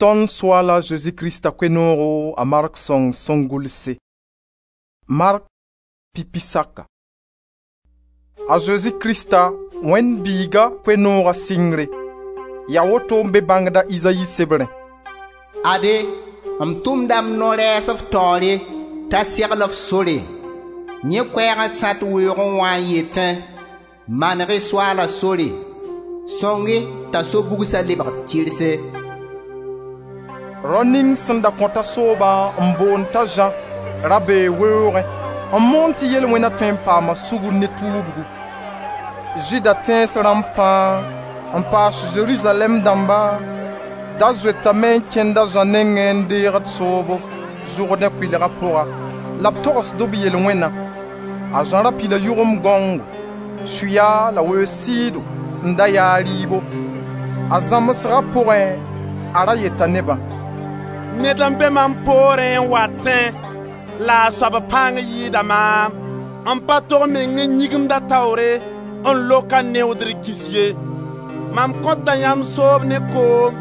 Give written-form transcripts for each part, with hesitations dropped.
Tõnd Soaala Zeezi Krista Koe-noogo a Mark sõng sẽn gʋlse. Mark pipi saka. A Zeezi Krista, Wẽnd Biiga Koe-nooga sɩngre, yaa woto n be bãngda Izayi sebrẽ: Ade, m tʋmda m no-rɛɛs f taoore t'a segl f sore. Yẽ koɛɛg n sãt weoogẽ wã n yetẽ: ‹Maneg-y Soaala sore, sõng-y t'a so-bugsa lebg tɩrse.›» Rao ning sẽn da kõta soobã n boond t'a Zã ra bee weoogẽ n moon tɩ yel-wẽna tõe n paama sugr ne tuubgu. Zɩɩda tẽns rãmb fãa n paas Zerizalɛɛm dãmba da zoetame n kẽnd a Zã nengẽ n deegd soobo Zʋrdẽ kʋɩlga pʋga la b togsd b yel-wẽna. A Zã ra pila yʋgemd gãongo, sʋya la weoog sɩɩdo n da yaa rɩɩbo. A zãmsga pʋgẽ a ra yeta nebã: «Ned n be mam poorẽ n watẽ la a soab pãng yɩɩda maam. M pa tog meng n yĩgimd a taoore n lok a neoodr kis ye. Mam kõta yãmb soob ne koom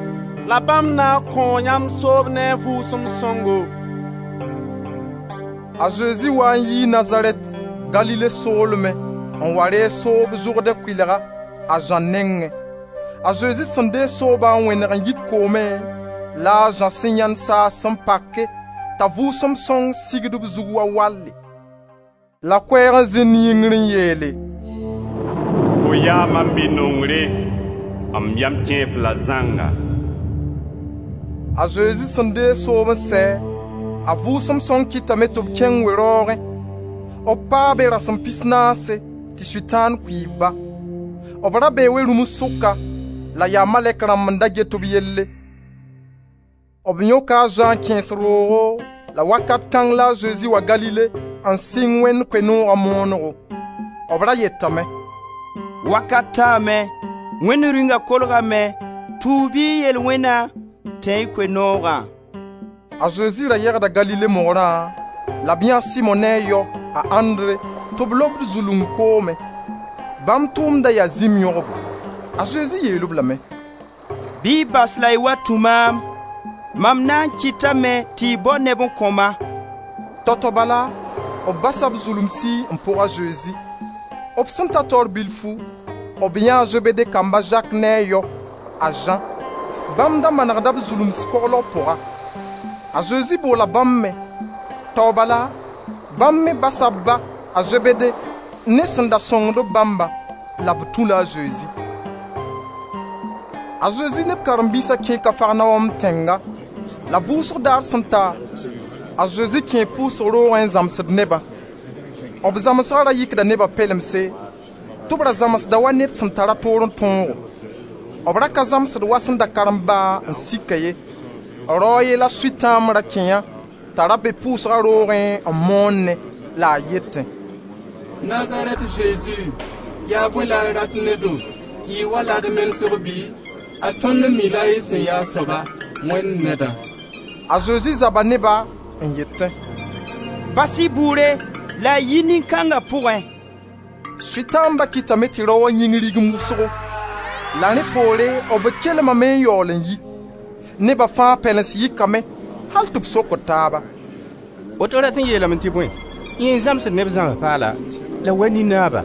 la bãmb na n kõo yãmb soob ne a Vʋʋsem Sõngo.» A Zezi waa n yii Nazarɛt, Galile soolmẽ n wa reeg soob Zʋrdẽ kʋɩlga a Zã nengẽ. A Zezi sẽn deeg soobã n wẽneg n yit koomẽ, la a Zã sẽn yãend saas sẽn pake t'a Vʋʋsem Sõng sigd b zug wa walle. La koɛɛg n zĩnd yĩngr n yeele: «Fo yaa mam bi-nongre, m yam kẽe-f la zãnga.» A Zezi sẽn deeg soob n sɛ, a Vʋʋsem Sõng kɩtame tɩ b kẽng we-raoogẽ. B paa be rasem 40 tɩ Sʋtãan kʋɩɩb-ba. B ra bee we-rũms sʋka la yaa malɛk rãmb n da get b yelle. B yõka a Zã n kẽes roogo la wakat kãng la a Zezi wa Galile n sɩng Wẽnd Koe-nooga moonego. B ra yetame: «Wakat taame, Wẽnd Rĩunga kolgame, tuub-y y yel-wẽna, tẽ-y Koe-noogã.» A Zezi ra yegda Galile mogrã la b yãee a Simo ne a yao, a Andre, tɩ b lobd zulung koomẽ. Bãmb tʋʋmda yaa zĩm yõgbo. A Zezi yeel-b lame: «Bɩ y bas la y wa tũ maam, mam na n kɩtame tɩ y bao neb n kõ-ma.» Tao-tao bala, b basa b zulumsi n pʋg a Zezi. B sẽn ta taoor bilfu, b yãee a Zebede kamba a Zak ne a yao, a Zã. Bãmb da manegda b zulums koglg pʋga. A Zezi boola bãmb me. Tao bala, bãmb me basa b ba, a Zebede, ne sẽn da sõngd b bãmbã, la b tũ-la a Zezi. A Zezi ne b karen-biisa kẽe Kafarnaom tẽnga la vʋʋsg daar sẽn ta, a Zezi kẽe pʋʋsg roogẽ n zãmsd nebã. B zãmsga ra yikda neba pelemse tɩ b ra zãmsda wa ned sẽn tara toor n tõogo. B ra ka zãmsd wa sẽn da karem ba n sika ye. Rao a ye la Sʋtãamb ra kẽ-a t'a ra be pʋʋsga roogẽ n moonẽ la a yetẽ: «Nazarɛt Zezi, yaa bõe la y rat ne-do? Y wa la d menesg bɩ? A tõnd mi la y sẽn yaa soaba, Wẽnd Nedã.» A Zezi zaba ne-ba n yetẽ: «Bas-y bʋʋre la y yi nin-kãnga pʋgẽ.» Sʋtãamba kɩtame tɩ rao wã yĩng rigim wʋsgo. La rẽ poore b kelmame n yaool n yi. Neba fãa pɛlens yikame hal tɩ b sokd taaba: «Woto rat n yeelame tɩ bõe, yẽ n zãmsd neb zãms paala la wa nin-naaba?»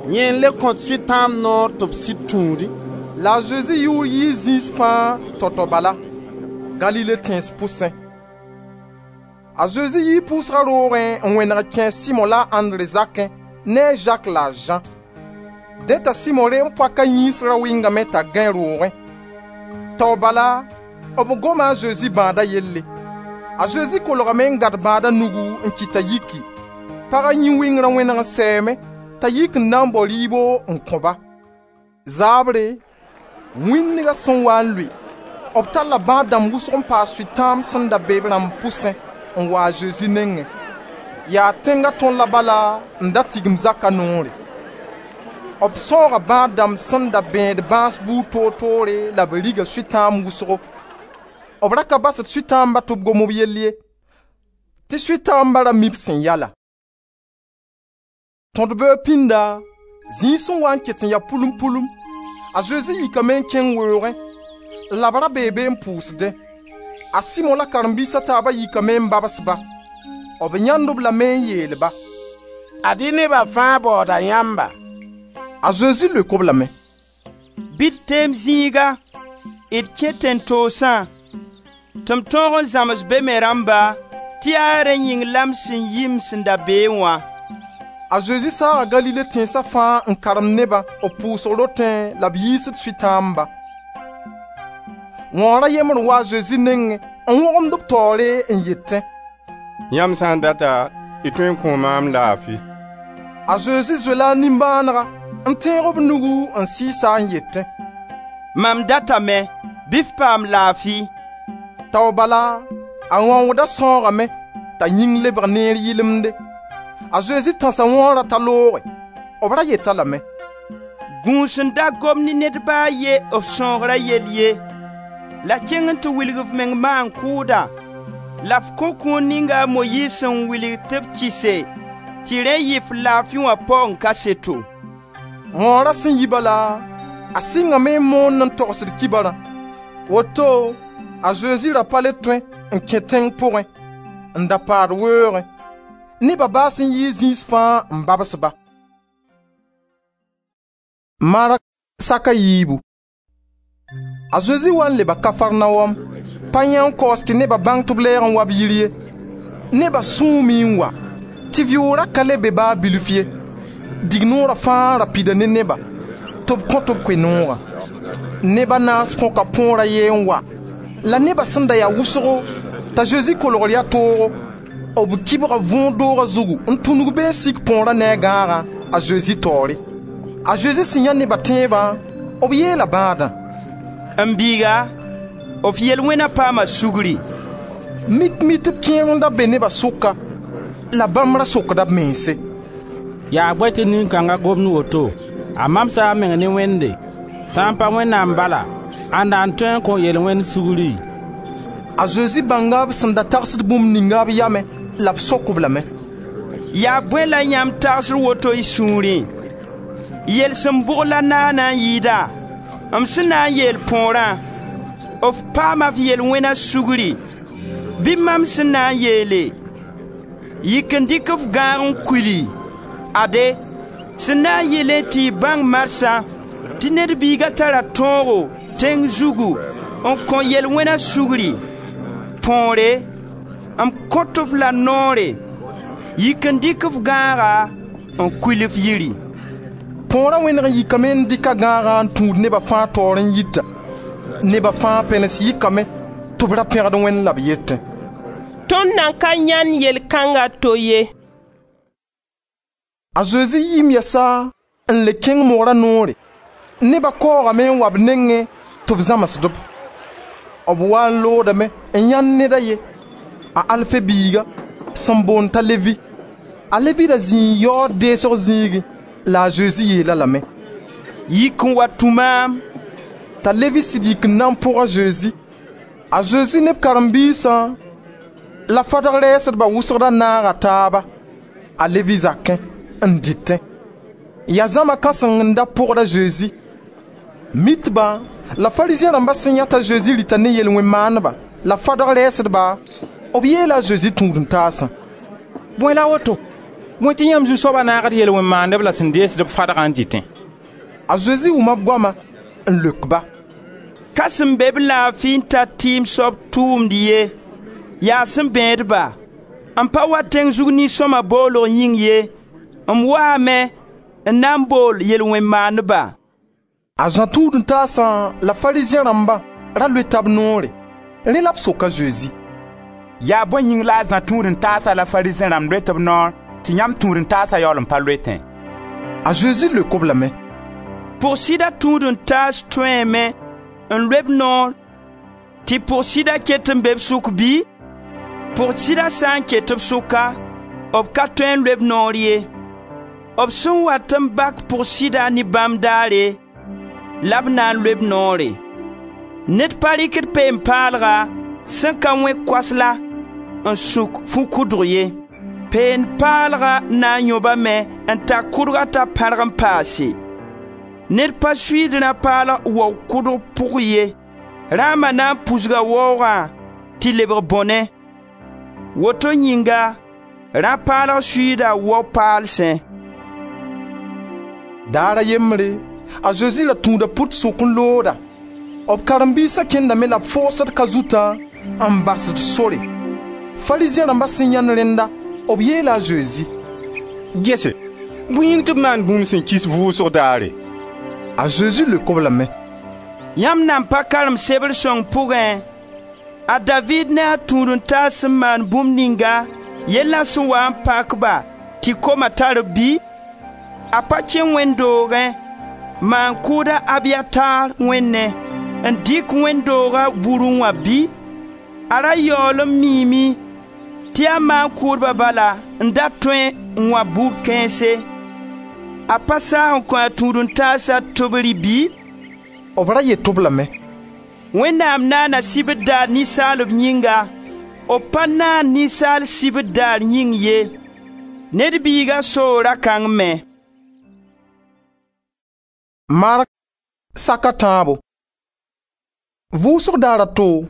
Yẽ n le kõt Sʋtãamb noor tɩ b sɩd tũudẽ. La a Zezi yʋʋr yii zĩis fãa tao-tao bala, Galile tẽns pʋsẽ. A Zezi yii pʋʋsga roogẽ n wẽneg kẽ a Simo la a Andre zakẽ ne a Zak la a Zã. Dẽ t'a Simo reem-poaka yĩns ra wɩngame t'a gãe roogẽ. Tao bala b goma a Zezi bãada yelle. A Zezi kolgame n gãd bãada nugu n kɩt t'a yiki. Paga yĩn-wɩngra wẽneg n sɛɛme t'a yik n na n bao rɩɩbo n kõ-ba. Zaabre, wĩndga sẽn waa n lʋɩ, b talla bãad dãmb wʋsg n paas sʋtãamb sẽn da be b rãmb pʋsẽ n wa a Zezi nengẽ. Yaa tẽnga tõlla bala n da tigim zaka noore. B sãooga bãad dãmb sẽn da bẽed bãas buud toor-toore la b riga sʋtãamb wʋsgo. B ra ka basd sʋtãamba tɩ b gom b yell ye, tɩ sʋtãamba ra mi b sẽn yala. Tõd-beoog pĩnda, zĩig sẽn wa n ket n ya pʋlum-pʋlum, a Zezi yikame n kẽng weoogẽ. La b ra bee be n pʋʋsdẽ. A Simo la karen-biis a taaba yikame n babs-ba. B yãend-b lame n yeel-ba: «Ad-y neba fãa baooda yãmba.» A Zezi leok-b lame: «Bɩ d teem zĩiga, d kẽ tẽn-toosã tɩ m tõog n zãms be me rãmba tɩ yaa rẽ yĩng la m sẽn yi m sẽn da beẽ wã.» A Zezi saaga Galile tẽnsa fãa n karemd nebã b pʋʋsg rotẽ la b yiisd Sʋtãamba. Wãoor a yembr n wa a Zezi nengẽ n wõgemd b taoore n yetẽ: «Yãmb sã n data, y tõe n kõo maam laafi.» A Zezi zoe-la a nimbãanega n tẽeg b nugu n sɩɩs-a n yetẽ: «Mam datame, bɩ f paam laafi!» Tao bala a wãooda sãoogame t'a yĩng lebg neer yɩlemde. A Zezi tãsa wãoora t'a looge. B ra yet-a lame: «Gũus n da gom ne ned ba a ye f sãoogra yell ye, la kẽng n tɩ wilg f meng maan-kʋʋda la f kõ kũun ninga a Moyiiz sẽn wilg tɩ b kɩse tɩ rẽ yɩ f laafi wã paoong kaseto.» Wãoora sẽn yi bala, a sɩngame n moond n togsd kibarã. Woto a Zezi ra pa le tõe n kẽ tẽng pʋgẽ, n da paad weoogẽ. Neba baas n yɩɩ zĩis fãa n babs-ba. Mark sak a yiibu. A Zezi wa n leba Kafarnaom. Pa yã n kaoos tɩ neba bãng tɩ b lɛɛg n wa b yir ye. Neba sũume n wa, tɩ vɩʋʋra ka le be baa bilf ye. Dignoora fãa ra pida ne neba, tɩ b kõt b koe-noogã. Neb a naas põka põor a ye n wa, la neba sẽn da ya wʋsgo t'a Zezi kolgr yaa toogo, b kibga võor dooga zugu n tũnug be n sik põora ne a gãagã a Zezi taoore. A Zezi sẽn yã neba tẽebã, b yeela bãadã: «M biiga, f yel-wẽna paama sugri.» Mik-mitb kẽer n da be neba sʋka, la bãmb ra sokda b mense: «Yaa bõe tɩ nin-kãnga gomd woto? A mamsa a meng ne Wẽnde. Sã n pa Wẽnnaam bala, ãnda n tõe n kõ yel-wẽnd sugri?» A Zezi bãnga b sẽn da tagsd bũmb ninga b yamẽ la b sok-b lame: «Yaa bõe la yãmb tagsd woto y sũurẽ? Yelsem bʋg la naana n yɩɩda: m sẽn na n yeel põorã: f paama f yel-wẽna sugri, bɩ mam sẽn na n yeele: yik n dɩk f gãag n kuili? Ade, sẽn na n yɩlẽ tɩ y bãng marsã tɩ Ned Biiga tara tõogo tẽng zugu n kõ yel-wẽna sugri, põore, m kõt-f la noore: yik n dɩk f gãaga n kuil f yiri.» Põora wẽneg n yikame n dɩk a gãagã n tũud neba fãa taoor n yita. Neba fãa pɛlens yikame tɩ b ra pẽgd Wẽnd la b yetẽ: «Tõnd nan ka yãend yel kãnga to ye.» A Zezi yiim yɛsa n le kẽng mogra noore. Neba kaoogame n wa b nengẽ tɩ b zãmsd-b. B waa n loodame n yãend ned a ye, a Alfe biiga, sẽn boond t'a Levi. A Levi ra zĩi yaood deesg zĩigẽ la a Zezi yeel-a lame: «Yik n wa tũ maam.» T'a Levi sɩd yik n na n pʋg a Zezi. A Zezi ne b karen-biisã la fadg rɛɛsdba wʋsg ra naaga taaba a Levi zakẽ n dɩtẽ. Yaa zãma kãseng n da pʋgd a Zezi. Mitba la Farizẽ rãmba sẽn yã t'a Zezi rɩta ne yel-wẽn-maandba la fadg rɛɛsdba, b yeela a Zezi tũud-n-taasã: «Bõe la woto? Bõe tɩ yãmb zu-soaba naagd yel-wẽn-maandb la sẽn deesd-b fadgã n dɩtẽ?» A Zezi wʋma b goama n leok-ba: «Ka sẽn be-b laafi n tar tɩɩm soab tʋʋmd ye, yaa sẽn bẽed-ba. M pa wa tẽng zug nin-sõma boolg yĩng ye, m waame n na n bool yel-wẽn-maandba.» A Zã tũud-n-taasã la Farizẽ rãmba ra loeta b noore. Rẽ la b sok a Zezi: «Yaa bõe yĩng la a Zã tũud-n-taasa la Farizẽ rãmb loet b noor tɩ yãmb tũud-n-taasa yaool n pa loetẽ?» A Zezi leok-b lame: «Pʋg-sɩda tũud-n-taas tõeeme n loe b noor tɩ pʋg-sɩda ket n be b sʋk bɩ? Pʋg-sɩda sã n ket b sʋka, b ka tõe n loe b noor ye. B sẽn wat n bak pʋg-sɩda ne bãmb daare la b na n loe b noore. Ned pa rɩkd peen-paalga sẽn ka wẽ koasla n sũk fu-kʋdg ye. Peen-paalga na n yõbame n ta kʋdga t'a pãrg n paase. Ned pa suiid rã-paalg wao kʋdg pʋg ye. Rãama na n pusga waoogã tɩ lebg bõne. Woto yĩnga rã-paalg suiida wao-paalsẽ.» Daar a yembre, a Zezi ra tũuda put sʋk n looda. B karen-biisa kẽndame la b foosd ka-zutã n basd sore. Farizẽ rãmba sẽn yãend rẽnda, b yeela a Zezi: «Gese, bõe yĩng tɩ b maand bũmb sẽn kis vʋʋsg daare?» A Zezi leok-b lame: «Yãmb nan pa karem sebr sõng pʋgẽ, a Daviid ne a tũud-n-taas sẽn maan bũmb ninga yella sẽn waa n pak-ba tɩ koma tar-b bɩ? A pa kẽ wẽnd doogẽ maan-kʋʋd a Abiyatar wẽnnẽ n dɩk wẽnd dooga burẽ wã bɩ? A ra yaool n miime tɩ yaa maan-kʋʋdba bala n da tõe n wã bur kãense. A pa saag n kõ a tũud-n-taasã tɩ b rɩ bɩ?» B ra yet-b lame: «Wẽnnaam naana sibr daar ninsaalb yĩnga, b pa naan ninsaal sibr daar yĩng ye. Ned Biiga soo ra-kãng me.» Mark sak a tãabo. Vʋʋsg daar a to,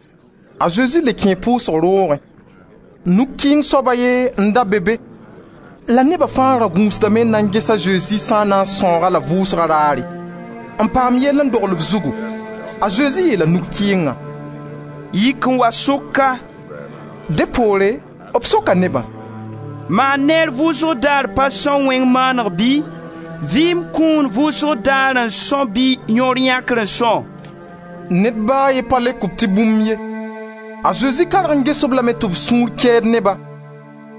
a Zezi le kẽe pʋʋsg roogẽ. Nuk-kɩɩng soab a ye n da be be la neba fãa ra gũusdame n na n ges a Zezi sã n na n sãoog-a la vʋʋsga raare, n paam yell n dogl b zugu. A Zezi yeela nug-kɩɩngã: «Yik n wa sʋka.» Dẽ poore b soka nebã: «Maan neer vʋʋsg daar pa sõng wẽng maaneg bɩ? Vɩɩm kũun vʋʋsg daar n são bɩ yõor yãkr n são?» Ned ba a ye pa leok-b tɩ bũmb ye. A Zezi karg n ges-b lame tɩ b sũur kɛɛd ne-ba,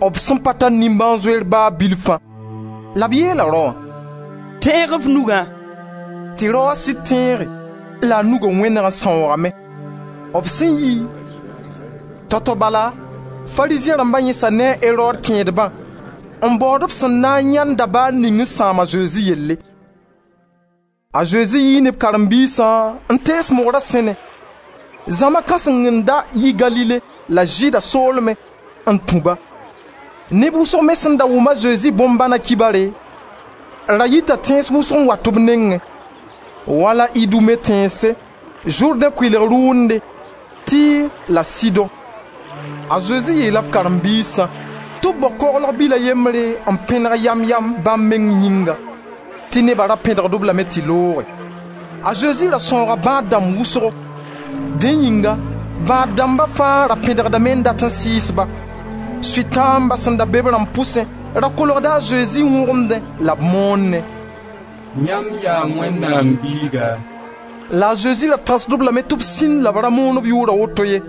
b sẽn pa tar nimbãan-zoeer ba bilfã. La b yeela raoã: «Tẽeg f nugã.» Tɩ raoã sɩd tẽege la a nuga wẽneg n sãoogame. B sẽn yi, tao-tao bala, Farizẽ rãmba yẽsa ne a Erod kẽedbã n baood b sẽn na n yãend dabaar ning n sãam a Zezi yelle. A Zezi yii ne b karen-biisã n tees mogra sẽne. Zãma kãseng n da yi Galile la Zɩɩda soolmẽ n tũ-ba. Neb wʋsg me sẽn da wʋm a Zezi bõn-bãna kibare, ra yita tẽns wʋsg n wat b nengẽ, wala Idume tẽnse, Zʋrdẽ kʋɩlg rʋʋnde, Tɩr la Sidõ. A Zezi yeela b karen-biisã tɩ b bao koglg bil a yembre n pẽneg yam-yam bãmb meng yĩnga, tɩ neba ra pẽdgd-b lame tɩ looge. A Zezi ra sãooga bãad dãmb wʋsgo. Dẽ yĩnga bãad dãmba fãa ra pẽdgdame n dat n sɩɩs-ba. Sʋtãamba sẽn da be b rãmb pʋsẽ ra kolgda a Zezi wõgemdẽ la b moonnẽ: «Yãmb yaa Wẽnnaam biiga.» La a Zezi ra tãsd-b lame tɩ b sĩnd la b ra moon b yʋʋra woto ye.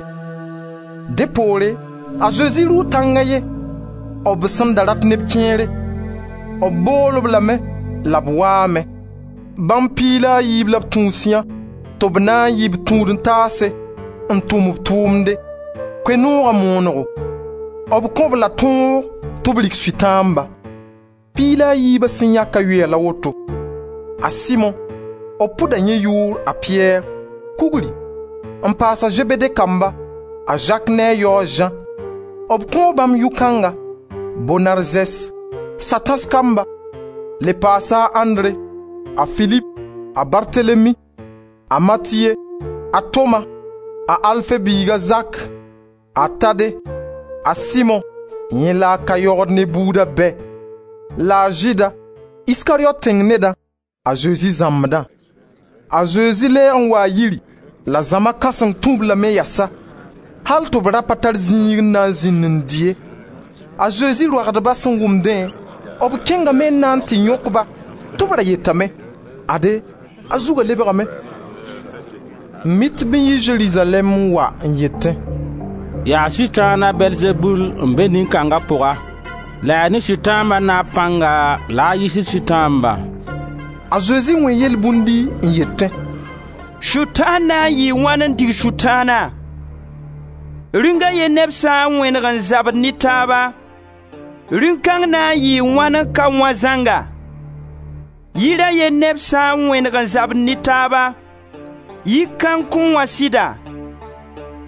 Dẽ poore a Zezi rʋʋ tãng a ye, b sẽn da rat neb kẽere. B bool-b lame la b waame. Bãmb 12 la b tũus yã tɩ b na n yɩ b tũud-n-taase n tʋm b tʋʋmde, Koe-nooga moonego. B kõ-b la tõog tɩ b rik sʋtãamba. 12 sẽn yãka yoɛɛ la woto: a Simo, b pʋda yẽ yʋʋr a Piyɛr, kugri, n paas a Zebede kamba, a Zak ne a yao a Zã. B kõo bãmb yʋ-kãnga, Bonarzɛs, Satãs kamba, le paasa a Andre, a Filip, a Bartelemi, a Matiye, a Toma, a Alfe biig a Zak, a Tade, a Simon, yẽ la a ka yogd ne buuda bɛ, la a Zɩɩda, Iskariot tẽng nedã, a Zezi zãmbdã. A Zezi lɛɛg n waa yiri la zãma kãseng tũ-b lame yasa, hal tɩ b ra pa tar zĩig n na n zĩnd n dɩ ye. A Zezi roagdba sẽn wʋmdẽ, b kẽngame n na n tɩ yõk-ba tɩ b ra yetame: «Ade, a zugã lebgame.» Mitb n yi Zerizalɛɛm n wa n yetẽ: «Yaa Sʋtãan a Bɛlzebul n be nin-kãnga pʋga, la yaa ne sʋtãamba naab pãnga la a yiisd sʋtãambã.» A Zezi wẽ yelbũndi n yetẽ: «Sʋtãan na n yɩɩ wãn n dig Sʋtãana? Rĩunga ye neb sã n wẽneg n zabd ne taaba, rĩung-kãng na n yɩɩ wãn n ka wã zãnga? Yir a ye neb sã n wẽneg n zabd ne taaba, yik-kãng kõn wã sɩda?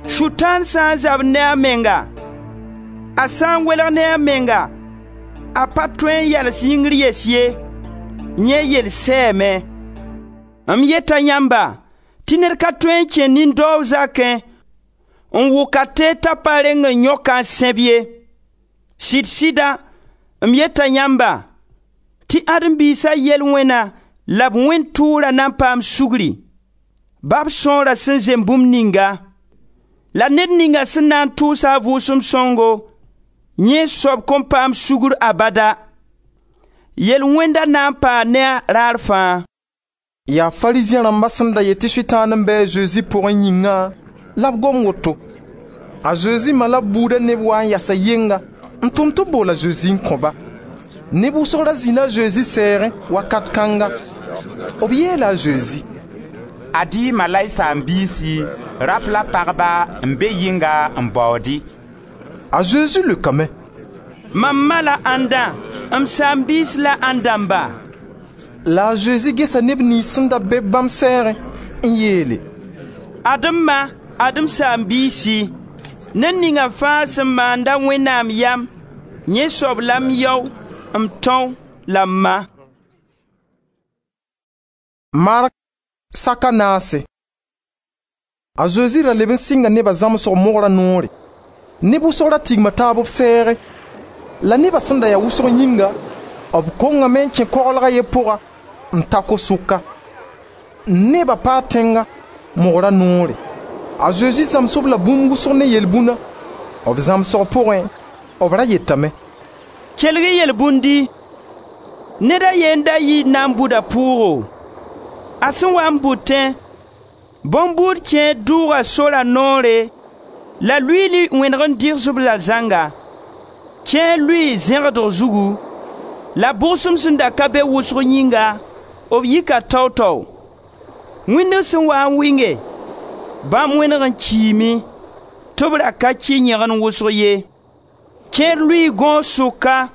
Sʋtãan sã n zabd ne a menga, a sã n welg ne a menga, a pa tõe n yals yĩngr yes ye, yẽ yel sɛɛme. M yeta yãmba tɩ Tɩ ned ka tõe n kẽ nin-daoog zakẽ n wʋk a teed t'a pa reng n yõk-a n sẽb ye. Sɩd-sɩda, m yeta yãmba tɩ Ãdem-biisa yel-wẽna la b wẽnd tʋʋra na n paam sugri, ba b sõora sẽn zemb bũmb ninga. La ned ninga sẽn na n tʋʋs-a a Vʋʋsem Sõngo, yẽ soab kõn paam sugr abada, yel-wẽnda na n paa ne a raar fãa.» Yaa Farizẽ rãmba sẽn da yet tɩ Sʋtãan n be a Zezi pʋgẽ yĩngã la b gom woto. A Zezi ma la b buuda neb waa n yasa yɩnga n tʋm tɩ b bool a Zezi n kõ-ba. Neb wʋsg ra zĩla a Zezi sɛɛgẽ wakat kãnga. B yeela a Zezi: «Ad-y y ma la y saam-biisi, rap la pagba n be yɩnga n baood-y.» A Zezi leokame: «Mam ma la ãnda, m saam-biis la ãnd dãmba?» La a Zezi gesa neb niyns sẽn da be bãmb sɛɛgẽ n yeele: «Ad-m ma, ad-m saam-biisi. Ned ninga fãa sẽn maand-a Wẽnnaam yam, yẽ soab la m yao, m tão la m ma.» Mark sak a naase. A Zezi ra leb n sɩnga neba zãmsg mogra noore. Neb wʋsg ra tigma taab b sɛɛgẽ. La neba sẽn da ya wʋsg yĩnga, b kongame n kẽ koglga ye pʋga n ta ko-sʋka. Neba paa tẽnga, mogra noore. A Zezi zãms-b la bũmb wʋsg ne yelbũna. B zãmsg pʋgẽ, b ra yetame: «Kelg-y yelbũndi: Ned a ye n da yi n na n bʋd a pʋʋgo. A sẽn wa n bʋtẽ, bõn-buud kẽer dʋʋga sora noore la luiili wẽneg n dɩgs-b la zãnga. Kẽer lʋɩɩ zẽgdg zugu, la bʋgsem sẽn da ka be wʋsg yĩnga, b yika tao-tao. Wĩndg sẽn waa n wɩnge, bãmb wẽneg n kiime, tɩ b ra ka kɩ yẽgen wʋsg ye. Kẽer lʋɩɩ gõos sʋka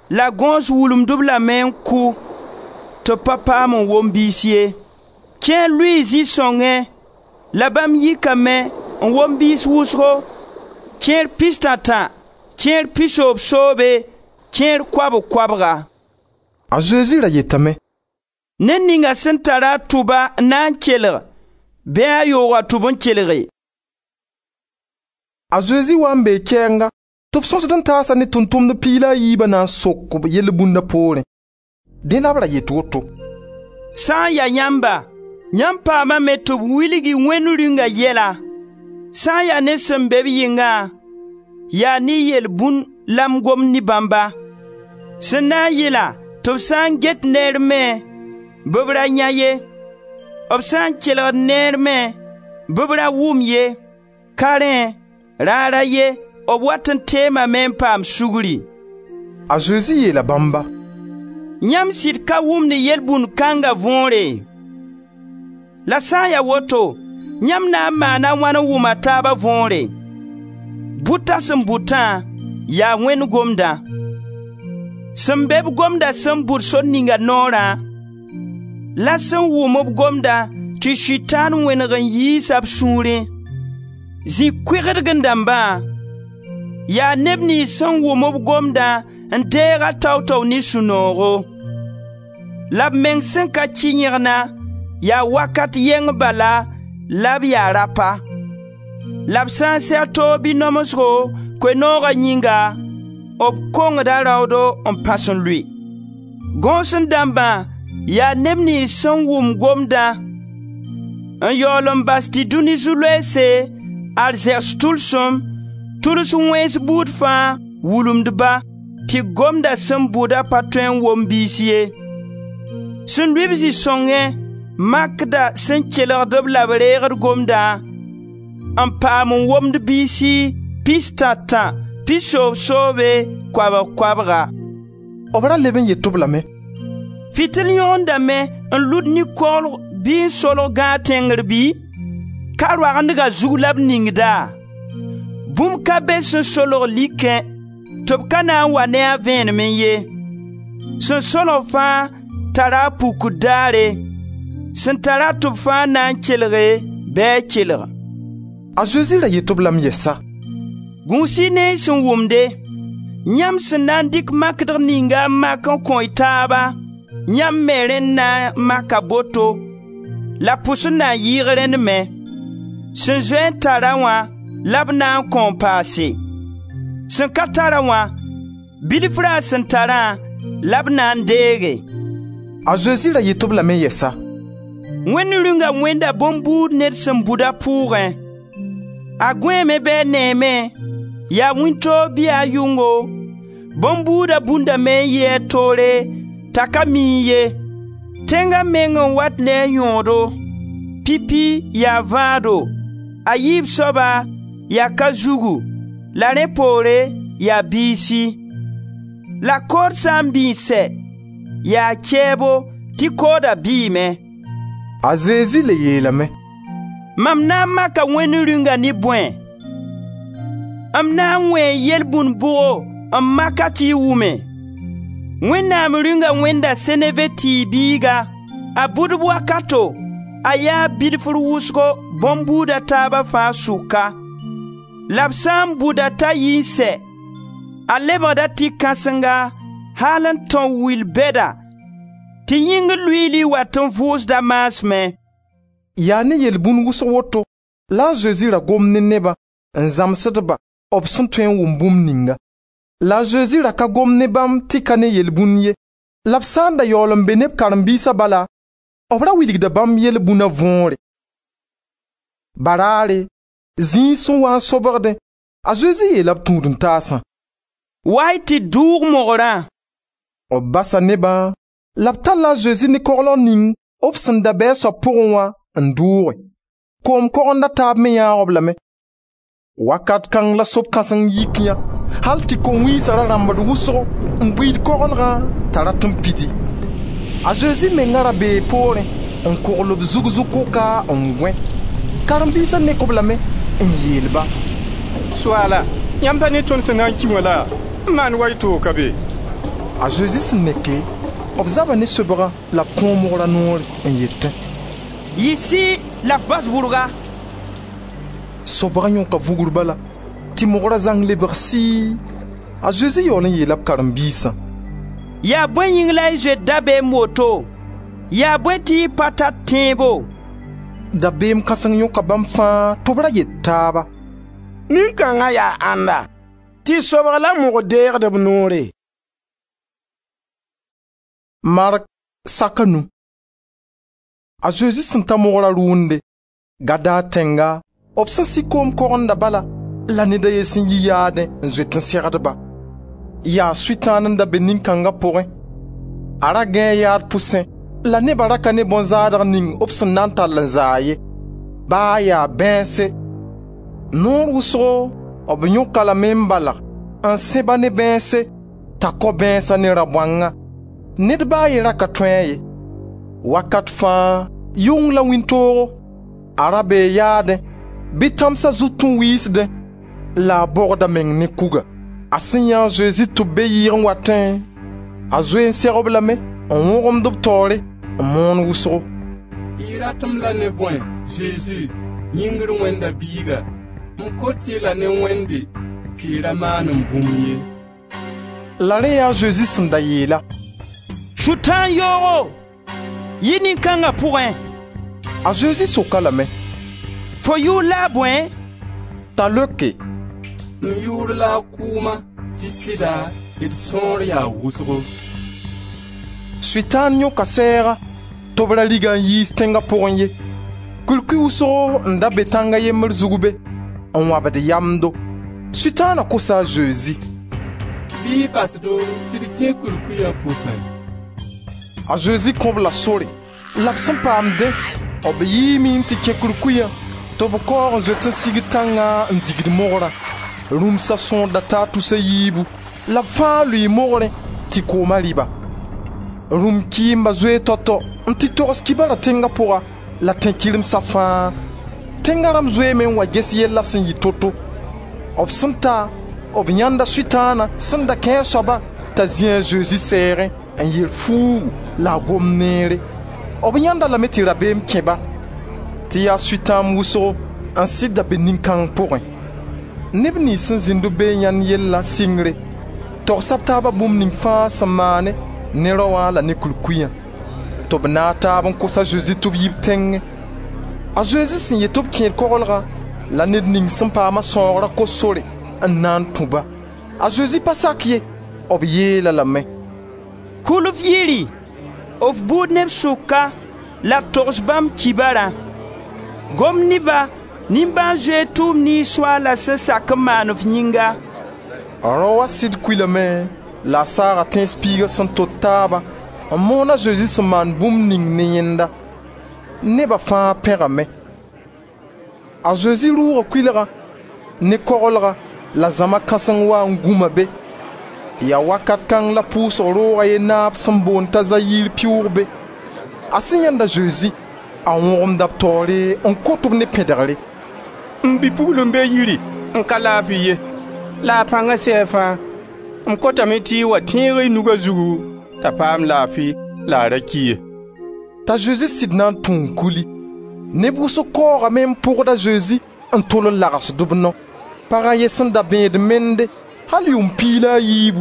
la gõos wulumd-b lame n kʋ tɩ b pa paam n wom biis ye. Kẽer lʋɩɩ zĩ-sõngẽ la bãmb yikame n wom biis wʋsgo, kẽer pistã-tã, kẽer pisoobsoobe, kẽer koabg-koabga.» A Zezi ra yetame: «Ned ninga sẽn tara a tʋba n na n kelg, bɩ a yoog a tʋb n kelge.» A Zezi wa n bee kɛɛnga tɩ b sõsd n taasa ne tʋʋm-tʋmdb 12 na n sok b yel-bũnda poorẽ. Dẽ la b ra yet woto: «Sã n ya yãmba, yãmb paamame tɩ b wilg-y Wẽnd Rĩunga yɛla. Sã n ya ne sẽn be b yɩngã, yaa ne yelbũnd la m gomd ne bãmba. Sẽn na n yɩla tɩ b sã n get neer me, bɩ b ra yã ye, b sã n kelgd neer me, bɩ b ra wʋm ye, ka rẽ, raar a ye, b wat n teemame n paam sugri.» A Zezi yeela bãmba: «Yãmb sɩd ka wʋmd yelbũnd kãnga võore? La sã n ya woto, yãmb na n maana wãn n wʋm a taaba võore? Bʋta sẽn bʋtã yaa Wẽnd gomdã. Sẽn be b gomda sẽn bʋd sor ninga noorã, la sẽn wʋm b gomda tɩ Sʋtãan wẽneg n yiisa b sũurẽ. Zĩ-koegdg dãmbã yaa neb niyns sẽn wʋm b gomdã n deeg-a tao-tao ne sũ-noogo. La b meng sẽn ka kɩ yẽgna, yaa wakat yɛng bala la b yaa rapa. La b sã n seg toog bɩ namsgo Koe-nooga yĩnga, b kongda raoodo n pãs n lʋɩ. Gõosẽ dãmbã yaa neb niyns sẽn wʋm gomdã n yaool n bas tɩ dũni zu-loeese, arzɛgs tʋlsem, tʋls wẽns buud fãa wulumd-ba tɩ gomda sẽn bʋda pa tõe n wom biis ye. Sẽn lʋɩ-b zĩ-sõngẽ makda sẽn kelgd-b la b reegd gomdã n paam n womd biisi pistã-tã, pisoobsoobe, koabg-koabga.» B ra leb n yet-b lame: «Fɩtɩl yõgendame n lud ne koglg bɩ n solg gãag tẽngr bɩ? Ka roagendga zug la b ningda? Bũmb ka be sẽn solg likẽ tɩ b ka na n wa ne a vẽenemẽ ye. Sẽn solg fãa tara a pukd daare. Sẽn tara tʋb fãa na n kelge, bɩ a kelg.» A Zezi ra yet-b lame yɛsa: «Gũus-y ne y sẽn wʋmde. Yãmb sẽn na n dɩk makdg ninga n mak n kõ y taaba, yãmb me rẽnd na n maka boto, La pʋs n na n yɩɩg rẽnd me. Sẽn zoe n tar-a wã la b na n kõ n paase. Sẽn ka tar-a wã, bilf ra a sẽn tarã la b na n deege.» A Zezi ra yet-b lame yɛsa: «Wẽnd Rĩunga wẽnda bõn-buud ned sẽn bud a pʋʋgẽ. A gõeeme bɩ a neeme, yaa wĩntoog bɩ yaa yʋngo, bõn-buuda bundame n yi a toore t'a ka miẽ ye. Tẽnga meng n wat ne a yõodo, pipi yaa vãado, a yiib soaba yaa ka-zugu la rẽ poore yaa biisi. La kood sã n bĩig sɛ, yaa kɛɛbo tɩ kooda bɩɩme.» A Zezi le yeelame: «Mam na n maka Wẽnd Rĩunga ne bõe? M na n wẽe yelbũnd bʋgo n mak-a tɩ y wʋme? Wẽnnaam Rĩunga wẽnda seneve tɩɩg biiga, a bʋdb wakato, a yaa bilfr wʋsgo bõn-buud a taaba fãa sʋka. La b sã n bʋd-a t'a yi n sɛ, a lebgda tɩ-kãsenga al n tão will bɛda tɩ yĩngr luiili wat n vʋʋsd a maasmẽ.» Yaa ne yelbũnd wʋsg woto la a Zezi ra gomd ne nebã n zãmsd-ba b sẽn tõe n wʋm bũmb ninga. La a Zezi ra ka gom ne bãmb tɩ ka ne yelbũnd ye. La b sã n da yaool n be ne b karen-biisa bala, b ra wilgda bãmb yelbũna võore. Baraare, zĩig sẽn waa n sobgdẽ, a Zezi yeela b tũud-n-taasã: «Wa-y tɩ dʋʋg mogrã.» B basa nebã la b talla a Zezi ne koglg ning b sẽn da be a soab pʋgẽ wã n dʋʋge. Koom kogend a taab me yãag-b lame. Wakat kãng la sob-kãseng yik yã, hal tɩ ko-wĩnsã ra rãmbd wʋsgo n buiid koglgã t'a rat n pidi. A Zezi menga ra bee poorẽ n kogl b zug zu-koka n gõe. Karen-biisa nek-b lame n yeel-ba: «Soaala, yãmb pa ne tõnd sẽn na n ki wã laa? N maan wa y toog ka be?» A Zezi sẽn neke, b zaba ne sobgã la b kõ mogra noore n yetẽ: «Yiisi la f bas bʋrga.» Sobgã yõka vugr bala tɩ mogra zãng lebg sɩɩ. A Zezi yaool n yeela b karen-biisã: «Yaa bõe yĩng la y zoet dabeem woto? Yaa bõe tɩ y pa tar tẽebo?» Dabeem kãseng yõka bãmb fãa tɩ b ra yet taaba: «Nin-kãnga yaa ãnda tɩ sobg la mog deegd b noore?» Mark sak a nu. A Zezi sẽn ta mogra rʋʋnde, Gadar tẽnga, b sẽn sɩ koom kogenda bala, la ned a ye sẽn yi yaadẽ n zoet n segd-ba. Yaa Sʋtãan n da be nin-kãnga pʋgẽ. A ra gãe yaad pʋsẽ la neba ra ka ne bõn-zaadg ning b sẽn na n tall n zaa ye, baa yaa bãense. Noor wʋsgo b yõk-a lame n balg n sẽb-a ne bãense t'a kao bãensa ne ra-bõanga. Ned ba a ye ra ka tõe a ye. Wakat fãa, yʋng la wĩntoogo, a ra bee yaadẽ, bɩ tãmsa zut n wiisdẽ la a bogda meng ne kuga. A sẽn yã a Zezi tɩ b be yɩɩg n watẽ, a zoe n seg-b lame n wõgemd b taoore n moon wʋsgo: «Y rat-m la ne bõe, Zezi, yĩngr Wẽnda Biiga? M kot-y la ne Wẽnde tɩ y ra maan-m bũmb ye.» La rẽ yaa a Zezi sẽn da yeela: «Sʋtãan yoogo, yi nin-kãnga pʋgẽ!» A Zezi sok-a lame: «Fo yʋʋr la a bõe?» T'a leoke: «M yʋʋr la a Kʋʋma, tɩ sɩda d sõor yaa wʋsgo.» Sʋtãan yõka sɛɛga tɩ b ra riga n yiis tẽnga pʋgẽ ye. Kulkuy wʋsgo n da be tãnga yembr zug be n wãbd yamdo. Sʋtãana kosa a Zezi: «Bɩ y bas-do tɩ d kẽ kurkuya pʋsẽ.» A Zezi kõ-b la sore. La b sẽn paam dẽ, b yiime n tɩ kẽ kurkuyã tɩ b kaoog n zoet n sig tãngã n digd mogrã. Rũmsa sõor da taa tus a yiibu la b fãa lʋɩ mogrẽ tɩ kooma rɩ-ba. Rũm-kɩɩmba zoe tao-tao n tɩ togs kibara tẽnga pʋga la tẽn-kɩremsa fãa. Tẽnga rãmb zoeeme n wa ges yella sẽn yɩ to-to. B sẽn ta, b yãnda Sʋtãana sẽn da kẽ a soaba t'a zĩ a Zezi sɛɛgẽ n yer fuugu la a gom neere. B yãnd-a lame tɩ rabeem kẽ-ba tɩ yaa sʋtãamb wʋsgo n sɩd da be nin-kãng pʋgẽ. Neb niyns sẽn zĩnd b be n yãnd yella sɩngre, togsa b taaba bũmb ning fãa sẽn maane ne rao wã la ne kurkuyã. Tɩ b naag taab n kos a Zezi tɩ b yi b tẽngẽ. A Zezi sẽn yet tɩ b kẽed koglgã la ned ning sẽn paama sãoogra kos sore n na n tũ-ba. A Zezi pa sak ye, b yeel-a lame: «Kul f yiri, f buud neb sʋka la togs bãmb kibarã. Gom ne-ba nimbãan-zoeer tʋʋm niyns Soaala sẽn sak n maan f yĩnga.» Rao wã sɩd kuilame la a saaga tẽns piiga sẽn tot taabã n moon a Zezi sẽn maan bũmb ning ne yẽnda. Neba fãa pẽgame. A Zezi rʋʋga kʋɩlgã ne koglgã la zãma kãseng waa n gũma be. Yaa wakat kãng la pʋʋsg roog a ye naab sẽn boond t'a Zayir pɩʋʋg be. A sẽn yãend a Zezi, a wõgemda b taoore n kot-b ne pẽdegre: «M bi-pugl n be yiri n ka laafi ye, la a pãnga sɛɛg fãa. M kotame tɩ y wa tẽeg y nug a zugu t'a paam laafi la a ra ki ye.» T'a Zezi sɩd na n tũ n kuli. Neb wʋsg kaoogame n pʋgd a Zezi n tol n lagsd b nao. Pag a ye sẽn da bẽed mende al yʋʋm 14,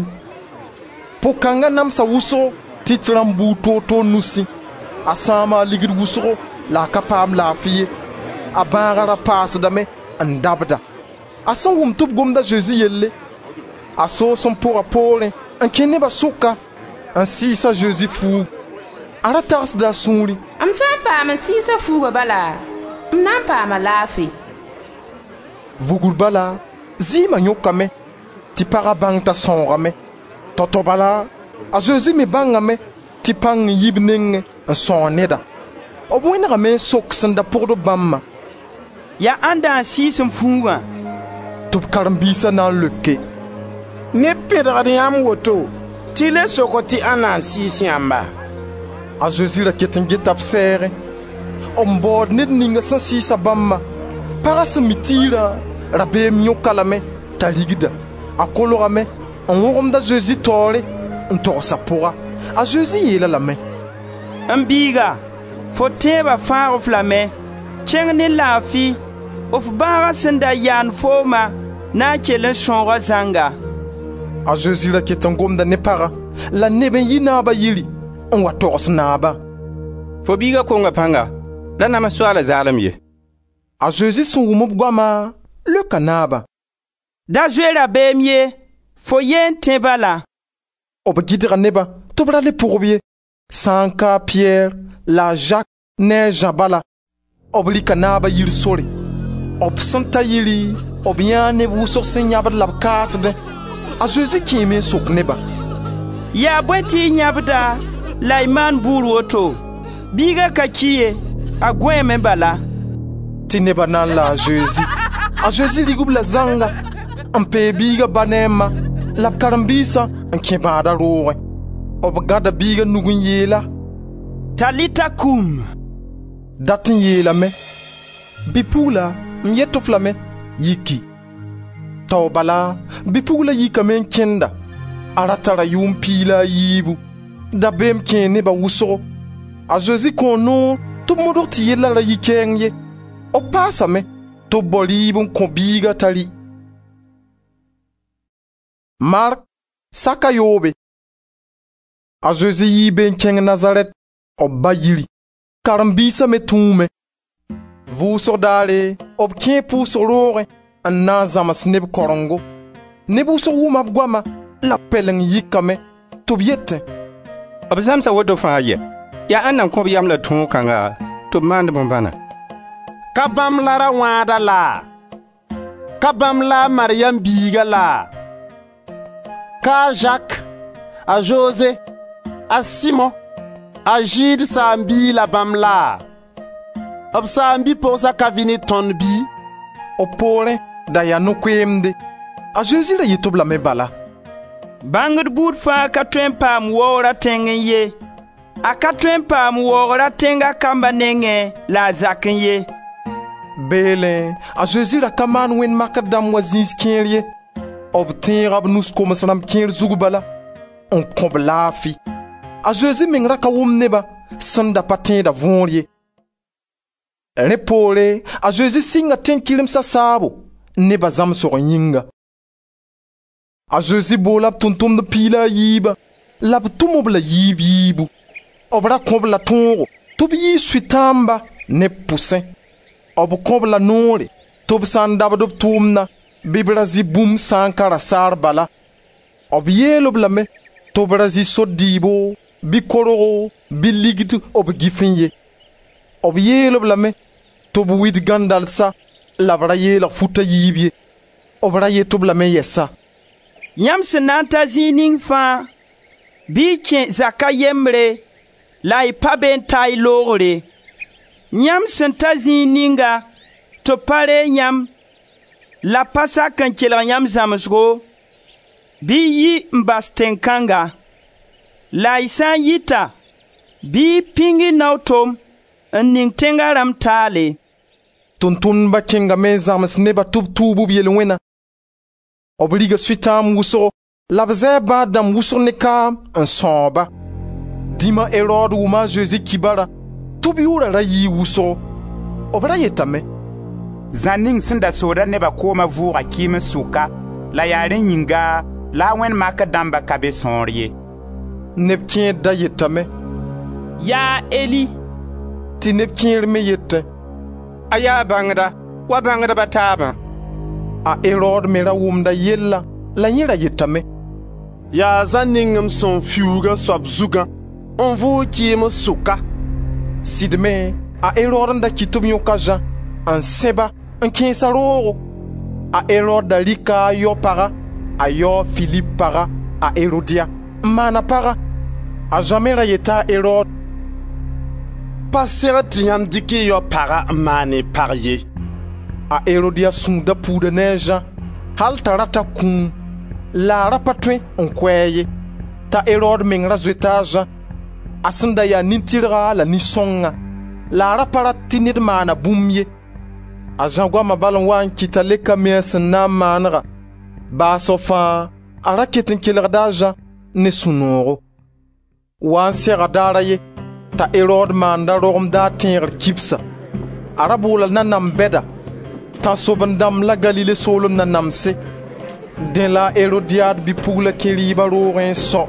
po-kãnga namsa wʋsgo tɩ rãmb buud toor-toor nusẽ. A sãama a ligd wʋsgo la a ka paam laafi ye. A bãaga ra paasdame n dabda. A sẽn wʋm tɩ b gomd a Zezi yelle, a soos n pʋga poorẽ n kẽ neba sʋka n sɩɩs a Zezi fuugu. A ra tagsda a sũurẽ: M sã n paam n sɩɩs a fuuga bala, m na n paama laafi. Vugr bala, zɩɩma yõkame tɩ paga bãng t'a sãoogame. Tao-tao bala, a Zezi me bãngame tɩ pãng n yi b nengẽ n sãoog neda. B wẽnegame n sok sẽn da pʋgd bãmbã: «Yaa ãnda n sɩɩs m fuugã?» Tɩ b karen-biisa na n leoke: «Neb pẽdgd yãmb woto tɩ y le sokd tɩ ãnna n sɩɩs yãmba?» A Zezi ra ket n geta b sɛɛgẽ, n baood ned ninga sẽn sɩɩsa bãmbã. Paga sẽn mi tiirã, rabeem yõk-a lame t'a rigda. A kolgame n wõgemd a Zezi taoore n togs a pʋga. A Zezi yeel-a lame: «M biiga, fo tẽeba fãag-f lame. Kẽng ne laafi, f bãaga sẽn da yaand fooma na n kell n sãooga zãnga.» A Zezi ra ket n gomda ne pagã la neb n yi naaba yiri n wa togs naabã: «Fo biiga konga pãnga, ra nams Soaala zaalem ye.» A Zezi sẽn wʋm b goama, leoka naabã: «Da zoe rabeem ye, fo yee n tẽ bala.» B gɩdga nebã tɩ b ra le pʋg-b ye, sã n ka a Piyɛr la a Zak ne a Zã bala. B rɩka naaba yir sore. B sẽn ta yiri, b yãa neb wʋsg sẽn yãbd la b kaasdẽ. A Zezi kẽeme n sok nebã: «Yaa bõe tɩ y yãbda la y maan bʋʋr woto? Biiga ka ki ye, a gõeeme bala.» Tɩ neba na n la a Zezi. A Zezi rig-b la zãnga n peeg biiga ba ne a ma la b karen-biisã n kẽ bãada roogẽ. B gãda biiga nug n yeel-a: «Talita kum!» Dat n yeelame: Bi-pugla, m yet-f lame, yiki. Tao bala, bi-pugla yikame n kẽnda. A ra tara yʋʋm 14. Dabeem kẽe neba wʋsgo. A Zezi kõo noor tɩ b modg tɩ yella ra yi kɛɛng ye. B paasame tɩ b bao rɩɩb n kõ biiga t'a rɩ. Mark saka yoobe. A Zezi yii be n kẽng Nazarɛt, b ba yiri. Karen-biisa me tũume. Vʋʋsg daare, b kẽe pʋʋsg roogẽ n na n zãms neb karengo. Neb wʋsg wʋma b goama la b pɛleng yikame tɩ b yetẽ: «B zãmsa woto fãa yɛ? Yaa ãnna n kõ-b yam la tõog kãnga tɩ b maand bõn-bãna? Ka bãmb la ra-wãada laa? Ka bãmb la a Maryam biiga laa? Ka a Zak, a Zoze, a Simo, a Zɩɩd saam-biig la bãmb laa? B saam-bi-pogsa ka vɩ ne tõnd bɩ?» B poorẽ da yaa no-koeemde. A Zezi ra yet-b lame bala: «Bãngd buud fãa ka tõe n paam waoora tẽngẽ ye. A ka tõe n paam waoora tẽnga kamba nengẽ la a zakẽ ye.» Beelẽ a Zezi ra ka maan wẽnd makr dãmb wa zĩis kẽer ye. B tẽega b nus koms rãmb kẽer zug bala n kõ-b laafi. A Zezi meng ra ka wʋm nebã sẽn da pa tẽeda võor ye. Rẽ poore a Zezi sɩnga tẽn-kɩremsa saabo neba zãmsg yĩnga. A Zezi boola b tʋʋm-tʋmdb 14 la b tʋm-b la yiib yiibu. B ra kõ-b la tõogo tɩ b yiis sʋtãamba neb pʋsẽ. B kõ-b la noore tɩ b sã n dabd b tʋʋmna bɩ b ra zɩ bũmb sã n ka rasaar bala. B yeel-b lame tɩ b ra zɩ sor dɩɩbo, bɩ korgo, bɩ ligd b gifẽ ye. B yeel-b lame tɩ b wid gãndalsa la b ra yeelg fut a yiib ye. B ra yet-b lame yɛsa: «Yãmb sẽn na n ta zĩig ning fãa, bɩ y kẽ zak a yembre la y pa be n ta y loogre. Yãmb sẽn ta zĩig ninga tɩ b pa reeg yãmb la b pa sak n kelg yãmb zãmsgo, bɩ y yi n bas tẽn-kãnga. La y sã n yita, bɩ y pĩng y nao-tom n ning tẽnga rãmb taale.» Tʋʋm-tʋmdba kẽngame n zãms nebã tɩ b tuub b yel-wẽna. B riga Sʋtãamb wʋsgo la b zɛɛ bãad dãmb wʋsg ne kaam n sãoog-ba. Dĩma Erod wʋma a Zezi kibara tɩ b yʋʋra ra yii wʋsgo. B ra yetame: «Zã ning sẽn da sooda neba kooma vʋʋga kɩɩms sʋka la yaa rẽ yĩnga la a wẽnd makr dãmba ka be sõor ye.» Neb kẽer da yetame: «Yaa Eli.» Tɩ neb kẽer me yetẽ: «A yaa bãngda, wa bãngdb a taabã.» A Erod me ra wʋmda yellã la yẽ ra yetame: «Yaa Zã ning m sẽn fiuug a soab zugã n vʋʋg kɩɩms sʋka.» Sɩd me, a Erod n da kɩt tɩ b yõk a Zã n sẽb-a n kẽes-a roogo. A Erod da rɩka a yao paga, a yao Filip paga, a Erodia, n maan a paga. A Zã me ra yeta a Erod: «Pa segd tɩ yãmb dɩk y yao paga n maan y pag ye.» A Erodia sũur da puuda ne a Zã al t'a rata kũum, la a ra pa tõe n kʋ-a ye, t'a Erod meng ra zoeta a Zã, a sẽn da ya nin-tɩrga la nin-sõngã, la a ra pa rat tɩ ned maana bũmb ye. A Zã goama bal n wa n kɩt t'a le ka mi a sẽn na n maanega. Baasg fãa a ra ket n kelgda a Zã ne sũ-noogo. Wa n sega daar a ye t'a Erod maanda rogem-daar tẽegr kibsa. A ra boola nanam bɛda, tãnsoben-dãmb la Galile soolem nanamse. Dẽ la a Erodiad bi-pugla kẽ rɩɩba roogẽ n sao,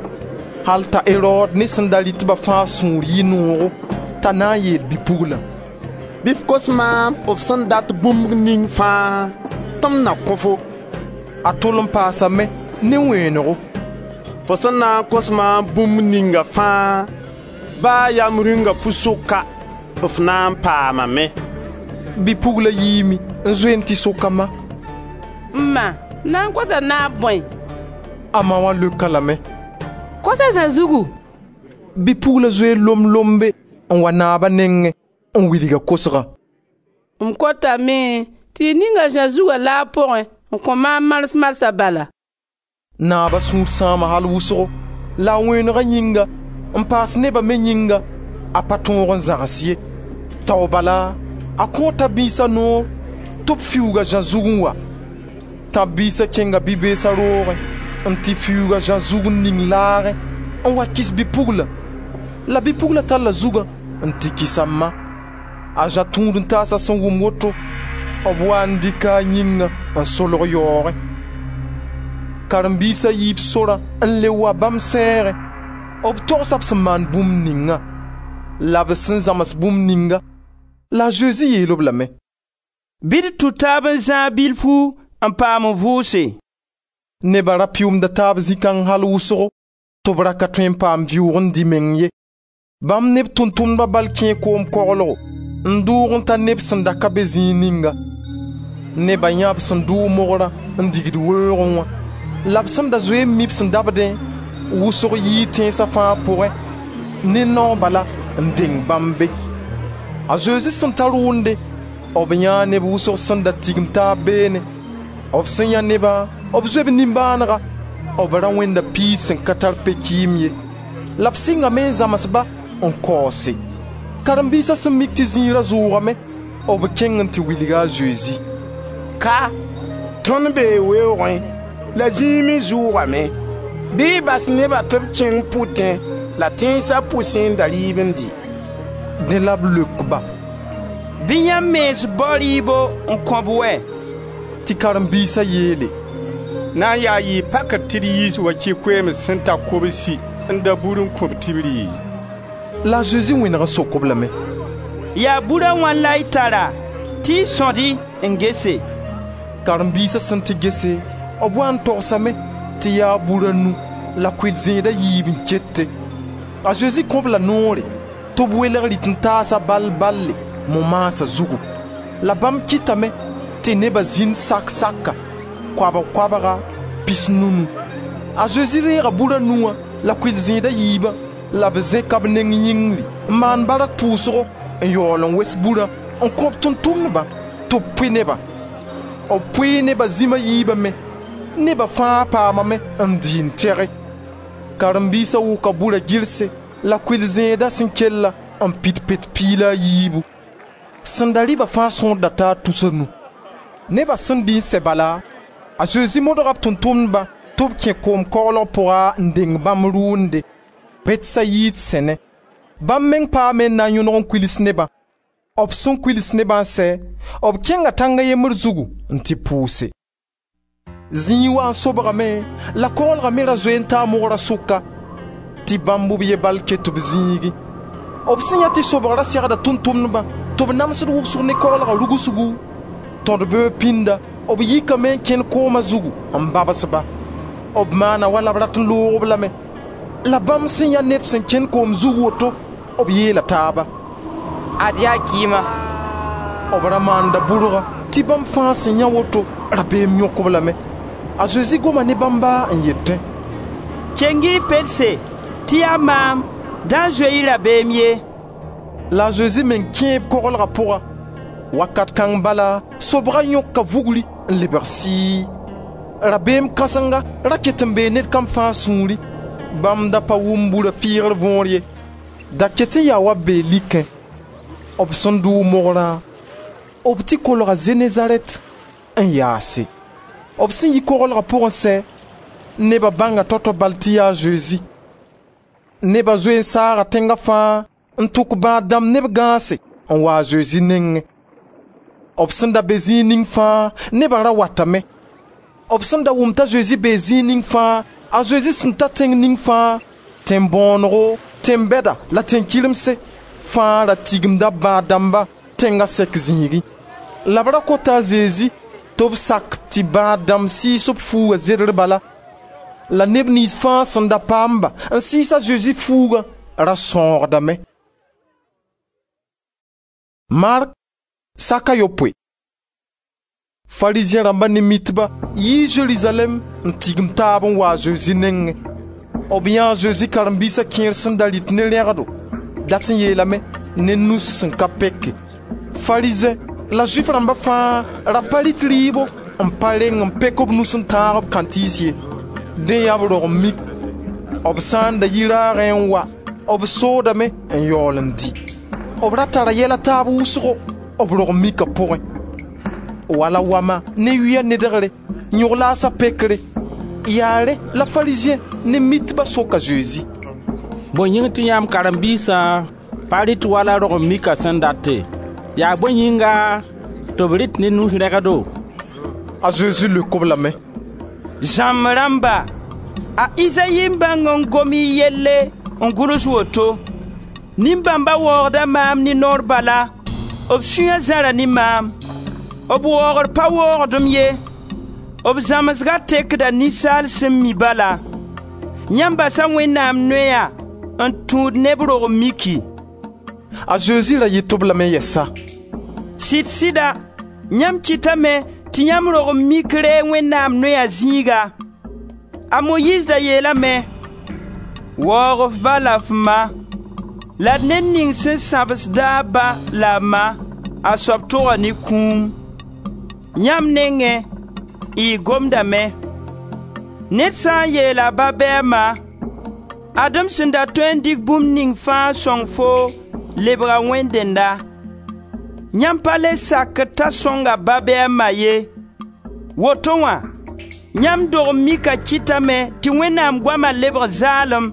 al t'a Erod ne sẽn da rɩt-ba fãa sũur yɩ noogo t'a na n yeel bi-puglã: «Bɩ f kos maam f sẽn dat bũmb ning fãa tɩ m na kõ-fo.» A tol n paasame ne wẽenego: «Fo sẽn na n kos maam bũmb ninga fãa, ba yaa m rĩunga pu-sʋka, f na n paamame.» Bi-pugla yiime n zoe n tɩ sok a ma: M ma, m na n kosa naab bõe? A ma wã leok-a lame: Kos a Zã zugu. Bi-pugla zoee lomb-lombe n wa naaba nengẽ n wilg a kosgã. M kotame tɩ y ning a Zã zugã laag pʋgẽ n kõ maam mals-malsa bala. Naaba sũur sãama al wʋsgo, la a wẽenega yĩnga n paas neba me yĩnga, a pa tõog n zãgs ye. Tao bala a kõo tãb-biisa noor tɩ b fiuug a Zã zug n wa. Tãb-biisa kẽnga bi-beesa roogẽ n tɩ fiuug a Zã zug n ning laagẽ n wa kɩs bi-pugla. La bi-pugla talla zugã n tɩ kɩs a ma. A Zã tũud-n-taasa sẽn wʋm woto, b waa n dɩka a yĩngã n solg yaoogẽ. Karen-biisa yiib sorã n le wa bãmb sɛɛgẽ. B togsa b sẽn maan bũmb ningã la b sẽn zãms bũmb ninga. La a Zezi yeel-b lame: «Bɩ d tũ taab n zãag bilfu n paam n vʋʋse.» Neba ra pɩʋʋmda taab zĩ-kãng al wʋsgo tɩ b ra ka tõe n paam vɩʋʋg n dɩ meng ye. Bãmb ne b tʋʋm-tʋmdba bal kẽe koom koglgo n dʋʋg n ta neb sẽn da ka be zĩig ninga. Neba yãa b sẽn dʋʋg mogrã n digd weoogẽ wã, la b sẽn da zoe n mi b sẽn dabdẽ wʋsg yii tẽnsa fãa pʋgẽ ne nao bala n deng bãmb be. A Zezi sẽn ta rʋʋnde, b yãa neb wʋsg sẽn da tigim taab beene. B sẽn yã nebã, b zoe b nimbãanega. B ra wẽnda piis sẽn ka tar pe-kɩɩm ye. La b sɩngame n zãms-ba n kaoose. Karen-biisa sẽn mik tɩ zĩiga zʋʋgame, b kẽng n tɩ wilg a Zezi: «Ka, tõnd bee weoogẽ la zĩig me zʋʋgame. Bɩ y bas nebã tɩ b kẽng pʋtẽ la tẽnsa pʋsẽ n da rɩɩb n dɩ.» Dẽ la b leok-ba: «Bɩ yãmb mens bao rɩɩbo n kõ-b wɛ!» Tɩ karen-biisa yeele: «Na n yaa yɩɩ pakr tɩ d yiis wakɩ koeems sẽn ta kobsi n da bur n kõ-b tɩ b rɩ?» La a Zezi wẽneg n sok-b lame: «Yaa bur a wãn la y tara?» Tɩ y sõd-y n gese.» Karen-biisa sẽn tɩ gese, b waa n togsame tɩ yaa bur a nu la kʋɩl-zẽed a yiib n kete. A Zezi kõ-b la noore tɩ b welg rɩt-n-taasa bal-balle mo-maasa zugu. La bãmb kɩtame tɩ neba zĩnd sak-saka, koabg-koabga, 90. A Zezi reega bur a nu wã la kʋɩl-zẽed a yiibã la b zẽka b neng yĩngri n maan bark pʋʋsgo n yaool n wes burã n kõ b tʋʋm-tʋmdbã tɩ b pʋɩ nebã. B pʋɩɩ neba zĩm a yiibã me. Neba fãa paamame n dɩ n tɛge. Karen-biisa wʋka bura gɩrse la kʋɩl-zẽeda sẽn kella n pid pet piig la a yiibu. Sẽn da rɩ-ba fãa sõor da taa tus a nu. Neba sẽn dɩ n sɛ bala, a Zezi modga b tʋʋm-tʋmdbã tɩ b kẽ koom koglg pʋga n deng bãmb rʋʋnde, Betsayid sẽne. Bãmb meng paame n na n yõdg n kuils nebã. B sẽn kuils nebã n sɛ, b kẽnga tãng a yembr zugu n tɩ pʋʋse. Zĩig waa n sobgame la koglga me ra zoe n taa mogra sʋka, tɩ bãmb b ye bal ket b zĩigẽ. B sẽn yã tɩ sobg ra segda tʋʋm-tʋmdbã tɩ b namsd wʋsg ne koglga rugsgu, tõd-beoog pĩnda, b yikame n kẽnd kooma zugu n babs-ba. B maana wala b rat n loog-b lame. La bãmb sẽn yã ned sẽn kẽnd koom zug woto, b yeela taaba: «Ad yaa kɩɩma.» B ra maanda bʋrga tɩ bãmb fãa sẽn yã woto, rabeem yõk-b lame. A Zezi goma ne bãmba n yetẽ: «Keng-y y pelse tɩ yaa maam, da zoe-y rabeem ye.» La a Zezi meng kẽe b koglga pʋga. Wakat kãng bala sobga yõka vugri n lebg sɩɩ. Rabeem kãsenga ra ket n bee ned kam fãa sũurẽ. Bãmb da pa wʋm bura fɩɩgr võor ye. Da ket n yaa wa b bee likẽ. B sẽn dʋʋg mogrã, b tɩ kolga Zenezarɛt n yaase. B sẽn yi koglga pʋgẽ sɛ, neba bãnga tao-tao bal tɩ yaa a Zezi. Neba zoe n saaga tẽnga fãa n tʋk bãad dãmb ne b gãase n wa a Zezi nengẽ. B sẽn da be zĩig ning fãa, neba ra watame. B sẽn da wʋm t'a Zezi bee zĩig ning fãa, a Zezi sẽn ta tẽng ning fãa, tẽn-bõonego, tẽn-bɛda la tẽn-kɩremse, fãa ra tigimda bãad dãmba tẽnga sɛk zĩigẽ. La b ra kota a Zezi tɩ b sak tɩ bãad dãmb sɩɩs b fuuga zedr bala. La neb niyns fãa sẽn da paam-ba n sɩɩs a Zezi fuugã ra sãoogdame. Mark saka yopoe. Farizẽ rãmba ne mitba yii Zerizalɛm n tigim taab n wa a Zezi nengẽ. B yãa a Zezi karen-biisa kẽer sẽn da rɩt ne rẽgdo, dat n yeelame ne nus sẽn ka peke. Farizẽ la Zʋɩf rãmba fãa ra pa rɩt rɩɩbo n pa reng n pek b nus n tãag b kãntɩɩs ye. Dẽ yaa b rog n mik. B sã n da yi raagẽ n wa, b soodame n yaool n dɩ. B ra tara yɛl a taab wʋsgo b rog n mika pʋgẽ. Wala wama ne yʋya nedgre, yõg-laasa pekre. Yaa rẽ la Farizẽ ne mitba sok a Zezi: «Bõe yĩng tɩ yãmb karen-biisã pa rɩt wala rog-n-mika sẽn date? Yaa bõe yĩnga tɩ b rɩt ne nus rẽgdo?» A Zezi leok-b lame: «Zãmb rãmba, a Izayi n bãng n gom y yelle n gʋls woto: ‹Nin-bãmba waoogda maam ne noor bala, b sũya zãra ne maam. B waoogr pa waoogd-m ye, b zãmsga tekda ninsaal sẽn mi bala. Yãmb basa Wẽnnaam noya n tũud ne b rog-n-miki.›» A Zezi ra yet-b lame yɛsa: «Sɩd-sɩda, yãmb kɩtame tɩ yãmb rog-n-mik reeg Wẽnnaam noya zĩiga. A Moyiiz da yeelame: ‹Waoog f ba la f ma, la d ned ning sẽn sãbsd-a a ba la a ma, a soab toga ne kũum.› Yãmb nengẽ, y gomdame: Ned sã n yeel a ba bɩ a ma: Ad-m sẽn da tõe n dɩk bũmb ning fãa sõng foo lebga wẽnd dẽnda. Yãmb pa le sakd t'a sõng a ba bɩ a ma ye. Woto wã, yãmb dog-n-mika kɩtame tɩ Wẽnnaam goama lebg zaalem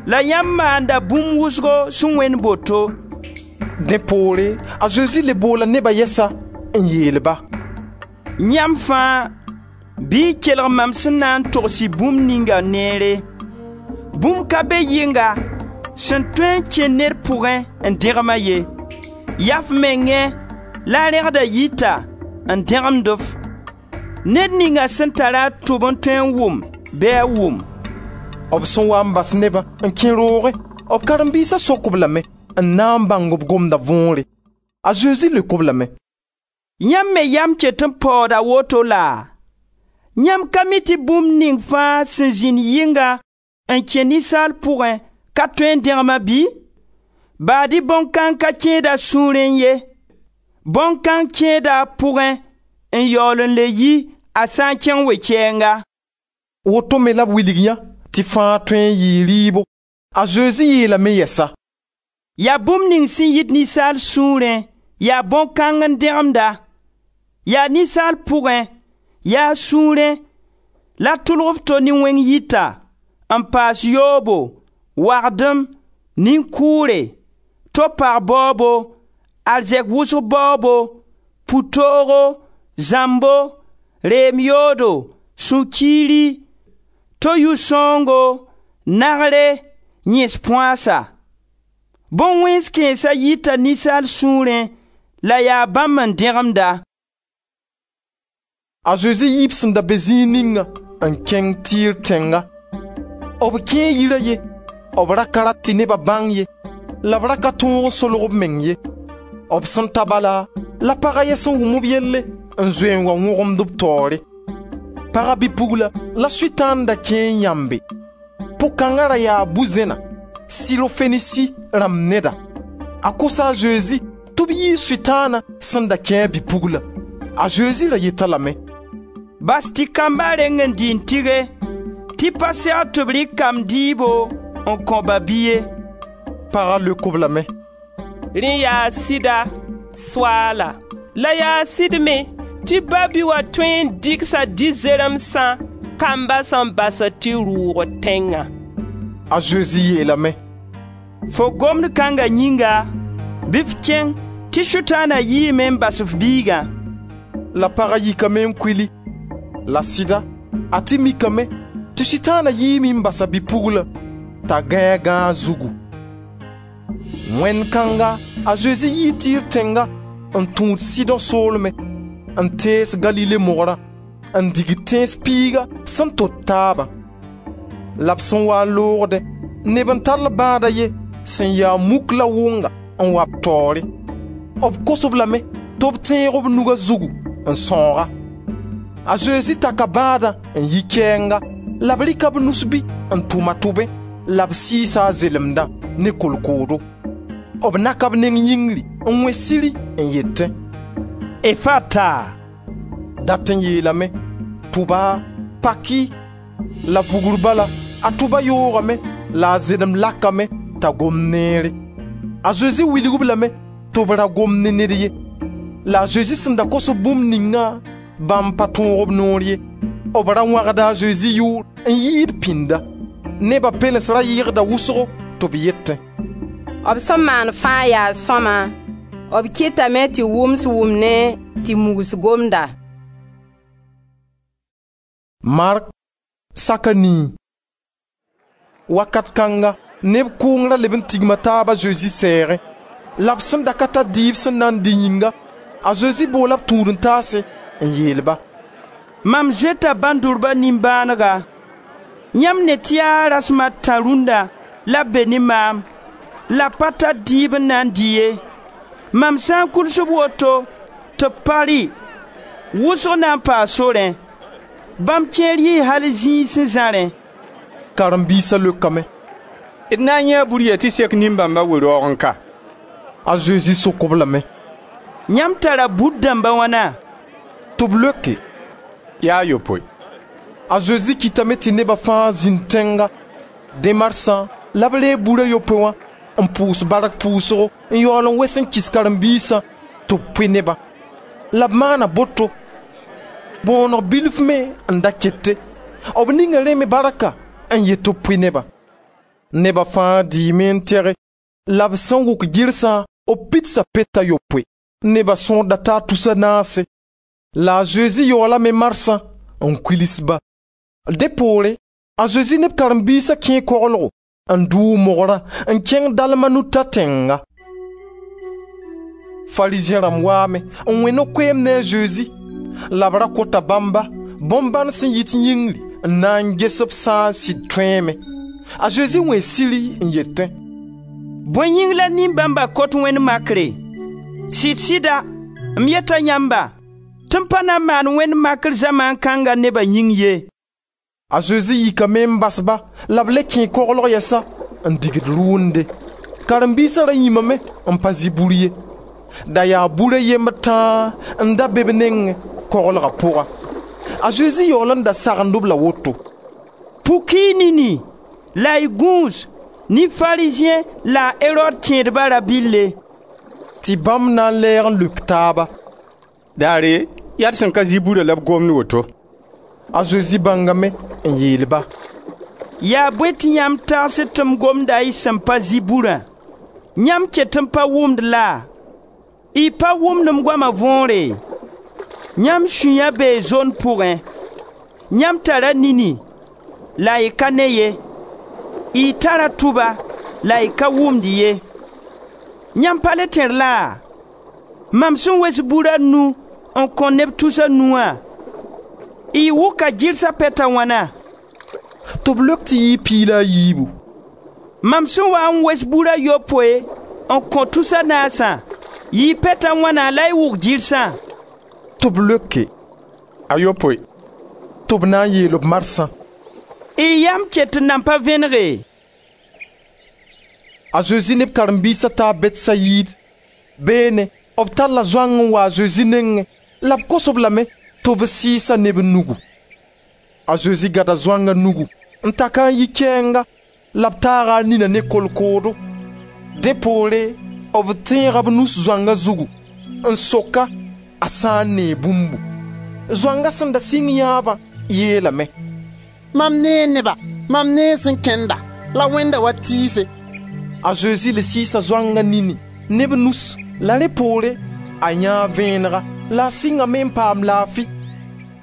la yãmb maanda bũmb wʋsgo sẽn wẽnd boto.» Dẽ poore a Zezi le boola neba yɛsa n yeel-ba: «Yãmb fãa, bɩ y kelg mam sẽn na n togs-y bũmb ninga neere. Bũmb ka be yɩnga sẽn tõe n kẽ ned pʋgẽ n dẽgem-a ye. Yaa f mengẽ la a rẽgda yita n dẽgemd-f. Ned ninga sẽn tara a tʋb n tõe n wʋm, bɩ a wʋm.» B sẽn wa n bas nebã n kẽ roogẽ, b karen-biisa sok-b lame n na n bãng b gomda võore. A Zezi leok-b lame: «Yãmb me yam ket n paooda woto laa? Yãmb ka mi tɩ bũmb ning fãa sẽn zĩnd yɩnga n kẽ ninsaal pʋgẽ ka tõe n dẽgem-a bɩ? Baad-y bõn-kãng ka kẽed a sũurẽ ye. Bõn-kãng kẽeda a pʋgẽ n yaool n le yi a sã n kẽng we-kɛɛnga.» Woto me la b wilg yã tɩ fãa tõe n yɩɩ rɩɩbo. A Zezi yeelame yɛsa: «Yaa bũmb ning sẽn yit ninsaal sũurẽ, yaa bõn-kãng n dẽgemd-a. Yaa ninsaal pʋgẽ, yaa a sũurẽ, la tʋlg f to nin-wẽng yita, n paas yoobo, wagdem, nin-kʋʋre, to-pag baoobo, arzɛk wʋsg baoobo, pʋtoogo, zãmbo, reem yoodo, sũ-kiiri, to-yʋ-sãoongo, nagre, yẽs põasa. Bõn-wẽns kãensa yita ninsaal sũurẽ la yaa bãmb n dẽgemd-a.» A Zezi yiib sẽn da be zĩig ninga n kẽng Tɩɩr tẽnga. B kẽe yir a ye, b ra ka rat tɩ neba bãng ye, la b ra ka tõog n solg b meng ye. B sẽn ta bala, la pag a ye sẽn wʋm b yelle n zoe n wa wõgemd b taoore. Paga bi-pugla la Sʋtãan da kẽ n yãmbe. Pʋg-kãnga ra yaa bu-zẽna, Sirofenisi rãmb neda. A kosa a Zezi tɩ b yiis Sʋtãana sẽn da kẽ a bi-pugla. A Zezi ra yet-a lame: «Bas tɩ kamba reng n dɩ n tɩge, tɩ pa segd tɩ b rɩk kamb dɩɩbo n kõ ba-bi ye.» Paga leok-b lame: «Rẽ yaa sɩda, Soaala, la yaa sɩd me tɩ ba-bi wã tõe n dɩgsa di-zeremsã kamba sẽn basd tɩ rʋʋg tẽngã.» A Zezi yeelame: «Fo gomd kãnga yĩnga, bɩ f kẽng tɩ Sʋtãana yiime n bas f biigã.» La paga yikame n kuili. La sɩda, a tɩ mikame tɩ Sʋtãana yiime n bas a bi-pugla t'a gãe a gãag zugu. Wẽnd kãnga a Zezi yii Tɩɩr tẽnga n tũud Sɩdõ soolmẽ, n tees Galile mogrã, n dig tẽns piiga sẽn tot taabã. La b sẽn waa n loogdẽ, neb n tall bãad a ye sẽn ya muk la wʋnga n wa b taoore. B kos-b lame tɩ b tẽeg b nuga zugu n sãoog-a. A Zezi taka bãadã n yi kɛɛnga la b rɩka b nus-bɩ n tʋm a tʋbẽ la b sɩɩsa a zelemdã ne kolkoodo. B naka b neng yĩngri n wẽ siri n yetẽ: «Efata!» Dat n yeelame: «Tʋba, paki.» La vugr bala, a tʋba yoogame la a zelem lakame t'a gom neere. A Zezi wilg-b lame tɩ b ra gom ne ned ye. La a Zezi sẽn da kos-b bũmb ningã, bãmb pa tõog b noor ye. B ra wãgda a Zezi yʋʋr n yɩɩd pĩnda. Neba pɛlens ra yɩgda wʋsgo tɩ b yetẽ: «B sẽn maan fãa yaa sõama, b kɩtame tɩ wʋms wʋmnẽ tɩ mugs gomda.» Mark saka nii. Wakat kãnga neb kʋʋng ra leb n tigma taab a Zezi sɛɛgẽ. La b sẽn da ka tar dɩɩb sẽn na n dɩ yĩnga, a Zezi boola b tũud-n-taase n yeel-ba: «Mam zoeta bãn-dʋrba nimbãanega. Yãmb ne tɩ yaa rasem a tã rũnna la b be ne maam, la b pa tar dɩɩb n na n dɩ ye. Mam sã n kuls b woto tɩ b pa rɩ, wʋsg na n paa sorẽ. Bãmb kẽer yɩɩ al zĩig sẽn zãrẽ.» Karen-biisa leokame: «D na n yãee bur yɛ tɩ sek nin-bãmba we-raoogẽ ka?» A Zezi sok-b lame: «Yãmb tara bur dãmb a wãna?» Tɩ b leoke: «Yaa a yopoe.» A Zezi kɩtame tɩ neba fãa zĩnd tẽnga. Dẽ marsã la b reeg bur a yopoe wã n pʋʋs bark pʋʋsgo n yaool n wes n kɩs karen-biisã tɩ b pʋɩ nebã. La b maana boto. Bõoneg bilf me n da kete. B ninga rẽ me barka n yet tɩ b pʋɩ nebã. Neba fãa dɩɩme n tɛge la b sẽn wʋk gɩrsã, b pidsa pet a yopoe. Neba sõor da taa tus a naase. La a Zezi yaoolame marsã n kuils-ba. Dẽ poore, a Zezi ne b karen-biisa kẽe koglgo n dʋʋg mogrã n kẽng Dalmanuta tẽnga. Farizẽ rãmb waame n wẽ no-koeemd ne a Zezi la b ra kota bãmba bõn-bãn sẽn yit yĩngri n na n ges b sã n sɩd tõeeme. A Zezi wẽe siri n yetẽ: «Bõe yĩng la nin-bãmba kot wẽnd makre? Sɩd-sɩda, m yeta yãmba tɩ m pa na n maan wẽnd makr zamaan kãnga neba yĩng ye.» A Zezi yikame n bas-ba la b le kẽe koglg yɛsa n digd rʋʋnde. Karen-biisa ra yĩmame n pa zɩ bur ye. Da yaa bur a yembr tãa n da be b nengẽ koglga pʋga. A Zezi yaool n da sagend-b la woto: «Puk-y y nini la y gũus ne Farizẽ la a Erod kẽedba rabɩlle.» Tɩ bãmb na n lɛɛg n leok taaba: «Daare, yaa d sẽn ka zɩ burã la b gomd woto.» A Zezi bãngame n yeel-ba: «Yaa bõe tɩ yãmb tagsd tɩ m gomda y sẽn pa zɩ burã? Yãmb ket n pa wʋmd laa? Y pa wʋmd m goama võore? Yãmb sũya bee zond pʋgẽ. Yãmb tara nini la y ka ne ye, y tara tʋba la y ka wʋmd ye. Yãmb pa le tẽr laa? Mam sẽn wes bur a nu n kõ neb tus a nu wã, y wʋka gɩrsa pɛt a wãna?» Tɩ b leok tɩ yɩɩ 14. Mam sẽn waa n wes bur a yopoe n kõ tus a naasã, yɩɩ pɛt a wãna la y wʋk gɩrsã?» Tɩ b leoke: «A yopoe.» Tɩ b na n yeel b marsã: «Y yam ket n nan pa vẽnege?» A Zezi ne b karen-biisa taa Betsayid. Beene b talla zoang n wa a Zezi nengẽ la b kos-b lame tɩ b sɩɩs-a ne b nugu. A Zezi gada zoanga nugu n tak-a n yi kɛɛnga la b taaga a nina ne kolkoodo. Dẽ poore b tẽega b nus zoanga zugu n sok-a a sã n nee bũmbu. Zoanga sẽn da sɩng yãabã yeelame: «Mam nee neba, mam nee sẽn kẽnda, la wẽnda wa tɩɩse.» A Zezi le sɩɩsa zoanga nini ne b nus la rẽ poore a yãa vẽenega la a sɩngame n paam laafi.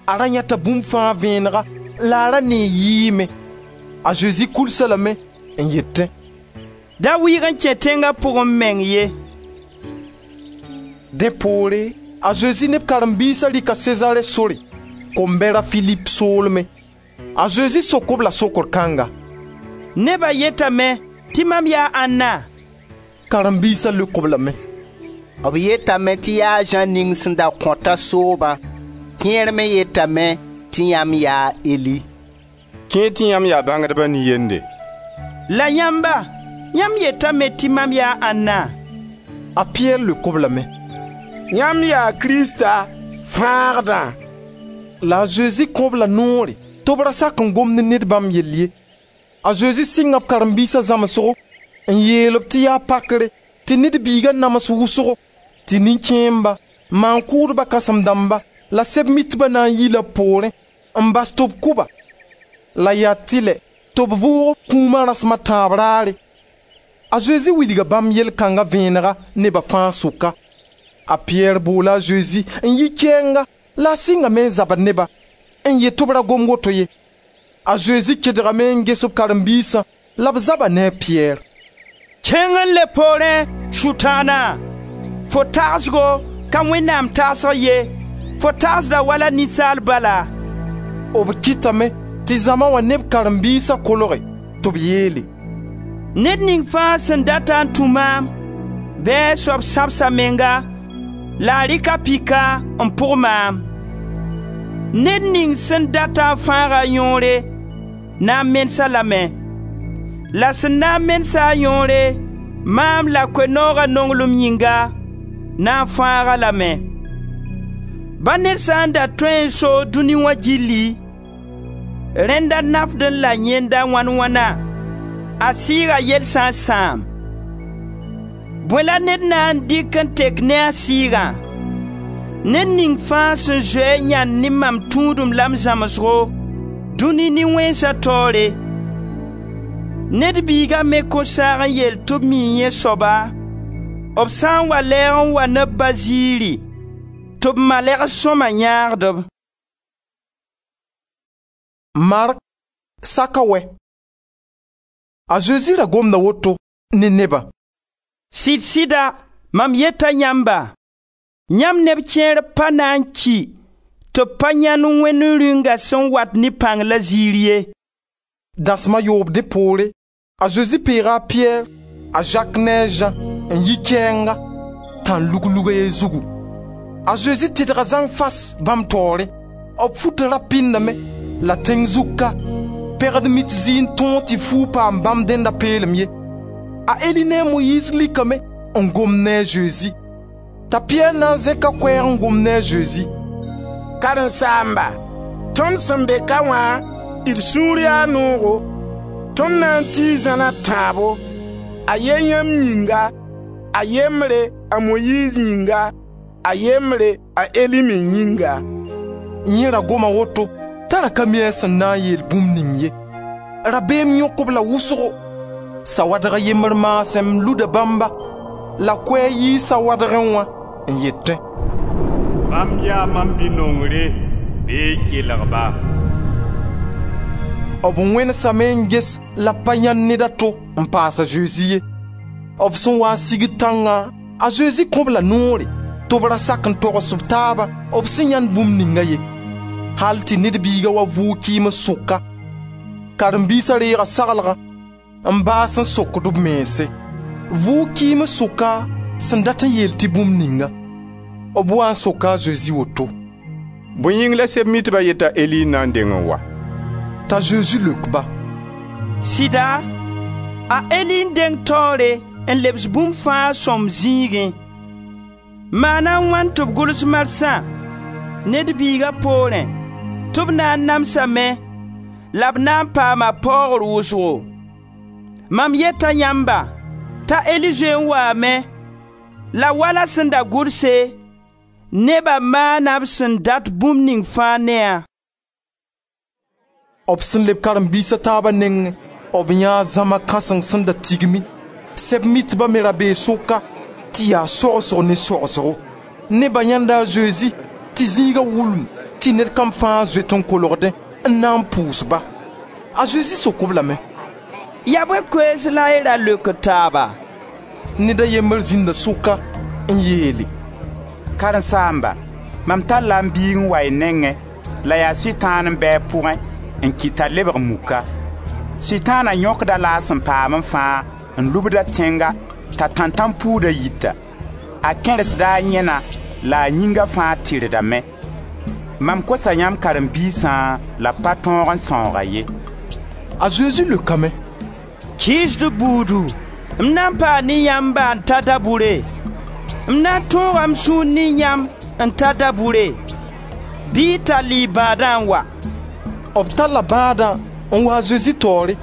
A ra yãeta bũmb fãa vẽenega la a ra nee yɩɩme. A Zezi kuls-a lame n yetẽ: «Da wɩɩg n kẽ tẽnga pʋgẽ meng ye.» Dẽ poore a Zezi ne b karen-biisa rɩka Sezare sore, kombɛr a Filip soolmẽ. A Zezi sok-b la sokr kãnga: «Neba yetame tɩ mam yaa ãnna?» Karen-biisa leok-b lame: «B yetame tɩ yaa a Zã ning sẽn da kõta soobã, kẽer me yetame tɩ yãmb yaa a Eli.» Kẽer tɩ yãmb yaa bãngdba nin-yende. «La yãmba, yãmb yetame tɩ mam yaa ãnna?» A Piyɛr leok-b lame: «Yãmb yaa Krista, Fãagdã.» La a Zezi kõ-b la noore tɩ b ra sak n gom ne ned bãmb yell ye. A Zezi sɩnga b karen-biisa zãmsgo n yeel-b tɩ yaa pakre tɩ Ned Biiga nams wʋsgo, tɩ nin-kẽemba, maan-kʋʋdba kãsem-dãmba la Sɛb-mitba na n yila b poorẽ n bas tɩ b kʋ-ba, la yaa tɩlɛ tɩ b vʋʋg kũuma rasem a tãab raare. A Zezi wilga bãmb yel kãnga vẽenega neba fãa sʋka. A Piyɛr boola a Zezi n yi kɛɛnga la a sɩngame n zabd neba n yet tɩ b ra gom woto ye. A Zezi kedgame n ges b karen-biisã la b zaba ne a Piyɛr. «Kẽng n le poorẽ, Sʋtãana! Fo tagsgo ka Wẽnnaam tagsg ye, fo tagsda wala ninsaal bala.» B kɩtame tɩ zãma wã ne b karen-biisa kolge tɩ b yeele: «Ned ning fãa sẽn data n tũ maam, bɩ a soab sãbs a menga la a rɩk a pika n pʋg maam. Ned ning sẽn data n fãag a yõore na n menes-a lame. La sẽn na n menes-a a yõore, maam la Koe-nooga nonglem yĩnga, na n fãag-a lame. Ba ned sã n da tõe n soog dũni wã gilli, rẽnda nafdẽ la yẽnda wãn-wãna, a sɩɩga yell sã n sãam. Bõe la ned na n dɩk n tek ne a sɩɩgã? Ned ning fãa sẽn zoe a yãnd ne mam tũudem la m zãmsgo, dũni nin-wẽnsa taoore, Ned Biiga me kõn saag n yeel tɩ b mii yẽ soaba, b sã n wa lɛɛg n wa ne b Ba ziiri, tɩ b malɛgs sõma yãagd-b. Mark saka wɛ. A Zezi ra gomda woto ne nebã: Sɩd-sɩda mam yeta yãmba, Yãmb neb kẽer pa na n ki tɩ b pa yãend Wẽnd Rĩunga sẽn wat ne pãng la ziir ye.» Dasem a yoob dẽ poore, a Zezi peega a Piyɛr, a Zak ne a Zã n yi kɛɛnga, tãn-lug-lug a ye zugu. A Zezi tɩdga zãng fas bãmb taoore. B futa ra pɩndame la tẽng zug ka, pegd mit zɩ n tõog tɩ fuug paam bãmb dẽnda peelem ye. A Eli ne a Moyiis likame n gom ne a Zezi. T'a Piyɛr na n zẽk a koɛɛg n gom ne a Zezi: «Karen-saamba, tõnd sẽn be ka wã, d sũur yaa noogo. Tõnd na n tii zãn a tãabo, a ye yãmb yĩnga, a yembre a Moyiiz yĩnga, a yembre a Eli me yĩnga.» Yẽ ra goma woto t'a ra ka mi a sẽn na n yeel bũmb ning ye. Rabeem yõk-b la wʋsgo. Sawadg a yembr maasem luda bãmba, la koɛɛg yii sawadgẽ wã n yetẽ: «Bãmb yaa mam Bi-nongre, bɩ y kelg-ba.» B wẽnesame n ges la b pa yãend ned a to n paas a Zezi ye. B sẽn waa n sigd tãngã, a Zezi kõ-b la noore tɩ b ra sak n togs b taabã b sẽn yãend bũmb ninga ye, hal tɩ Ned Biiga wa vʋʋg kɩɩms sʋka. Karen-biisa reega saglgã n baas n sokd b mense: vʋʋg kɩɩms sʋka sẽn dat n yeel tɩ bũmb ninga. B waa n soka a Zezi woto: «Bõe yĩng la Sɛb-mitba yet t'a Eli n na n deng n wa?» T'a Zezi leok-ba: «Sɩda, a Eli n deng taoore n lebs bũmb fãa sõmb zĩigẽ. Maana a wãn tɩ b gʋls marsã Ned Biiga poorẽ tɩ b na n namsame la b na n paama paoogr wʋsgo? Mam yeta yãmba t'a Eli zoe n waame la wala sẽn da gʋlse, neba maana b sẽn dat bũmb ning fãa ne-a.» B sẽn leb karen-biis a taaba nengẽ, b yãa zãma kãseng sẽn da tigmi. Sɛb-mitba me ra bee sʋka tɩ yaa sogsg ne sogsgo. Neba yãenda a Zezi tɩ zĩiga wulum tɩ ned kam fãa zoet n kolgdẽ n na n pʋʋs-ba. A Zezi sok-b lame: «Yaa bõe koees la y ra leokd taaba?» Ned a yembr zĩnda sʋka n yeele: «Karen-saamba, mam talla m biig n wa y nengẽ la yaa Sʋtãan n bɩ a pʋgẽ n kɩt t'a lebg muka. Sʋtãana yõkd-a la a sẽn paamẽ fãa n lubd-a tẽnga t'a tãntãn-puuda yita. A kẽresda a yẽna la a yĩnga fãa tɩrdame. Mam kosa yãmb karen-biisã la b pa tõog n sãoog-a ye.» A Zezi leokame: «Kɩɩsd buudu, m na n paa ne yãmba n ta dabʋre? M na n tõoga m sũur ne yãmb n ta dabʋre? Bɩ y tall y bãadã n wa.» B talla bãadã n wa a Zezi taoore.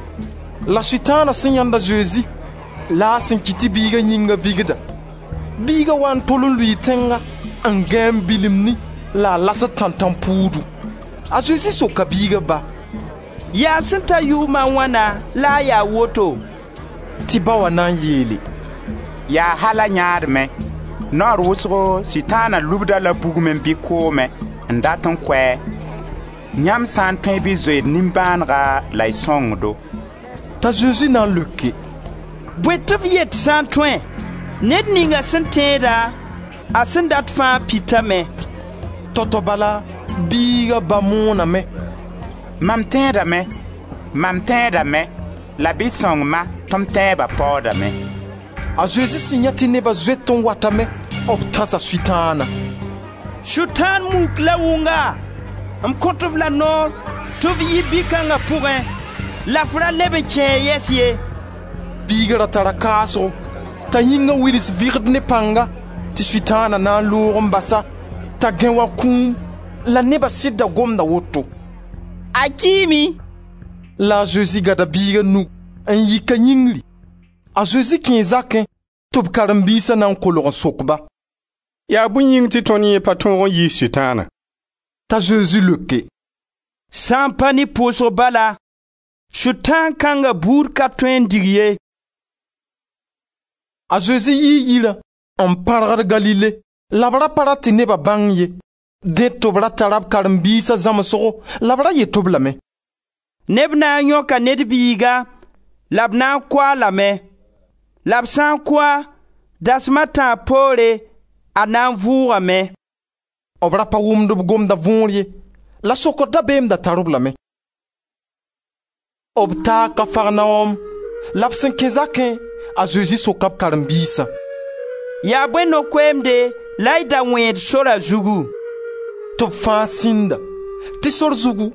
La Sʋtãana sẽn yãend a Zezi la a sẽn kɩt tɩ biiga yĩnga vigda. Biiga wa n tol n lʋɩ tẽnga n gãe n bilimni la a lasd tãntãn-puudu. A Zezi soka biiga ba: «Yaa sẽn ta yʋʋma wãna la a yaa woto?» Tɩ ba wã na n yeele: «Yaa hala yãadmẽ. Naoor wʋsgo Sʋtãana lubd-a la bugmẽ bɩ koomẽ n dat n kʋ-a. Yãmb sã n tõe bɩ zoe d nimbãanega la y sõng-do.» T'a Zezi na n leoke: «Bõe tɩ f yet sã n tõe? Ned ninga sẽn tẽeda, a sẽn dat fãa pitame.» Tao-tao bala biiga ba mooname: «Mam tẽedame, mam tẽedame, la bɩ sõng-ma tɩ m tẽeba paoodame.» A Zezi sẽn yã tɩ neba zoet n watame, b tãsa Sʋtãana: «Sʋtãan muk la wʋnga, m kõt-f la noor tɩ f yi bi-kãnga pʋgẽ la f ra leb n kẽ yɛs ye.» Biiga ra tara kaasgo t'a yĩnga wils vɩgd ne pãnga tɩ Sʋtãana na n loog n basa t'a gãe wa kũum. La neba sɩd da gomda woto: «A kiime.» La a Zezi gada biiga nug n yik a yĩngri. A Zezi kẽe zakẽ tɩ b karen-biisa na n kolg n sok-ba: «Yaa bõe yĩng tɩ tõnd yẽ pa tõog n yiis Sʋtãana?» T'a Zezi leoke: «Sã n pa ne pʋʋsg bala, Sʋtãan kãnga buud ka tõe n dig ye.» A Zezi yii yirã n pãrgd Galile la b ra pa rat tɩ neba bãng ye. Dẽ tɩ b ra tara b karen-biisa zãmsgo la b ra yet-b lame: «Neb na n yõka Ned Biiga la b na n kʋ-a lame. La b sã n kʋ-a, dasem a tãab poore, A na n vʋʋgame.» B ra pa wʋmd b gomda võor ye, la sokr dabeem da tar-b lame. B taa Kafarnaom, la b sẽn kẽ zakẽ, a Zezi soka b karen-biisã: «Yaa bõe no-koeemde la y da wẽed sora zugu?» Tɩ b fãa sĩnda, tɩ sor zugu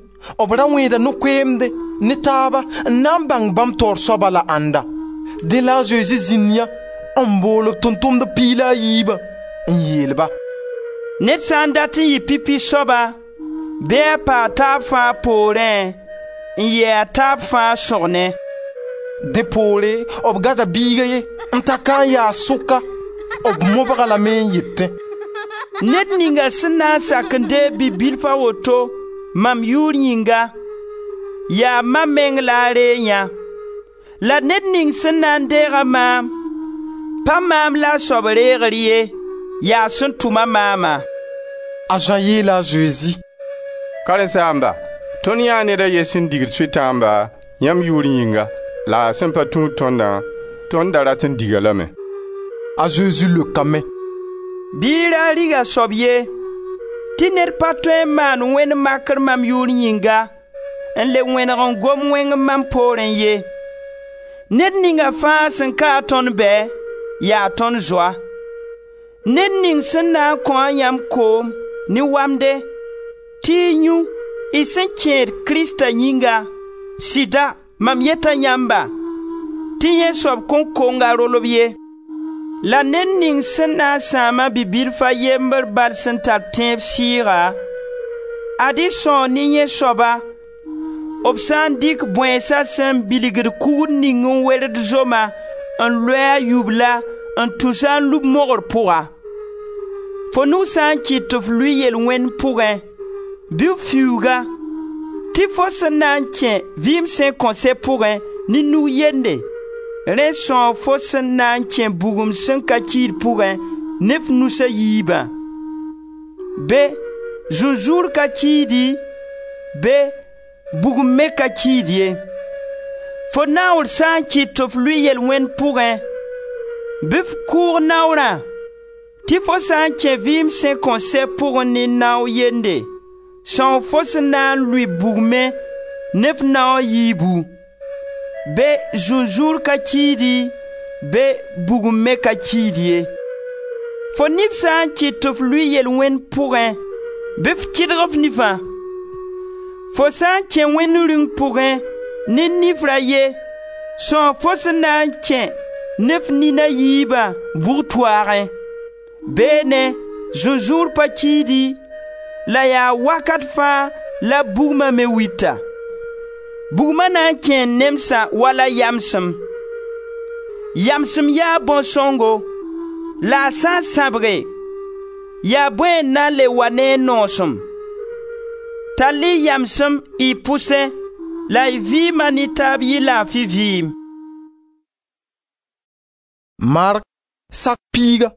b ra wẽeda no-koeemde ne taaba n na n bãng bãmb taoor soaba la ãnda. Dẽ la a Zezi zĩnd yã n bool b tʋʋm-tʋmdb 12 bã n yeel-ba: «Ned sã n dat n yɩ pipi soaba, bɩ a pa a taab fãa poorẽ n yɩ a taab fãa sõgne.» Dẽ poore b gada biig a ye n ta ka n yaas sʋka. B mobg-a lame n yetẽ: «Ned ninga sẽn na n sak n deeg bi-bilf a woto mam yʋʋr yĩnga, yaa mam meng la a reeg yã. La ned ning sẽn na n deega maam, pa maam la a soab reegr ye, yaa sẽn tʋm-a maama.» A Zã yeela a Zezi: «Karen-saamba, tõnd yãa ned a ye sẽn digd Sʋtãamba yãmb yʋʋr yĩnga, la a sẽn pa tũud tõndã, tõnd da rat n dig-a lame.» A Zezi leokame: «Bɩ y ra rig a soab ye, tɩ ned pa tõe n maan wẽnd makr mam yʋʋr yĩnga n le wẽneg n gom wẽng mam poorẽ ye. Ned ninga fãa sẽn ka-a tõnd bɛ, yaa tõnd zoa. Ned ning sẽn na n kõ-a yãmb koom ne wamde tɩ y yũ y sẽn kẽed Krista yĩnga, sɩda mam yeta yãmba tɩ yẽ soab kõn kong a rolb ye. La ned ning sẽn na n sãam-a bi-bilf a yembr bal sẽn tar tẽeb sɩɩga, ad-y são ne yẽ soaba b sã n dɩk bõensa sẽn bilgd kugr ning n werd zoma n loe a yubla n tus-a n lub mogr pʋga. Fo nug sã n kɩt tɩ f lʋɩ yel-wẽnd pʋgẽ, bɩ f fiuuga, tɩ fo sẽn na n kẽ vɩɩm sẽn kõn sɛ pʋgẽ ne nug yende, rẽ sõog fo sẽn na n kẽ bugum sẽn ka kiid pʋgẽ ne f nus a yiibã. Be zũnzũur ka kiidi, be bugum me ka kiid ye. Fo naoor sã n kɩt tɩ f lʋɩ yel-wẽnd pʋgẽ, bɩ f kʋʋg naoorã, tɩ fo sã n kẽ vɩɩm sẽn kõn sɛ pʋgẽ ne nao yende, sõog fo sẽn na n lʋɩ bugmẽ ne f nao a yiibu. Be zũnzũur ka kiidi, be bugum me ka kiid ye. Fo nif sã n kɩt tɩ f lʋɩ yel-wẽnd pʋgẽ, bɩ f kɩdg f nifã. Fo sã n kẽ wẽnd rĩung pʋgẽ ne nifra ye, sõog fo sẽn na n kẽ ne f nina yiibã bug-toaagẽ. Beene zũnzũur pa kiidi, la yaa wakat fãa la bugma me wita. Bugma na n kẽe nemsã wala yamsem. Yamsem yaa bõn-sõngo, la a sã n sãbge, yaa bõe n na n le wa ne a noosem? Tall-y yamsem y pʋsẽ la y vɩɩma ne taab yɩ laafi vɩɩm. Mark sak piiga.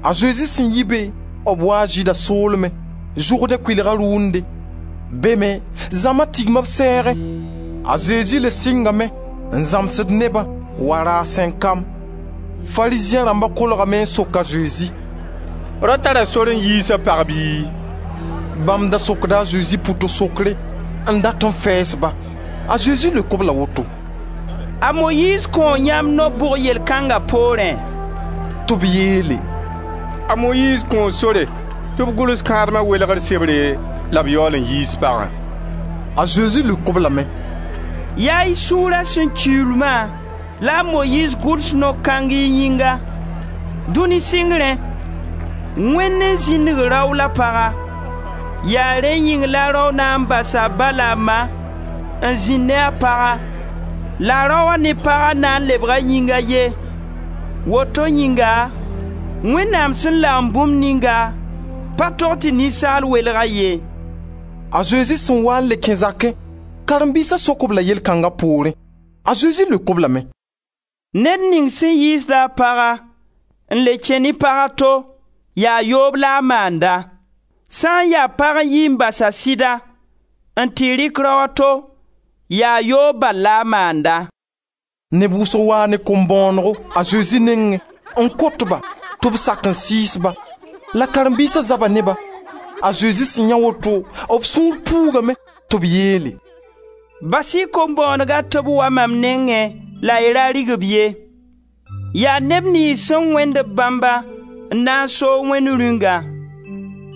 A Zezi sẽn yi be, b waa Zɩɩda soolmẽ, Zʋrdẽ kʋɩlga rʋʋnde. Be me zãma tigma b sɛɛgẽ. A Zezi le sɩngame n zãmsd nebã wa raasẽn kam. Farizẽ rãmba kolgame n sok a Zezi: «Rao tara sor n yiis a pag bɩ?» Bãmb da sokda a Zezi pʋto-sokre n dat n fɛɛs-ba. A Zezi leok-b la woto: «A Moyiiz kõo yãmb no-bʋg yel-kãnga poorẽ?» Tɩ b yeele: «A Moyiiz kõo sore tɩ b gʋls kãadma welgr sebre la b yaool n yiis pagã.» A Zezi leok-b lame: «Yaa y sũura sẽn kiuulmã la a Moyiiz gʋls no-kãng y yĩnga. Dũni sɩngrẽ, Wẽnd n zĩnig rao la paga. Yaa rẽ yĩng la rao na n basa a ba la a ma n zĩnd ne a paga, la raoã ne paga na n lebga yĩnga ye. Woto yĩnga, Wẽnnaam sẽn lagem bũmb ninga, pa tog tɩ ninsaal welg-a ye.» A Zezi sẽn wa n le kẽ zakẽ, karen-biisa sok-b la yel-kãnga poorẽ. A Zezi leok-b lame: «Ned ning sẽn yiisda a paga n le kẽ ne pag a to, yaa yoob la a maanda. Sã n yaa pag n yi n bas a sɩda n tɩ rɩk rao a to, yaa yoob bal la a maanda.» Neb wʋsg waa ne kom-bõonego a Zezi nengẽ n kot-ba Tɩ b sak n sɩɩs-ba. La karen-biisa zaba ne-ba. A Zezi sẽn yã woto, b sũur puugame tɩ b yeele: «Bas-y kom-bõonega tɩ b wa mam nengẽ la y ra rig-b ye. Yaa neb niyns sẽn wẽnd b bãmba n na n soog Wẽnd Rĩungã.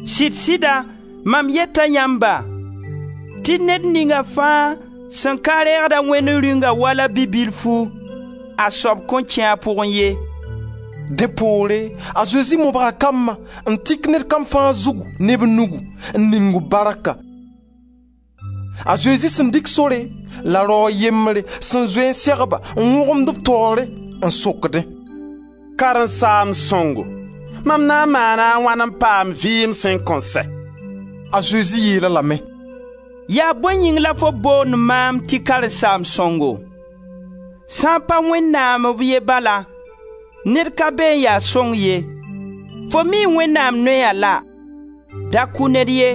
Sɩd-sɩda mam yeta yãmba tɩ ned ninga fãa sẽn ka reegd-a Wẽnd Rĩunga wala bi-bilfu, a soab kõn kẽ a pʋgẽ ye.» Dẽ poore a Zezi mobga kambã n tik ned kam fãa zugu ne b nugu n ning b barka. A Zezi sẽn dɩk sore la rao a yembre sẽn zoe n segba n wõgemd b taoore n sokdẽ: «Karen-saamb sõngo, mam na n maana a wãn n paam vɩɩm sẽn kõn sɛ?» A Zezi yeel-a lame: «Yaa bõe yĩng la fo boond maam tɩ karen-saamb sõngo? Sã n pa Wẽnnaam b ye bala, ned ka be n ya sõng ye. Fo mii Wẽnnaam noya la: da kʋ ned ye,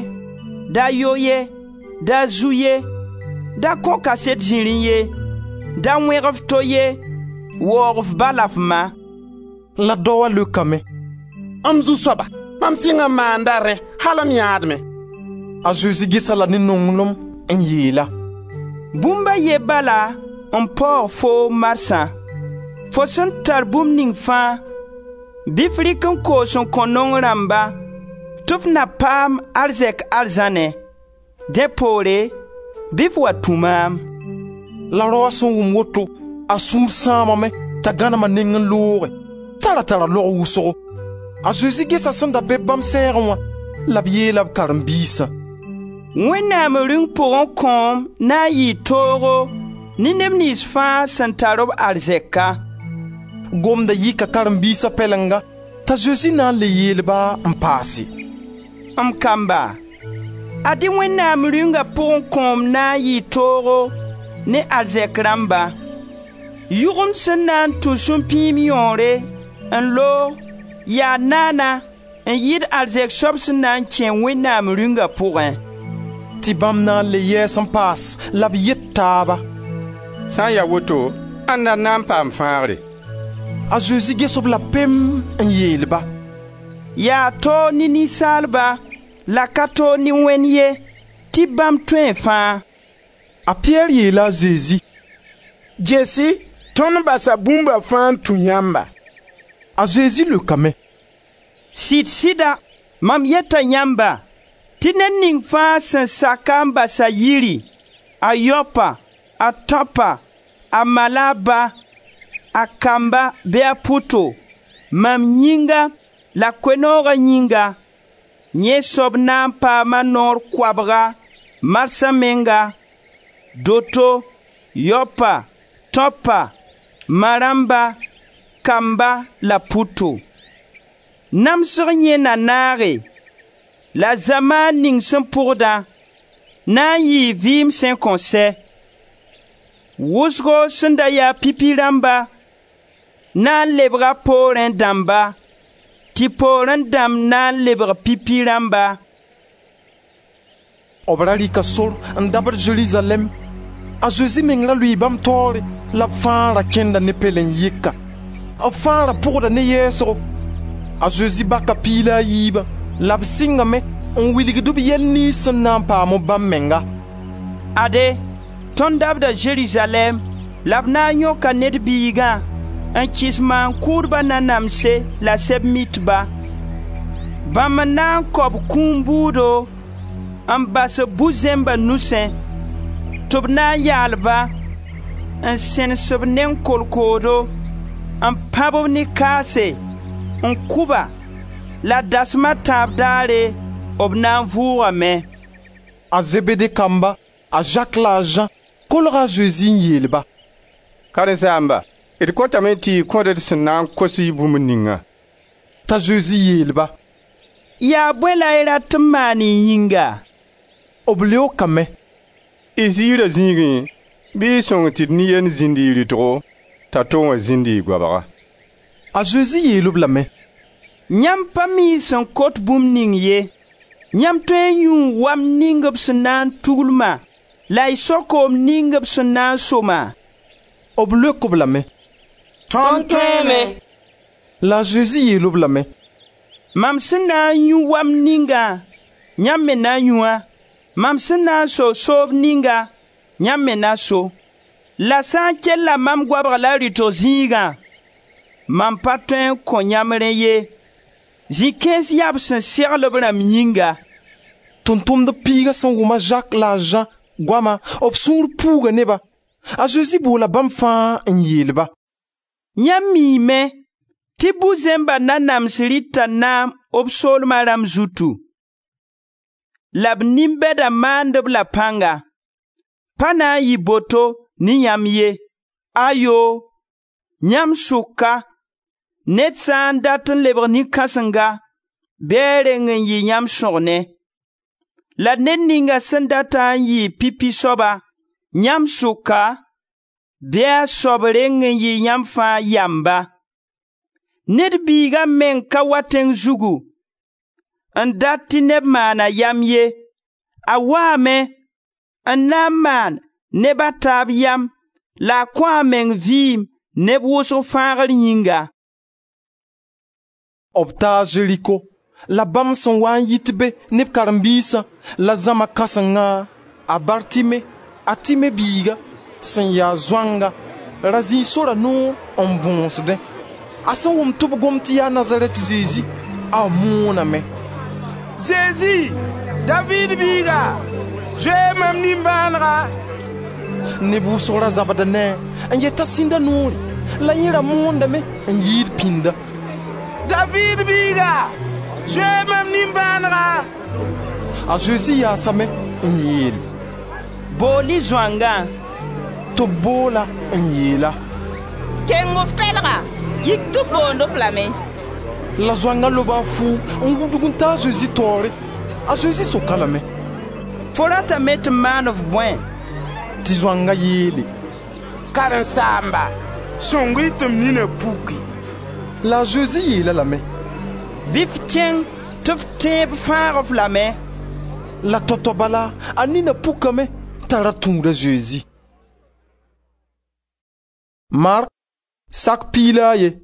da yo ye, da zu ye, da kõ kaset zĩrĩ ye, da wẽg f to ye, waoog f ba la f ma.» La daoa leokame: «M zu-soaba, mam sɩng n maanda rẽ al m yãadmẽ.» A Zezi ges-a la ne nonglem n yeel-a: «Bũmb a ye bala n paoog foom marsã. Fo sẽn tar bũmb ning fãa, bɩ f rɩk n koos n kõ naong rãmba tɩ f na paam arzɛk arzãnẽ. Dẽ poore, bɩ f wa tũ maam.» La raoã sẽn wʋm woto, a sũur sãamame t'a gãnem a neng n looge, t'a ra tara log wʋsgo. A Zezi gesa sẽn da be bãmb sɛɛgẽ wã la b yeela b karen-biisã: «Wẽnnaam Rĩung pʋgẽ kõom na n yɩɩ toogo ne neb niyns fãa sẽn tar b arzɛka.» Gomda yika karen-biisa pɛlenga t'a Zezi na n le yeel-ba n paase: «M kamba, ad-y Wẽnnaam Rĩunga pʋgẽ kõom na n yɩɩ toogo ne arzɛk rãmba. Yʋgemd sẽn na n tũ sũ-pĩim yõore n loog yaa naana n yɩɩd arzɛk soab sẽn na n kẽ Wẽnnaam Rĩunga pʋgẽ.» Tɩ bãmb na n le yɛɛs n paas la b yet taaba: «Sã n ya woto, ãnda n na n paam fãagre?» A Zezi ges-b la pem n yeel-ba: «Yaa toog ne ninsaalba la ka toog ne Wẽnd ye, tɩ bãmb tõe fãa.» A Piyɛr yeela a Zezi: «Gese, tõnd basa bũmba fãa n tũ yãmba.» A Zezi leokame: «Sɩd-sɩda mam yeta yãmba tɩ ned ning fãa sẽn sak-a n bas a yiri, a yaopa, a tãopa, a ma la a ba, a kamba bɩ a pʋto, mam yĩnga la Koe-nooga yĩnga, yẽ soab na n paama noor koabga marsã menga, doto, yaopa, tãopa, ma rãmba, kamba la pʋto. Namsg yẽ na naage la zamaan ning sẽn pʋgdã na n yɩɩ vɩɩm sẽn kõn sɛ. Wʋsgo sẽn da ya pipi rãmba na n lebga poorẽ dãmba, tɩ poorẽ dãmb na n lebg pipi rãmba.» B ra rɩka sor n dabd Zerizalɛɛm. A Zezi meng ra lʋɩɩ bãmb taoore la b fãa ra kẽnda ne pɛlen-yɩka. B fãa ra pʋgda ne yɛɛsgo. A Zezi baka piig la a yiibã la b sɩngame n wilgd b yɛl niyns sẽn na n paam bãmb menga. «Ade, tõnd dabda Zerizalɛɛm la b na n yõka Ned Biigã n kɩs maan-kʋʋdba nanamse la Sɛb-mitba. Bãmb n na n kao b kũum bʋʋdo n bas b bu-zẽmba nusẽ, tɩ b na n yaal-ba, n sẽnes b neng kolkoodo, n pãb-b ne kaase, n kʋ-ba, la dasem a tãab daare b na n vʋʋgame. A Zebede kamba, a Zak la a Zã, kolga a Zezi n yeel-ba: «Karen-saamba, d kotame tɩ y kõ-d d sẽn na n kos y bũmb ninga.» T'a Zezi yeel-ba: «Yaa bõe la y rat n maan y yĩnga?» B leokame: «Y ziira zĩigẽ bɩ y sõng tɩ d nin-yend zĩnd y rɩtgo, t'a to wã zĩnd y goabga.» A Zezi yeel-b lame: «Yãmb pa mi y sẽn kot bũmb ning ye. Yãmb tõe n yũu wam ning b sẽn na n tugl-ma la y sao koom ning b sẽn na n so-ma?» B leok-b lame: «Tõnd tõeeme.» La a Zezi yeel-b lame: Mam sẽn na n yũ wamd ninga, yãmb me na yũ-a. Mam sẽn na n so soob ninga, yãmb me na so. La sã n kella mam goabg la rɩtg zĩigã, mam pa tõe n kõ yãmb rẽ ye. Zĩ-kãens yaa b sẽn segl b rãmb yĩnga.» Tʋʋm-tʋmdb piiga sẽn wʋm a Zak la a Zã goama, b sũur puuga ne-ba. A Zezi boola bãmb fãa n yeel-ba: «Yãmb miime tɩ bu-zẽmba nanams rɩta naam b soolma rãmb zutu, la b nin-bɛda maand-b la pãnga. Pa na n yɩ boto ne yãmb ye. Ayoo, yãmb sʋka, ned sã n dat n lebg nin-kãsenga, bɩ a reng n yɩ yãmb sõgne. La ned ninga sẽn data n yɩ pipi soaba yãmb sʋka, bɩ a soab reng n yɩ yãmb fãa yamba. Ned Biiga meng ka wa tẽng zugu n dat tɩ neb maana yam ye, a waame n na n maan neb a taab yam la a kõ a meng vɩɩm neb wʋsg fãagr yĩnga.» B taa Zeriko. La bãmb sẽn waa n yit be ne b karen-biisã la zãma kãsengã, a Bartime, a Time biiga, sẽn ya zoanga, ra zĩi sora noor n bõosdẽ. A sẽn wʋm tɩ b gom tɩ yaa Nazarɛt Zezi, a mooname: «Zezi, Daviid biiga, zoe mam nimbãanega!» Neb wʋsg ra zabda ne-a n yet t'a sĩnda noore, la yẽ ra moondame n yɩɩd pĩnda: «Daviid biiga, zoe mam nimbãanega!» A Zezi yaasame n yeel: «Bool-y zoangã.» Tɩ b bool-a n yeel-a: «Keng f pɛlga, yik tɩ b boond-f lame.» La zoangã loba a fuug n wudg n ta a Zezi taoore. A Zezi sok-a lame: «Fo ratame tɩ m maan-f bõe?» Tɩ zoangã yeele: «Karen-saamba, sõng-y tɩ m nina puki.» La a Zezi yeel-a lame: «Bɩ f kẽng tɩ f tẽeb fãag-f lame.» La tao-tao bala a nina pukame t'a ra tũud a Zezi. Mark sak 11.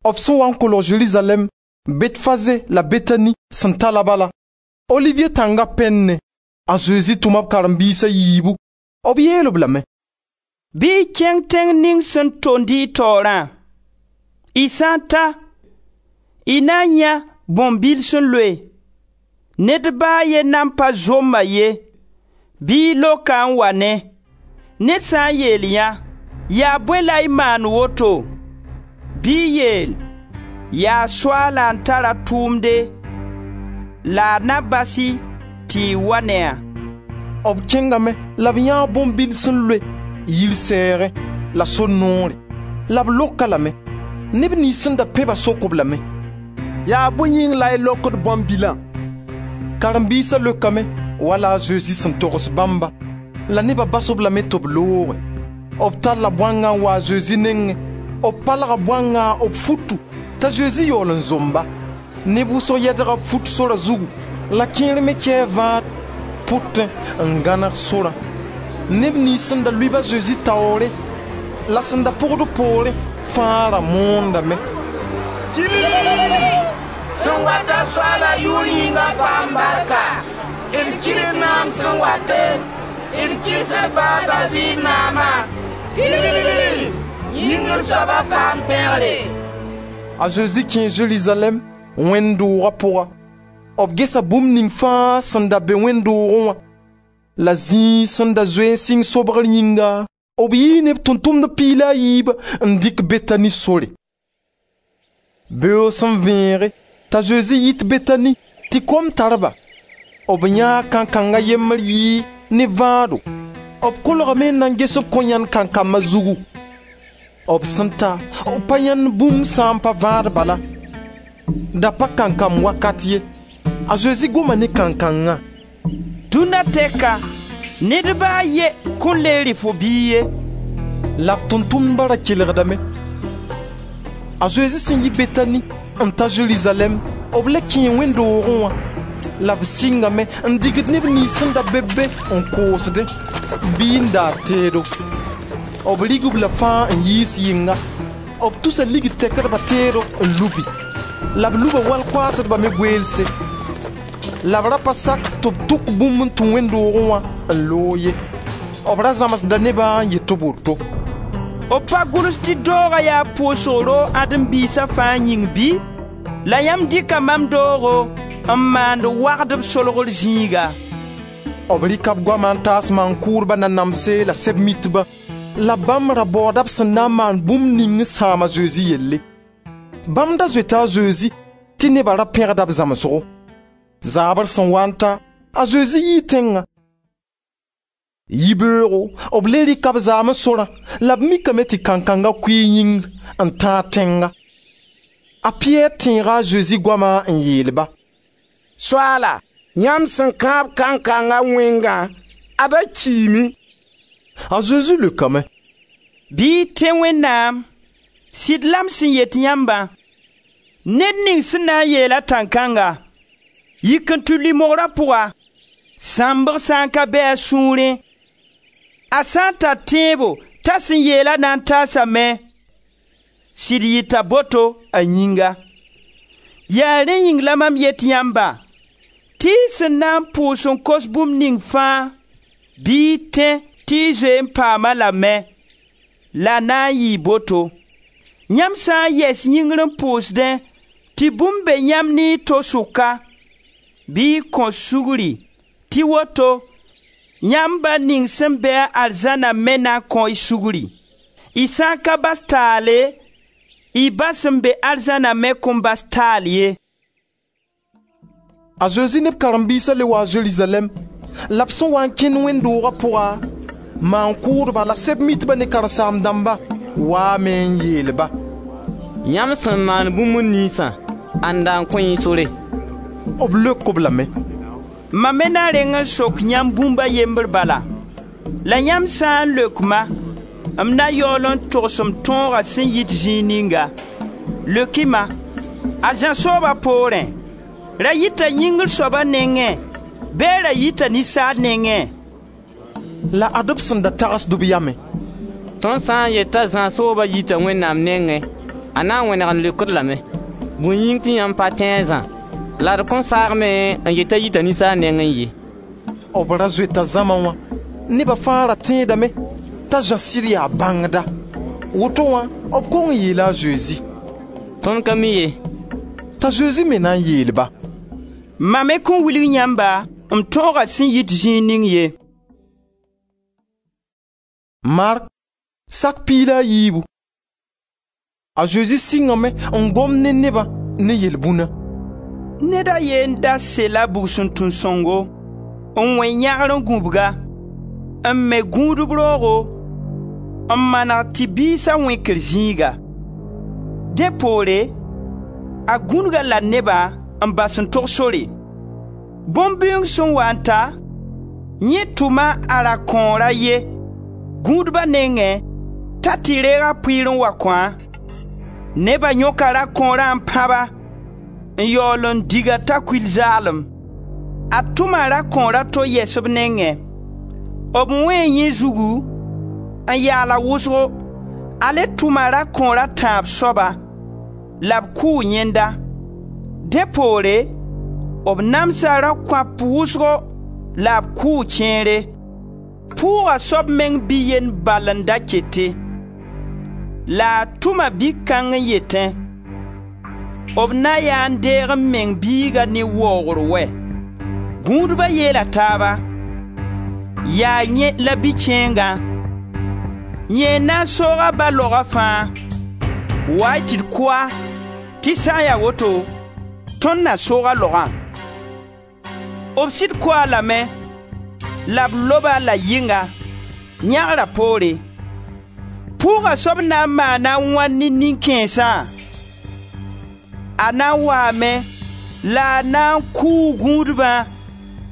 B sẽn wa n kolg Zerizalɛɛm, Betfaze la Betani sẽn ta la bala, Olivier tãnga pɛnne, a Zezi tʋma b karen-biis a yiibu. B yeel-b lame: «Bɩ y kẽng tẽng ning sẽn tond y taoorã. Y sã n ta, y na n yãe bõn-bil sẽn loe. Ned ba a ye nan pa zomma ye, bɩ y lok-a n wa ne. Ned sã n yeel yã: yaa bõe la y maan woto? Bɩ y yeel: yaa Soaala n tar a tʋʋmde la a na bas-y tɩ y wa ne-a.» B kẽngame la b yãa bõn-bil sẽn loe yir sɛɛgẽ la sor noore, la b lok-a lame. Neb niyns sẽn da pẽ-ba sok-b lame: «Yaa bõe yĩng la y lokd bõn-bilã?» Karen-biisa leokame wala a Zezi sẽn togs bãmba, la neba bas-b lame tɩ b looge. B talla bõangã n wa a Zezi nengẽ. B palga bõangã b futu t'a Zezi yaool n zomba. Neb wʋsg yɛdga b fut sora zugu, la kẽer me kɛɛ vãad pʋtẽ n gãneg sorã. Neb niyns sẽn da lʋɩ-b a Zezi taoore la sẽn da pʋgd poorẽ fãa ra moondame: «Sẽn wat-a Soaala yʋʋr yĩnga paam barka! D kɩrs naam sẽn wate, d kɩrs d ba a Daviid naama! Yĩngr soaba paam pẽgre!» A Zezi kẽe Zerizalɛɛm wẽnd-doogã pʋga. B gesa bũmb ning fãa sẽn da be wẽnd-doogẽ wã la zĩig sẽn da zoe n sɩng sobgr yĩnga. B yii ne b tʋʋm-tʋmdb 14 n dɩk Betani sore. Beoog sẽn vẽege t'a Zezi yit Betani tɩ kom tar-ba. B yãa kankanga yembr yɩɩ ne vãado. B kolgame n na n ges b kõ yãnd kankamba zugu. B sẽn ta, b pa yãnd bũmb sã n pa vãad bala. Da pa kankam wakat ye. A Zezi goma ne kankangã: «Dũnna tɛka, ned ba a ye kõn le rɩ fo biig ye.» La b tʋʋm-tʋmdba ra kelgdame. A Zezi sẽn yi Betani n ta Zerizalɛɛm, b le kẽe wẽnd-doogẽ wã la b sɩngame n digd neb niyns sẽn da be be n koosdẽ bɩ n daad teedo. B rig-b la fãa n yiis yɩnga. B tusa ligd tɛkdba teedo n lubi, la b luba wal-koaasdba me goeelse. La b ra pa sak tɩ b tʋk bũmb n tũ wẽnd-doogẽ wã n loog ye. B ra zãmsda nebã n yet b woto: B pa gʋls tɩ dooga yaa pʋʋsg roog ãdem-biisa fãa yĩng bɩ? La yãmb dɩka mam doogo n maand wagdb solgr zĩiga.» B rɩka b goama n taas maan-kʋʋdba nanamse la Sɛb-mitba, la bãmb ra baooda b sẽn na n maan bũmb ning n sãam a Zezi yelle. Bãmb da zoeta a Zezi tɩ neba ra pẽgda b zãmsgo. Zaabr sẽn wa n ta, a Zezi yii tẽngã. Yibeoogo b le rɩka b zaamẽ sorã la b mikame tɩ kankanga kʋɩ yĩngr n tãag tẽnga. A Piyɛr tẽega a Zezi goama n yeel-ba: «Soaala, yãmb sẽn kãab kankanga wẽngã, ad-a kiime.» A Zezi leokame: «Bɩ y tẽ Wẽnnaam. Sɩd la m sẽn yet yãmbã, ned ning sẽn na n yeel-a tãn-kãnga: yik n tɩ lʋɩ mogra pʋga, sãmbg sã n ka be a sũurẽ, a sã n tar tẽebo t'a sẽn yeela na n taasame, sɩd yɩta boto a yĩnga. Yaa rẽ yĩng la mam yet yãmba tɩ y sẽn na n pʋʋs n kos bũmb ning fãa, bɩ y tẽ tɩ y zoe n paam-a lame, la na n yɩɩ boto. Yãmb sã n yɛs yĩngr n pʋʋsdẽ tɩ bũmb be yãmb ne y to sʋka, bɩ y kõ sugri tɩ woto yãmb Ba ning sẽn be-a arzãna me na kõ-y sugri. Y sã n ka bas taale, y Ba sẽn be arzãna me kõn bas taal ye.» A Zezi ne b karen-biisa le waa Zerizalɛɛm, la b sẽn wa n kẽnd wẽnd-dooga pʋga, maan-kʋʋdba la Sɛb-mitba ne karen-saam-dãmba waame n yeel-ba: «Yãmb sẽn maan bũmb ninsã, ãnda n kõ-y sore?» B leok-b lame: «Mam me na reng n sok yãmb bũmb a yembr bala, la yãmb sã n leok-ma, m na yaool n togs m tõoga sẽn yit zĩig ninga. Leok-y-ma: a Zã sooba poorẽ, ra yita yĩngr soaba nengẽ bɩ ra yita ninsaal nengẽ?» La ad-b sẽn da tagsd b yamẽ: «Tõnd sã n yet t'a Zã sooba yita Wẽnnaam nengẽ, a na n wẽneg n leok-d lame: bõe yĩng tɩ yãmb pa tẽ a Zã? La d kõn saagme n yet t'a yita ninsaal nengẽ ye.» B ra zoeta zãma wã. Neba fãa ra tẽedame t'a Zã sɩd yaa bãngda. Woto wã b kong n yeela a Zezi: «Tõnd ka mi ye.» T'a Zezi me na n yeel-ba: «Mam me kõn wilg yãmba m tõoga sẽn yit zĩig ning ye.» Mark sak 12. A Zezi sɩngame n gom ne nebã ne yel-bũna: Ned a ye n da sela bugsuntun-sõngo, n wẽ yãgr n gũbg-a, n me gũudb roogo, n maneg tɩ biisa wẽkr zĩiga. Dẽ poore, a gũnug-a la nebã n bas n tog sore. Bõn-bĩung sẽn wa n ta, yẽ tʋma a rakõor a ye, gũudba nengẽ, t'a tɩ reeg a pʋɩɩr n wa kõ-a. Neba yõka rakõorã n pãb-a, n yaool n dig-a t'a kuil zaalem. A tʋma rakõor a to yɛs b nengẽ. B wẽe yẽ zugu n yaal-a wʋsgo. A le tʋma rakõor a tãab soaba, la b kʋʋ yẽnda. Dẽ poore, b namsa rakõap wʋsgo la b kʋʋ kẽere. Pʋʋga soab meng bi-yend bal n da kete. La a tʋma bi-kãng n yetẽ: b na yaa n deeg m meng biiga ne waoogr wɛ. Gũudba yeela taaba: yaa yẽ la bi-kẽengã, yẽ n na n soog a ba laoga fãa. Wa-y tɩ d kʋ-a, tɩ sã n ya woto, tõnd na soog a laogã.» B sɩd kʋ-a lame la b lob-a la yɩnga, yãgra poore. Pʋʋga soab na n maana wãn ne nin-kãensã? A na n waame la a na n kʋʋ gũudbã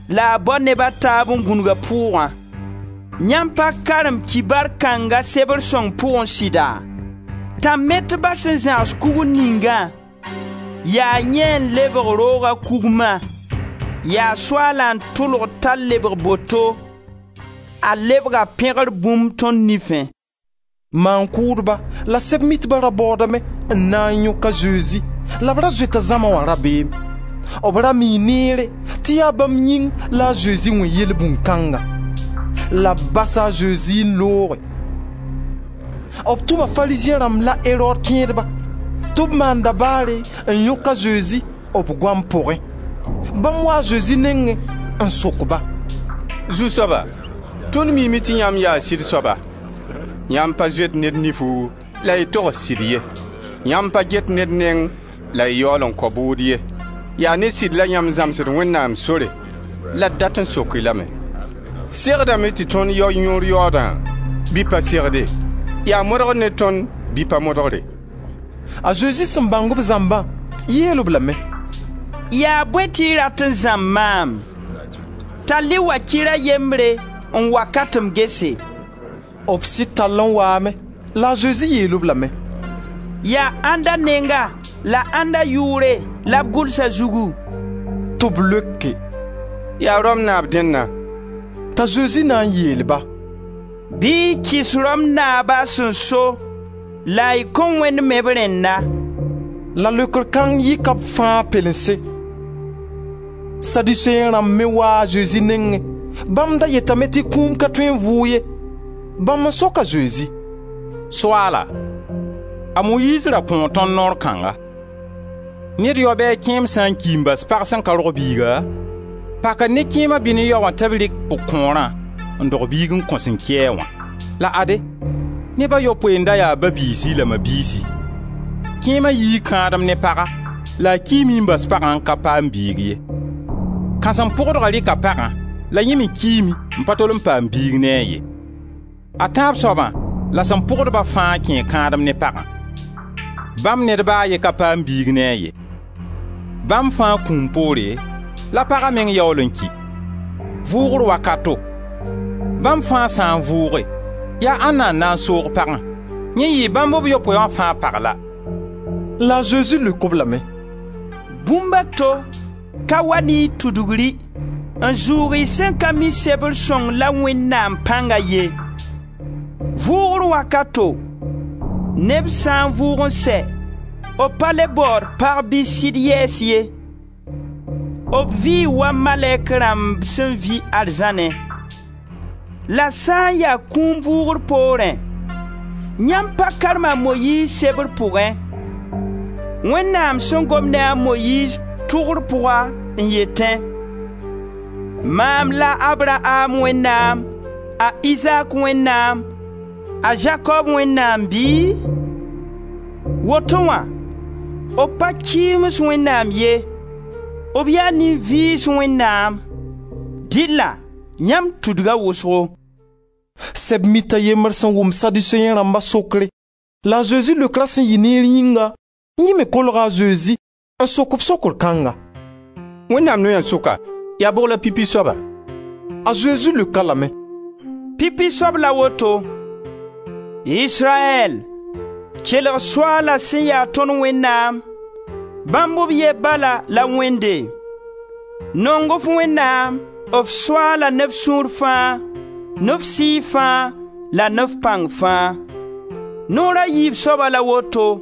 la a bao neb a taab n gũnug a pʋʋgã. Yãmb pa karem kibar kãnga sebr sõng pʋgẽ sɩda? Tãn-metba sẽn zãgs kugr ningã, yaa yẽ n lebg rooga kugmã. Yaa Soaalã n tʋlg t'a lebg boto, a lebga pẽgr bũmb tõnd nifẽ. Maan-kʋʋdba la Sɛb-mitba ra baoodame n na n yõk a Zezi la b ra zoeta zãma wã rabeem. B ra mii neere tɩ yaa bãmb yĩng la a Zezi wẽ yelbũn kãnga. La b basa a Zezi n looge. B tʋma Farizẽ rãmb la Erod kẽedba tɩ b maan dabaare n yõk a Zezi b goam pʋgẽ. Bãmb waa a Zezi nengẽ n sok-ba: «Zu-soaba, tõnd miime tɩ yãmb yaa sɩd soaba. Yãmb pa zoet ned nifu la y togs sɩd ye. Yãmb pa get ned neng la y yaool n kao bʋʋd ye. Yaa ne sɩd la yãmb zãmsd Wẽnnaam sore. La d dat n sok-y lame: segdame tɩ tõnd yao yõor yaoodã bɩ pa segde? Yaa modgr ne tõnd bɩ pa modgre?» A Zezi sẽn bãng b zãmbã, yeel-b lame: «Yaa bõe tɩ y rat n zãmb maam? Tall-y wakɩr a yembre n wa ka tɩ m gese.» B sɩd tall n waame la a Zezi yeel-b lame: «Yaa ãnda nenga la ãnda yʋʋre la b gʋls a zugu?» Tɩ b leoke: «Yaa Rom naab dẽnna.» T'a Zezi na n yeel-ba: «Bɩ y kɩs Rom naaba a sẽn so la y kõ Wẽnd me b rẽnna.» La leokr kãng yɩka b fãa pelense. Saduseẽ rãmb me waa a Zezi nengẽ. Bãmb da yetame tɩ kũum ka tõe n vʋʋg ye. Bãmb n sok a Zezi: «Soaala, a Moyiiz ra kõo tõnd noor kãnga: ned yao bɩ a kẽem sã n ki n bas pag sẽn ka rog biiga, pakr ne kẽema bɩ ne yao wã tɩ b rɩk pʋg-kõorã n dog biig n kõ sẽn ki-a wã. La ade, neb a yopoe n da ya ba-biisi la ma-biisi. Kẽema yii kãadem ne paga la a kiime n bas pagã n ka paam biig ye. Kãsem-pʋgdga rɩka pagã la yẽ me kiime n pa tol n paam biig ne a ye. A tãab soabã la sẽn pʋgd-ba fãa kẽe kãadem ne pagã. Bãmb ned ba a ye ka paam biig ne a ye. Bãmb fãa kũum poore, la paga meng yaool n ki. Vʋʋgr wakato, bãmb fãa sã n vʋʋge, yaa ãnna n na n soog pagã? Yẽ yɩɩ bãmb b yopoe wã fãa pag la.» La a Zezi leok-b lame: «Bũmb a to ka wa ne y tudgri n zʋʋg y sẽn ka mi Sebr sõng la Wẽnnaam pãnga ye. Vʋʋgr wakato, neb sã n vʋʋg n sɛ, b pa le baood pag bɩ sɩd yɛɛs ye. B vɩɩ wa malɛk rãmb sẽn vɩ arzãnẽ. La sã n ya kũum vʋʋgr poorẽ, yãmb pa karem a Moyiiz sebr pʋgẽ, Wẽnnaam sẽn gom ne a Moyiiz tʋgr pʋga n yetẽ: ‹Maam la Abraam Wẽnnaam, a Izaak Wẽnnaam, a Zakob Wẽnnaam bɩ?› Woto wã, b pa kɩɩms Wẽnnaam ye, b yaa nin-vɩɩs Wẽnnaam. Dɩlla yãmb tudga wʋsgo.» Sɛb-mit a yembr sẽn wʋm Saduseẽ rãmba sokre la a Zezi leokra sẽn yɩ neer yĩnga, yẽ me kolga a Zezi n sok-b sokr kãnga: «Wẽnnaam noya sʋka, yaa bʋg la pipi soaba?» A Zezi leok-a lame: «Pipi soab la woto: Israyɛl, kelg Soaala sẽn ya tõnd Wẽnnaam, bãmb b ye bala la Wẽnde. Nong f Wẽnnaam, f Soaala ne f sũur fãa, ne f sɩɩg fãa la ne f pãng fãa. Noor a yiib soaba la woto: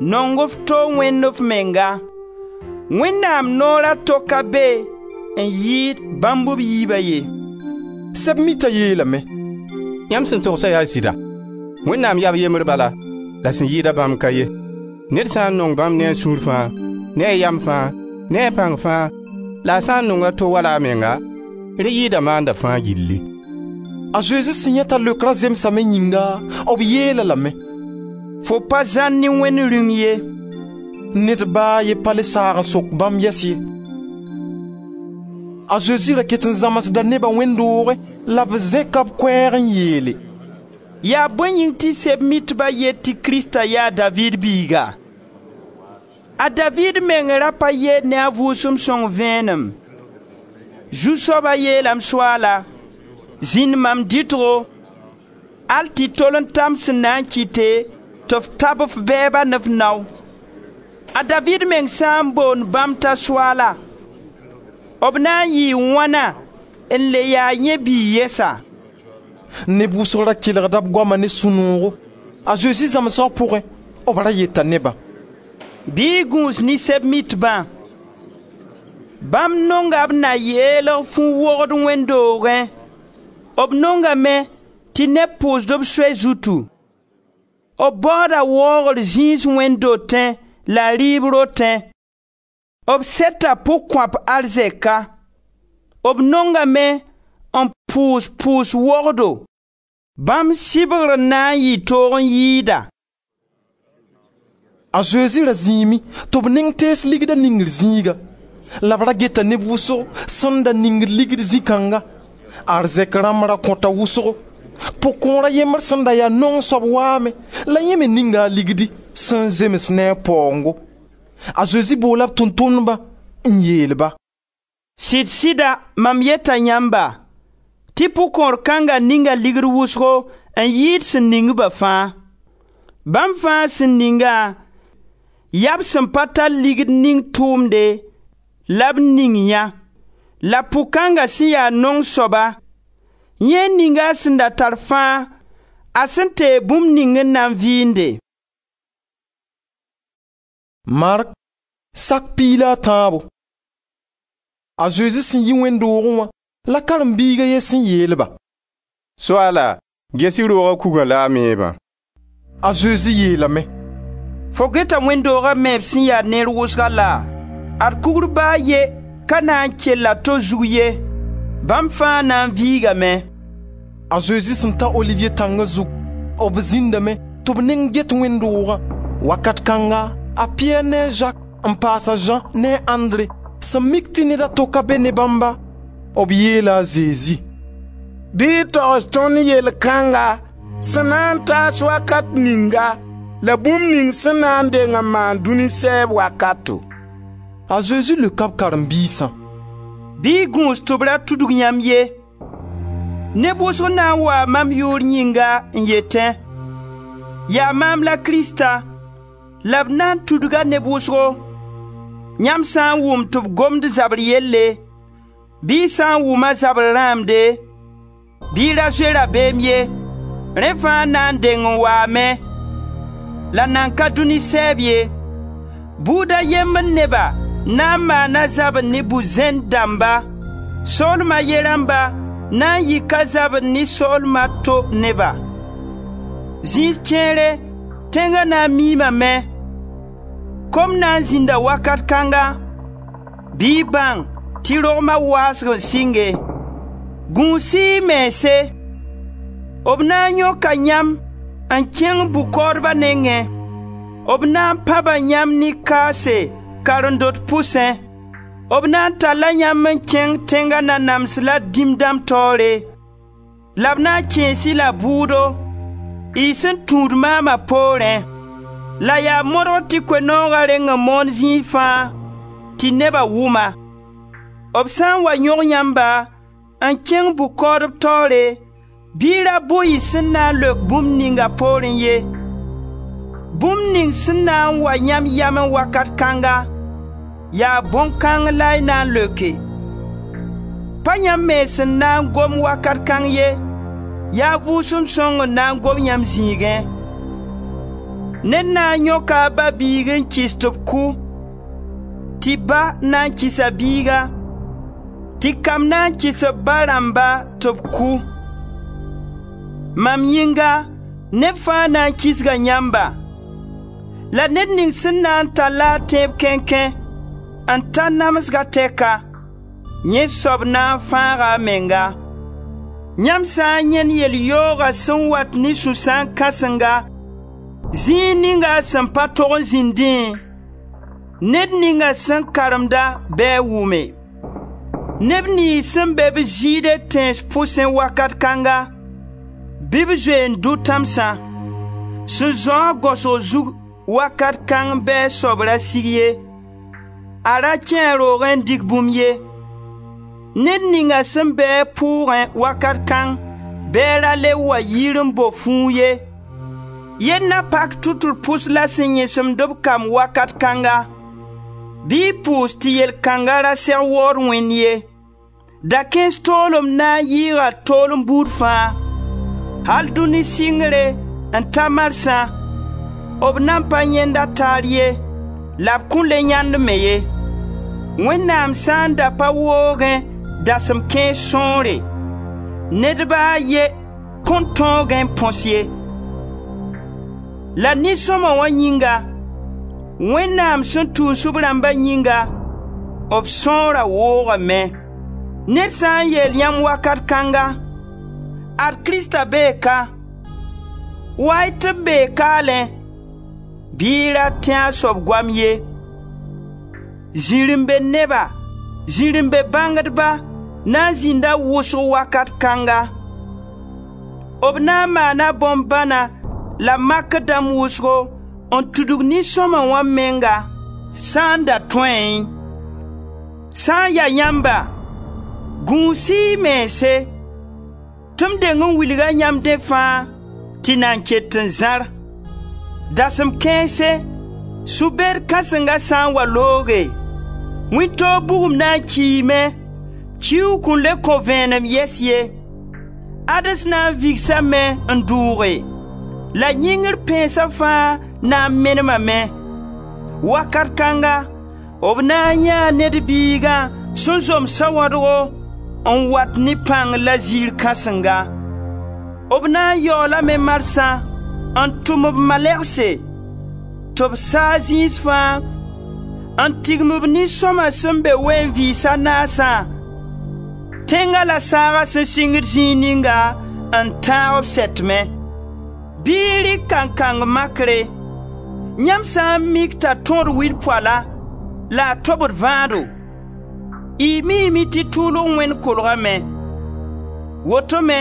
nong f to wẽnd f menga. Wẽnnaam noor a to ka be n yɩɩd bãmb b yiiba ye.» Sɛb-mita yeelame: «Yãmb sẽn togsa yaa sɩda. Wẽnnaam yaa b yembr bala, la sẽn yɩɩd-a bãmb ka ye. Ned sã n nong bãmb ne a sũur fãa, ne a yam fãa, ne a pãng fãa, la a sã n nong a to wala a menga, rẽ yɩɩda maanda fãa gilli.» A Zezi sẽn yãe t'a leokra zemsame yĩnga, b yeel-a lame: «Fo pa zãr ne Wẽnd Rĩung ye.» Ned ba a ye pa le saag n sok bãmb yɛs ye. A Zezi ra ket n zãmsda neba wẽnd doogẽ la b zẽka b koɛɛg n yeele: «Yaa bõe yĩng tɩ Sɛb-mitba yet tɩ Krista yaa a Daviid biiga? A Daviid meng ra pa yeel ne a Vʋʋsem Sõng vẽenem: Zu-soaba yeela m Soaala: zĩnd mam dɩtgo, al tɩ tol n ta m sẽn na n kɩte tɩ f tab f bɛɛba ne f nao. A Daviid meng sã n boond bãmb t'a Soaala, b na n yɩɩ wãna n le yaa yẽ biig yɛsa?» Neb wʋsg ra kelgda b goama ne sũ-noogo. A Zezi zãmsgã pʋgẽ, b ra yeta nebã: «Bɩ y gũus ne Sɛb-mitbã. Bãmb nonga b na yeelg fu-wogd wẽnd doogẽ. B nongame tɩ neb pʋʋsd b soay zutu. B baooda waoogr zĩis wẽnd dotẽ la rɩɩb rotẽ. B seta pʋgkõap arzɛka. B nongame n pʋʋs pʋʋs-wogdo. Bãmb sɩbgr na n yɩ toog n yɩɩda.» A Zezi ra zĩime tɩ b neng tees ligda ningr zĩiga. La b ra geta neb wʋsgo sẽn da ningd ligd zĩ-kãnga. Arzɛk rãmb ra kõta wʋsgo. Pʋgkõor a yembr sẽn da yaa naong soab waame la yẽ me ninga a ligdi sẽn zems ne a paoongo. A Zezi boola b tʋʋm-tʋmdbã n yeel-ba: «Sɩd-sɩda mam yeta yãmba tɩ pʋgkõor kãnga ninga ligd wʋsgo n yɩɩd sẽn ning-ba fãa. Bãmb fãa sẽn ningã, yaa b sẽn pa tar ligd ning tʋʋmde la b ning yã. La pʋg-kãnga sẽn ya naong soaba, yẽ ninga a sẽn da tar fãa, a sẽn teeg bũmb ning n na n vɩɩnde.» Mark sak 13. A Zezi sẽn yi wẽnd doogẽ wã la karen-biig a ye sẽn yeel-ba: «Soaala, ges-y rooga kugã la a meebã.» A Zezi yeelame: «Fo geta wẽnd-dooga meeb sẽn ya neer wʋsga laa? Ad kugr ba a ye ka na n kell a to zug ye, bãmb fãa na n viigame.» A Zezi sẽn ta Olivier tãnga zug, b zĩndame tɩ b neng get wẽnd-doogã. Wakat kãnga, a Piyɛr ne a Zak n paas a Zã ne a Andre sẽn mik tɩ ned a to ka be ne bãmba, b yeela a Zezi: «Bɩ y togs tõnd yell kãnga sẽn na n taas wakat ninga la bũmb ning sẽn na n deng n maan dũni sɛɛb wakato.» A Zezi leoka b karen-biisã: «Bɩ y gũus tɩ b ra tudg yãmb ye. Neb wʋsg na n waa mam yʋʋr yĩnga n yetẽ: ‹Yaa maam la Krista›, la b na n tudga neb wʋsgo. Yãmb sã n wʋm tɩ b gomd zabr yelle, bɩ y sã n wʋm a zabr rãamde, bɩ y ra zoe rabeem ye. Rẽ fãa na n deng n waame, la nan ka dũni sɛɛb ye. Buud a yembr neba na n maana zabr ne bu-zẽnd dãmba, soolma a ye rãmba na n yika zabr ne soolma a to neba. Zĩis kẽere tẽnga na n miimame. Kom na n zĩnda wakat kãnga, bɩ y bãng tɩ rogma waasg n sɩnge. Gũus-y y mense. B na n yõka yãmb n kẽng bʋ-kaoodba nengẽ. B na n pãba yãmb ne kaase karen-dot pʋsẽ. B na n talla yãmb n kẽng tẽnga nanams la dĩm dãmb taoore, la b na n kẽes-y la bʋʋdo, y sẽn tũud maama poorẽ. La yaa modg tɩ Koe-nooga reng n moon zĩig fãa tɩ neba wʋm-a. B sã n wa yõg yãmba n kẽng bʋ-kaoodb taoore, bɩ y ra bʋ y sẽn na n leok bũmb ninga poorẽ ye. Bũmb ning sẽn na n wa yãmb yamẽ wakat kãnga, yaa bõn-kãng la y na n leoke. Pa yãmb mens n na n gom wakat kãng ye, yaa Vʋʋsem Sõng n na n gom yãmb zĩigẽ. Ned na n yõka a ba-biig n kɩs tɩ b kʋ, tɩ ba na n kɩs a biiga, tɩ kam na n kɩs b ba rãmba tɩ b kʋ. Mam yĩnga neb fãa na n kisga yãmba. La ned ning sẽn na n tall-a a tẽeb kẽnkẽ n ta namsga tɛka, yẽ soab na n fãaga a menga. Yãmb sã n yãend yel-yooga sẽn wat ne sũ-sãam kãsenga, zĩig ninga a sẽn pa tog n zĩndẽ, ned ninga sẽn karemda bɩ a wʋme. Neb niyns sẽn be b Zɩɩde tẽns pʋsẽ wakat kãnga, bɩ b zoe n dʋ tãmsã. Sẽn zão-a gaosg zug wakat kãng bɩ a soab ra sig ye, a ra kẽ a roogẽ n dɩk bũmb ye. Ned ninga sẽn be-a pʋʋgẽ wakat kãng bɩ a ra le wa yir n bo fũu ye. Yell na pak tʋtr pʋs la sẽn yẽsemd b kam wakat kãnga. Bɩ y pʋʋs tɩ yel kãnga ra seg waood Wẽnd ye. Dakẽes toolem na n yɩɩga toolem buud fãa. Al dũni sɩngre n ta marsã, b nan pa yãend-a taar ye, la b kõn le yãend me ye. Wẽnnaam sã n da pa woogẽ dasem kãens sõore, ned ba a ye kõn tõogẽ n põs ye. La nin-sõma wã yĩnga, Wẽnnaam sẽn tuus b rãmba yĩnga, b sõora woogame. Ned sã n yeel yãmb wakat kãnga: ‹Ad Krista bee ka›, wa-y tɩ b bee kaalẽ, bɩ y ra tẽ a soab goam ye. Zirẽ-be neba, zirẽ-be bãngdba na n zĩnda wʋsg wakat kãnga. B na n maana bõn-bãna la makr dãmb wʋsgo n tudg nin-sõma wã menga, sã n da tõeẽ. Sã n ya yãmba, gũus-y y mense, tɩ m deng n wilga yãmb dẽ fãa tɩ nan ket n zãr. Dasem kãense, sũ-beed kãsenga sã n wa looge, wĩntoog bugum na n kiime, kiuug kõn le kõ vẽenem yɛs ye. Ades na n vigsame n dʋʋge, la yĩngr pẽensa fãa na n menemame. Wakat kãnga, b na n yãa Ned Biigã sẽn zom sawãdgo n wat ne pãng la ziir kãsenga. B na n yaoolame marsã n tʋm b malɛgse tɩ b saa zĩis fãa n tigim b nin-sõma sẽn be ween-vɩɩs a naasã, tẽnga la saaga sẽn sɩngd zĩig ninga n tãag b sɛtmẽ. Bɩ y rɩk kankang makre: yãmb sã n mik t'a tõod wil-poala la a tobd vãado, y miime tɩ tʋʋlg wẽnd kolgame. Woto me,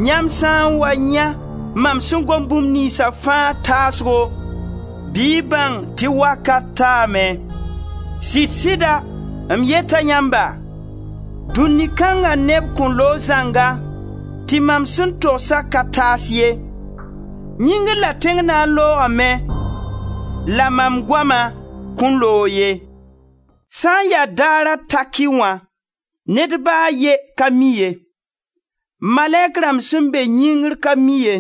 yãmb sã n wa yã mam sẽn gom bũmb niynsa fãa taasgo, bɩ y bãng tɩ wakat taame. Sɩd-sɩda, m yeta yãmba, dũni kãnga neb kõn loog zãnga tɩ mam sẽn togsa ka taas ye. Yĩngr la tẽng na n loogame, la mam goama kõn loog ye. Sã n ya daara taki wã, ned ba a ye ka mi ye. Malɛk rãmb sẽn be yĩngr ka mi ye.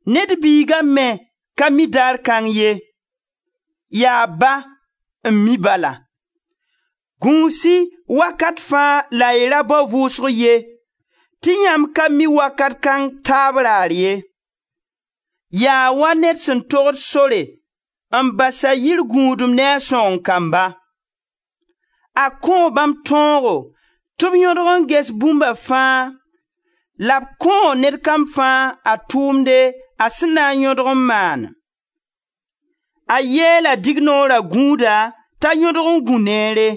Ned Biiga me ka mi daar kãng ye. Yaa Ba n mi bala. Gũus-y wakat fãa la y ra bao vʋʋsg ye, tɩ yãmb ka mi wakat kãng taab raar ye. Yaa wa ned sẽn togd sore n bas a yir gũudum ne a sõgen-kamba. A kõo bãmb tõogo tɩ b yõdg n ges bũmba fãa la b kõo ned kam fãa a tʋʋmde a sẽn na n yõdg n maan. A yeela dignoora gũuda t'a yõdg n gũ neere.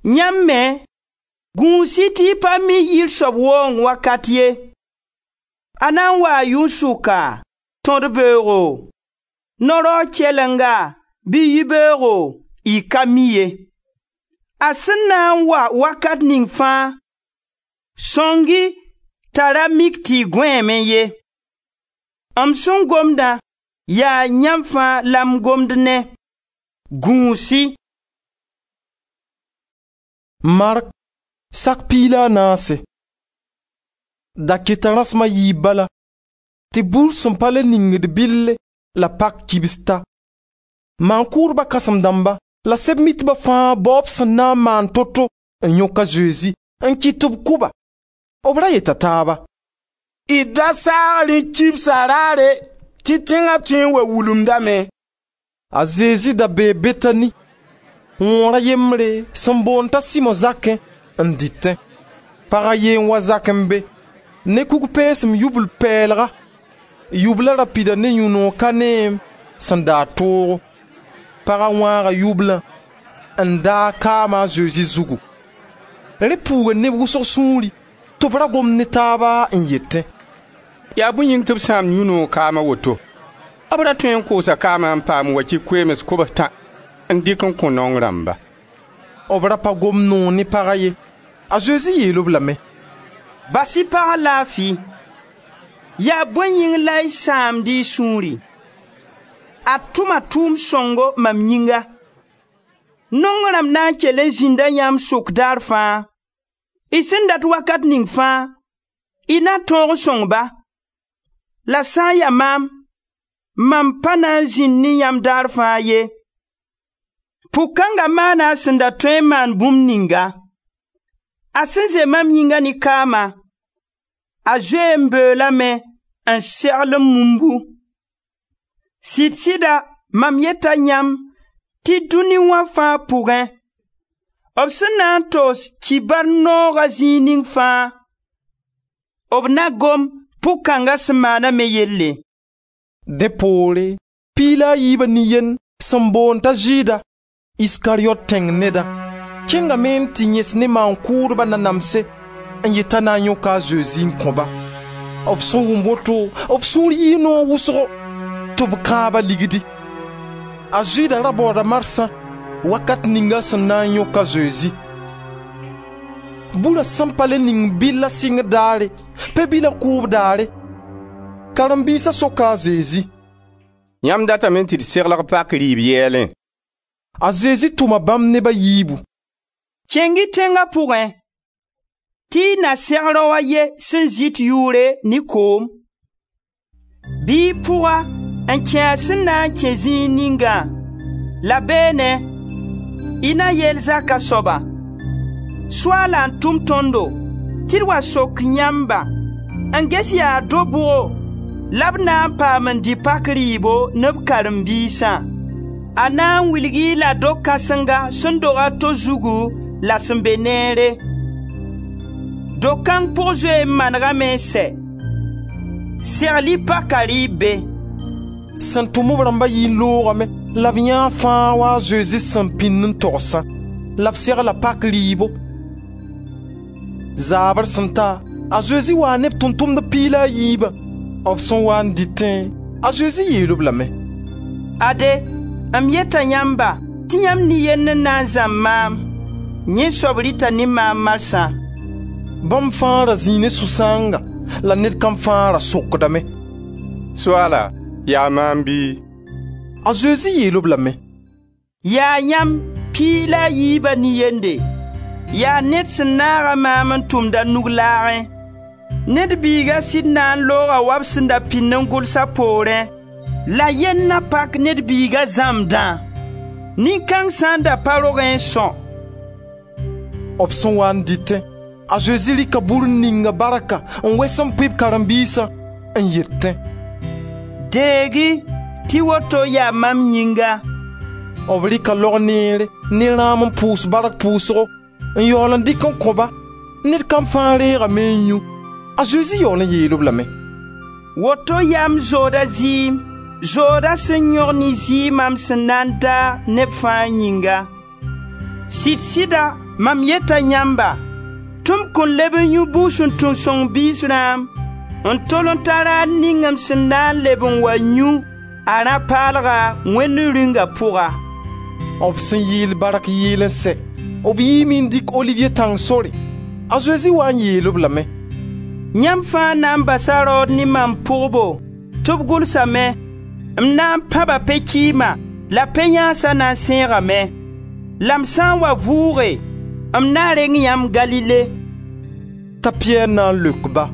Yãmb me, gũus-y tɩ y pa mi yir soab waoong wakat ye. A na n waa yʋn-sʋka, tõd beoogo, no-raoog kɛlenga bɩ yibeoogo, y ka mi ye. A sẽn na n wa wakat ning fãa, sõng-y t'a ra mik tɩ y gõeeme ye. M sẽn gomdã yaa yãmb fãa la m gomd ne. Gũus-y. Mark sak 14. Da keta rãsem a yiib bala tɩ bur sẽn pa le ningd bɩlle la pak kibs ta. Maan-kʋʋdba kãsem-dãmba la sɛb-mitba fãa baoob sẽn na n maan to-to n yõk a Zezi n kɩt tɩ b kʋ-ba. B ra yeta taaba: D da saag rẽ kibsa raare tɩ tẽnga tõe n wa wulumdame. A Zezi da bee Betani, wõor a yembre sẽn boond t'a Simo zakẽ n dɩtẽ. Pag a ye n wa zakẽ be ne kug-pɛɛsem yubl pɛɛlga. Yubla ra pida ne yũ-noog ka neem sẽn daad toogo. Paga wãaga yublã n daag kaama a Zezi zugu. Rẽ puuga neb wʋsg sũuri tɩ b ra gomd ne taaba n yetẽ: Yaa bõe yĩng tɩ b sãam yũ-noog kaam a woto? B ra tõe n koosa kaamã n paam wakɩ koeems kobs-tã n dɩk n kõ naong rãmba. B ra pa gom noor ne paga ye. A Zezi yeel-b lame: Bas-y pagã laafi. Yaa bõe yĩng la y sãamd y sũuri? A tʋma tʋʋm sõngo mam yĩnga. Naong rãmb na n kell n zĩnda yãmb sʋk daar fãa. Y sẽn dat wakat ning fãa, y na tõog n sõng-ba. La sã n ya maam, mam pa na n zĩnd ne yãmb daar fãa ye. Pʋg-kãnga maana a sẽn da tõe n maan bũmb ninga. A sẽn zoe mam yĩnga ne kaama, a zoee n beoolame n segl m mumbu. Sɩd-sɩda mam yeta yãmb tɩ dũni wã fãa pʋgẽ, b sẽn na n togs kibar nooga zĩig ning fãa, b na gom pʋg-kãnga sẽn maana me yelle.» Dẽ poore, piig la a yiiba nin-yend sẽn boond t'a Zɩɩda, Iskariyot tẽng nedã, kẽngame n tɩ yẽs ne maan-kʋʋdba nanamse n yet t'a na n yõka a Zezi n kõ-ba. B sẽn wʋm woto, b sũur yɩɩ noog wʋsgo tɩ b kãab-a ligdi. A Zɩɩda ra baooda marsã wakat ninga sẽn na n yõk a Zezi. Burã sẽn pa le ning bɩlla sɩngr daare, pe-bila kʋʋb daare, karen-biisa soka a Zezi: «Yãmb datame tɩ d seglg pak rɩɩb yɛɛlẽ?» A Zezi tʋma bãmb neb a yiibu: «Kẽng-y tẽnga pʋgẽ, tɩ y na seg rao a ye sẽn zɩt yʋʋre ne koom. Bɩ y pʋg-a n kẽ a sẽn na n kẽ zĩig ningã, la beene, y na yeel zaka soaba: Soaala n tʋm tõndo tɩ d wa sok yãmba n ges yaa do-bʋgo la b na n paam n dɩ pak rɩɩbo ne b karen-biisã. A na n wilg-y la do-kãsenga sẽn dog a to zugu la sẽn be neere. Do-kãng pʋg zoe n manegame n sɛ. Segl-y paka rɩɩb be.» Sẽn tʋm b rãmba yii n loogame la b yãa fãa wa a Zezi sẽn pĩnd n togsã, la b segla pak rɩɩbo. Zaabr sẽn ta, a Zezi waa ne b tʋʋm-tʋmdb piig la a yiibã. B sẽn wa n dɩtẽ, a Zezi yeel-b lame: «Ade, m yeta yãmba tɩ yãmb nin-yend n na n zãmb maam, yẽ soab rɩta ne maam marsã.» Bãmb fãa ra zĩi ne sũ-sãanga la ned kam fãa ra sokdame: «Soaala, yaa maam bɩ?» A Zezi yeel-b lame: «Yaa yãmb piig la a yiiba nin-yende, yaa ned sẽn naaga maam n tʋmd a nug laagẽ. Ned Biiga sɩd na n looga wa b sẽn da pĩnd n gʋls a poorẽ, la yell na pak Ned Biiga zãmbdã. Nin-kãng sã n da pa rogẽ n são.» B sẽn wa n dɩtẽ, a Zezi rɩka bur n ninga barka n wes n pʋɩ b karen-biisã n yetẽ: «Deeg-y tɩ woto yaa mam yĩnga.» B rɩka log neere ne rãam n pʋʋs bark pʋʋsgo n yaool n dɩk n kõ-ba. Ned kam fãa reegame n yũ. A Zezi yaool n yeel-b lame: «Woto yaa m zooda zɩɩm, zooda sẽn yõg ne zɩɩma m sẽn na n daag neb fãa yĩnga. Sɩd-sɩda mam yeta yãmba tɩ m kõn leb n yũ bugsuntun-sõng biis rãam n tol n ta raar ning m sẽn na n leb n wa yũ a rã-paalga Wẽnd Rĩunga pʋga.» B sẽn yeel bark yeel n sɛ, b yiime n dɩk Oliviye tãng sore. A Zezi waa n yeel-b lame: «Yãmb fãa na n basa raood ne mam pʋgbo, tɩ b gʋlsame: M na n pãba pe-kɩɩma la pe-yãansa na n sẽegame. La m sã n wa vʋʋge, m na reng yãmb Galile.» T'a Piyɛr na n leok-ba: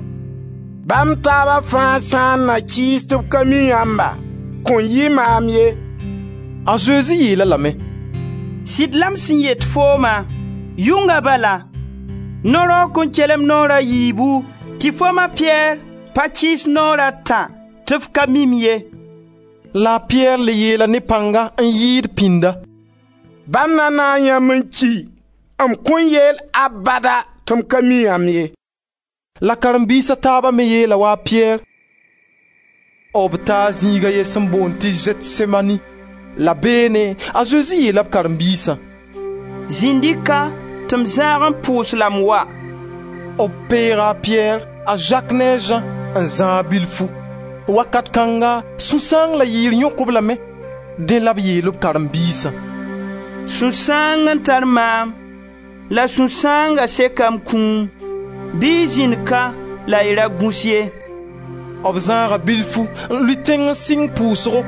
«Bãmb taaba fãa sã n na kɩɩs tɩ b ka mi yãmba, kõn yɩ maam ye.» A Zezi yeel-a lame: «Sɩd la m sẽn yet fooma, yʋnga bala, no-raoog kõn kelem naoor a yiibu tɩ fo ma Piyɛr pa kɩɩs naoor a tã tɩ f ka mi-m ye.» La a Piyɛr le yeela ne pãnga n yɩɩd pĩnda: «Bãmb na naag yãmb n ki, m kõn yeel abada tɩ m ka mi yãmb ye.» La karen-biis a taaba me yeela wa a Piyɛr. B taa zĩig a ye sẽn boond tɩ Zetsemani. La beene a Zezi yeela b karen-biisã: «Zĩnd-y ka tɩ m zãag n pʋʋs la m wa.» B peega a Piyɛr, a Zak ne a Zã n zãag bilfu. Wakat kãnga sũ-sãang la yɩɩr yõk-b lame. Dẽ la b yeel b karen-biisã: «Sũ-sãang n tar maam, la sũ-sãanga seka m kũum. Bɩ y zĩnd ka la y ra gũs ye.» B zãaga bilfu n lʋɩ tẽng n sɩng pʋʋsgo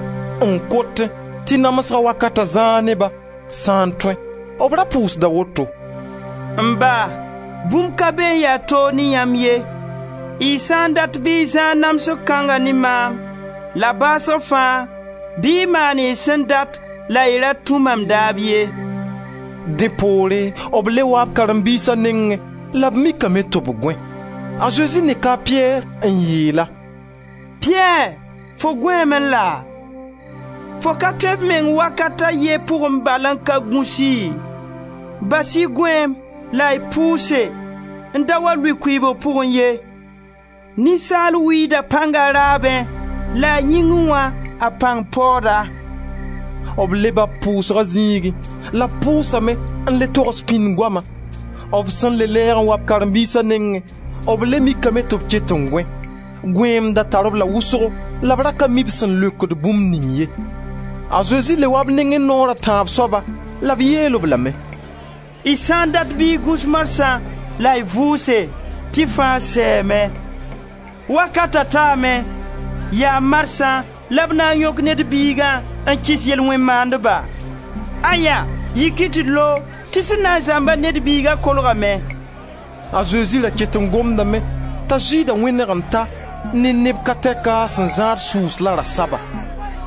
n kotẽ tɩ namsga wakata zãag ne-ba sã n tõe. B ra pʋʋsda woto: «M Ba, bũmb ka be n ya toog ne yãmb ye. Y sã n dat bɩ y zãag namsg kãnga ne maam, la baasg fãa, bɩ y maan y sẽn dat la y ra tũ mam daab ye.» Dẽ poore b le waa b karen-biisa nengẽ la b mikame tɩ b gõe. A Zezi neka a Piyɛr n yeel-a: «Piyɛr, fo gõeeme laa? Fo ka tõe f meng wakat a ye pʋgẽ bal n ka gũsi? Bas-y gõeem la y pʋʋse n da wa lʋɩ kʋɩɩbg pʋgẽ ye. Ninsaal wiida pãnga raabẽ la a yĩngẽ wã a pãng paooda.» B leba b pʋʋsga zĩigẽ la b pʋʋsame n le togs pĩnd goama. B sẽn le lɛɛg n wa b karen-biisa nengẽ, b le mikame tɩ b ket n gõe. Gõeem da tar-b la wʋsgo la b ra ka mi b sẽn leokd bũmb ning ye. A Zezi le wa b nengẽ naoor a tãab soaba la b yeel-b lame: «Y sã n dat bɩ y gũs marsã la y vʋʋse tɩ fãa sɛɛme. Wakata taame, yaa marsã la b na n yõk Ned Biigã n kɩs yel-wẽn maandba. Aya, yik-y tɩ d loog tɩ sẽn na n zãmba Ned Biiga kolgame.» A Zezi ra ket n gomdame t'a Zɩɩda wẽneg n ta ne neb ka tɛka sẽn zãad sʋʋs la rasaba.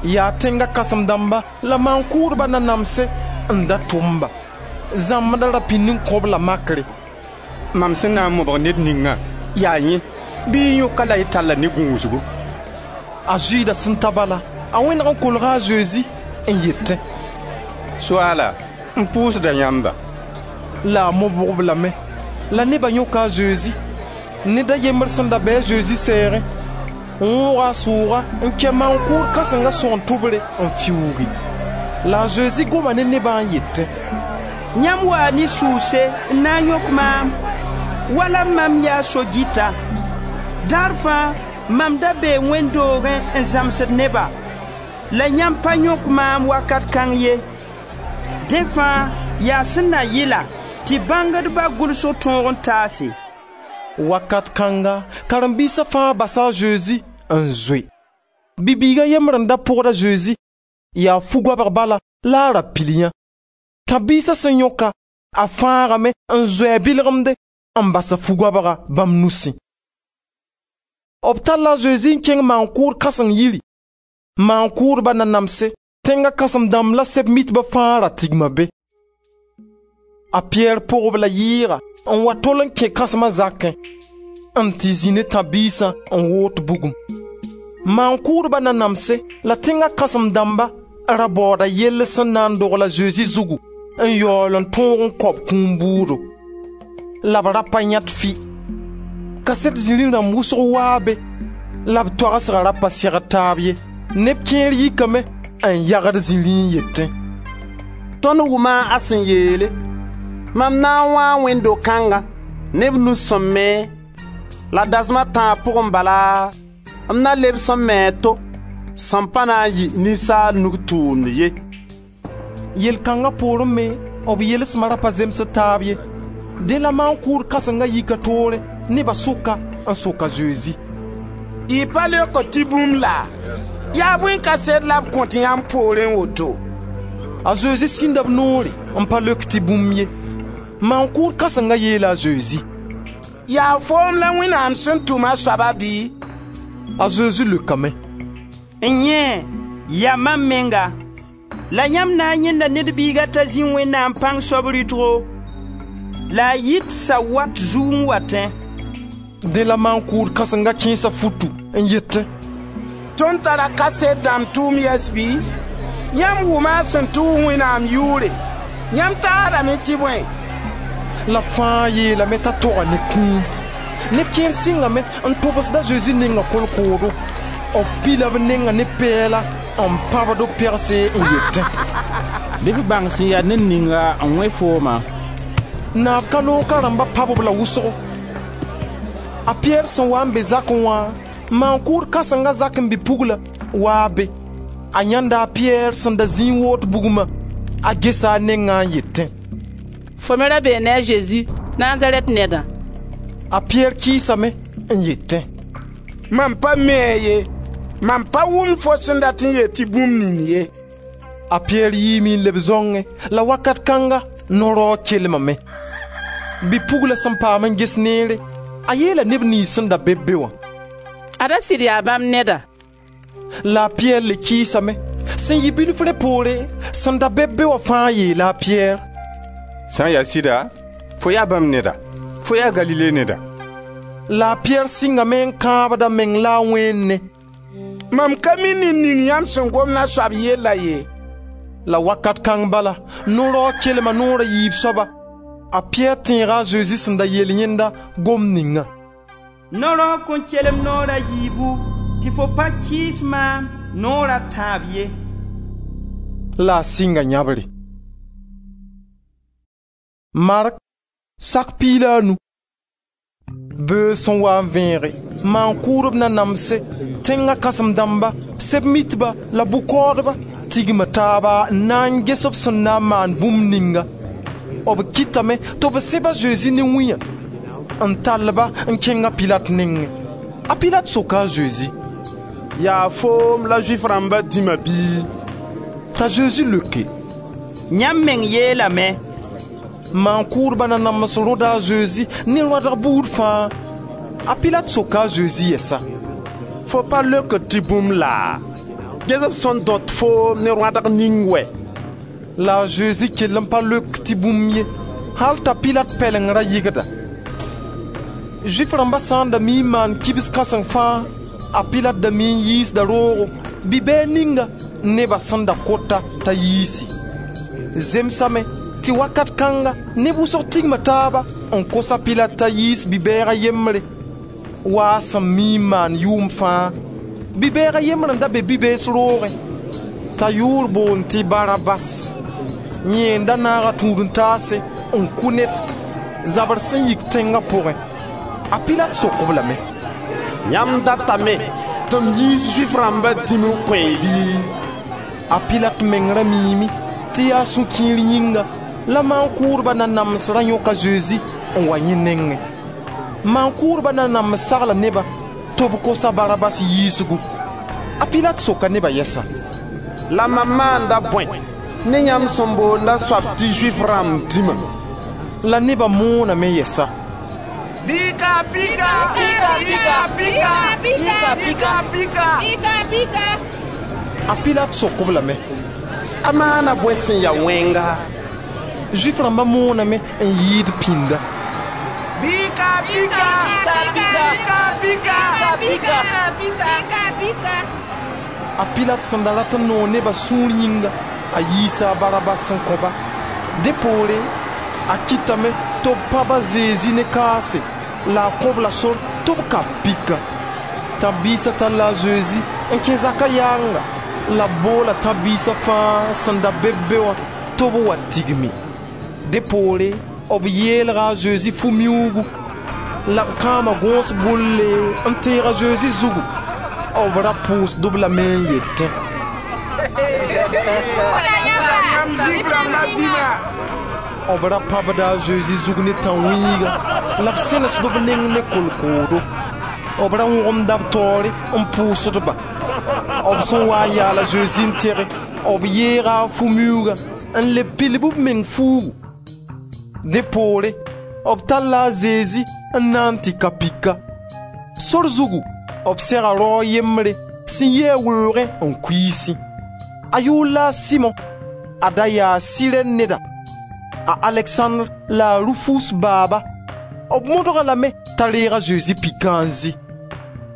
Yaa tẽnga kãsem-dãmba la maan-kʋʋdba nanamse n da tʋm-ba. Zãmbda ra pĩnd n kõ-b la makre: «Mam sẽn na n mobg ned ningã, yaa yẽ, bɩ y yõk-a la y tall-a ne gũusgu.» A Zɩɩda sẽn ta bala, a wẽneg n kolga a Zezi n yetẽ: «Soaala, m pʋʋsda yãmba.» La a mobg-b lame. La neba yõka a Zezi. Ned a yembr sẽn da bɩ a Zezi sɛɛgẽ, n wõoga a sʋʋga n kɛ maan-kʋʋd kãsenga sõgen-tʋbre n fiuugi. La a Zezi goma ne nebã n yetẽ: «Yãmb waa ne sʋʋse n na n yõk maam, wala mam yaa so-gɩta. Daar fãa mam da bee wẽnd doogẽ n zãmsd neba, la yãmb pa yõk maam wakat kãng ye. Dẽ fãa yaa sẽn na yɩla tɩ bãngdba gʋlsg tõog n taase.» Wakat kãnga karen-biisa fãa basa a Zezi n zoe. Bi-biiga yembr n da pʋgd a Zezi, yaa fu-goabg bala la a ra pil yã. Tãb-biisa sẽn yõka, a fãagame n zoe a bilgemde n bas a fu-goabga bãmb nusẽ. B talla a Zezi n kẽng maan-kʋʋd kãseng yiri. Maan-kʋʋdba nanamse, tẽnga kãsem-dãmb la sɛb-mitba fãa ra tigma be. A Piyɛr pʋgb la yɩɩga n wa tol n kẽ kãsma zakẽ, n tɩ zĩ ne tãb-biisã n woot bugum. Maan-kʋʋdba nanamse la tẽnga kãsem-dãmba ra baooda yell sẽn na n dogl a Zezi zugu n yaool n tõog n kao b kũum bʋʋdo. La b ra pa yãt fɩ. Kaset zĩri rãmb wʋsg waa be la b toagsga ra pa segd taab ye. Neb kẽer yikame n yagd zĩri n yetẽ: «Tõnd wʋma a sẽn yeele: ‹Mam na n wãa wẽnd-do-kãnga ne b nus sẽn me, la dasem a tãab pʋgẽ bala, m na lebs n me a to, sẽn pa na n yɩ ninsaal nug tʋʋmd ye.›» Yel kãnga poorẽ me b yelsma ra pa zemsd taab ye. Dẽ la maan-kʋʋd kãsenga yika toore neba sʋka n sok a Zezi: «Y pa leokd tɩ bũmb laa? Yaa bõe kaset la b kõt yãmb poorẽ woto?» A Zezi sĩnda b noore n pa leok tɩ bũmb ye. Maan-kʋʋd kãsenga yeela a Zezi: «Yaa foom la Wẽnnaam sẽn tʋm a soaba bɩ?» A Zezi leokame: «N yẽ, yaa mam menga. La yãmb na n yãenda Ned Biiga t'a zĩ Wẽnnaam pãng soab rɩtgo, la a yit sawat zug n watẽ.» Dẽ la maan-kʋʋd kãsenga kẽesa futu n yetẽ: «Tõnd tara kaset dãmb tʋʋm yɛs bɩ? Yãmb wʋma a sẽn tʋʋg Wẽnnaam yʋʋre. Yãmb tagsdame tɩ bõe?» La b fãa yeelame t'a toga ne kũum. Neb kẽer sɩngame n tobsd a Zezi nenga kolkoodo. B pila b nenga ne pɛɛla n pãbd b pegse n yetẽ: «Bɩ f bãng sẽn ya ned ninga n wẽ foomã.» Naab ka noog ka rãmba pãb-b la wʋsgo. A Piyɛr sẽn wa n be zakẽ wã, maan-kʋʋd kãsenga zak n bi-pugla waa be. A yãnda a Piyɛr sẽn da zĩ n woot bugmã. A gesa a nengã n yetẽ: «Fo me ra bee ne a Zezi, Nazarɛt nedã.» A Piyɛr kɩɩsame n yetẽ: «Mam pa mi-a ye, mam pa wʋmd fo sẽn dat n yet tɩ bũmb ning ye.» A Piyɛr yiime n leb zãongẽ la wakat kãnga no-raoog kelmame. Bi-pugla sẽn paam n ges neere, A yeela neb niyns sẽn da be be wã: Ada sɩd yaa bãmb neda. La a Piyɛr le kɩɩsame. Sẽn yɩ bilf rẽ poore, sẽn da be be wã fãa yeela a Piyɛr: «Sã n ya sɩda, fo yaa bãmb neda, fo yaa Galile neda.» La a Piyɛr sɩngame n kãabd a meng la a wẽene: «Mam ka mi ned ning yãmb sẽn gomd a soab yella ye.» La wakat kãng bala, no-raoog kelma noor a yiib soaba. A Piyɛr tẽega a Zezi sẽn da yeel yẽnda gomd ninga: «No-raoog kõn kelem noor a yiibu tɩ fo pa kɩɩs maam noor a tãab ye.» La a sɩnga yãbre. Mark sak 15. Beoog sẽn wa n vẽege, maan-kʋʋdb nanamse, tẽnga kãsem-dãmba, sɛb-mitba la bʋ-kaoodba tigma taaba n na n ges b sẽn na n maan bũmb ninga. B kɩtame tɩ b sẽb a Zezi ne wĩyã n tall-ba n kẽng a Pilat nengẽ. A Pilat soka a Zezi: «Yaa foom la Zʋɩf rãmba dĩma bɩ?» T'a Zezi leoke: «Yãmb meng yeelame.» Maan-kʋʋdba nanams rõda a Zezi ne rõadg buud fãa. A Pilat soka a Zezi yɛsa: «Fo pa leokd tɩ bũmb laa? Ges b sẽn dõt foom ne rõadg ning wɛ!» La a Zezi kell n pa leok tɩ bũmb ye, hal t'a Pilat pɛleng ra yɩgda. Zʋɩf rãmba sã n da mi n maan kibs kãseng fãa, a Pilat da mi n yiisda roogo bi-bɛɛg ninga neba sẽn da kota t'a yiisi. Zemsame tɩ wakat kãnga neb wʋsg tigma taaba n kos a Pilat t'a yiis bi-bɛɛg a yembre wa a sẽn mi n maan yʋʋm fãa. Bi-bɛɛg a yembr n da be bi-bees roogẽ t'a yʋʋr boond tɩ Barabas. Yẽ n da naaga tũud-n-taase n kʋ ned zabr sẽn yik tẽnga pʋgẽ. A Pilat sok-b lame: «Yãmb datame tɩ m yiis Zʋɩf rãmba dĩm n kõ-y bɩ?» A Pilat meng ra miime tɩ yaa sũ-kiir yĩnga la maan-kʋʋdba nanams ra yõk a Zezi n wa yẽ nengẽ. Maan-kʋʋdba nanams sagla nebã tɩ b kos a Barabas yiisgu. A Pilat soka neba yɛsa: «La mam maanda bõe ne yãmb sẽn boond a soab tɩ Zʋɩf rãmb dĩma?» La neba mooname yɛsa: «Pika, pika, pika, pika, pika, pika, pika, pika.» A Pilat sok-b lame: «A maana bõe sẽn ya wẽnga?» Zʋɩf rãmba mooname n yɩɩd pĩnda: «Pika, pika, pika, pika, pika, pika, pika.» A Pilat sẽn da rat n noog neba sũur yĩnga, a yiisa a Barabas n kõ-ba. Dẽ poore a kɩtame tɩ b pãb a Zezi ne kaase la a kõ-b la sor tɩ b kap pika. Tãb-biisa talla a Zezi n kẽ zaka yaanga la b boola tãb-biisa fãa sẽn da be be wã tɩ b wa tigmi. Dẽ poore b yeelga a Zezi fu-miuugu la b kãama gõos gʋlle n teeg a Zezi zugu. B ra pʋʋsd-b lame n yetẽ: B ra pãbda a Zezi zug ne tãn-wĩiga la b sẽnesd b neng ne kolkoodo. B ra wõgemda b taoore n pʋʋsd-ba. B sẽn wa n yaal a Zezi n tẽge, b yeega a fu-miuugã n le pilb b meng fuugu. Dẽ poore b talla a Zezi n na n tɩ ka pika. Sor zugu b sega rao yembre sẽn yi a weoogẽ n kuiisẽ. A yʋʋr la a Simõ, a da yaa Sirɛn neda, a Aleksãndr la a Rufus baaba. B modg-a lame t'a reeg a Zezi pikã n zĩ.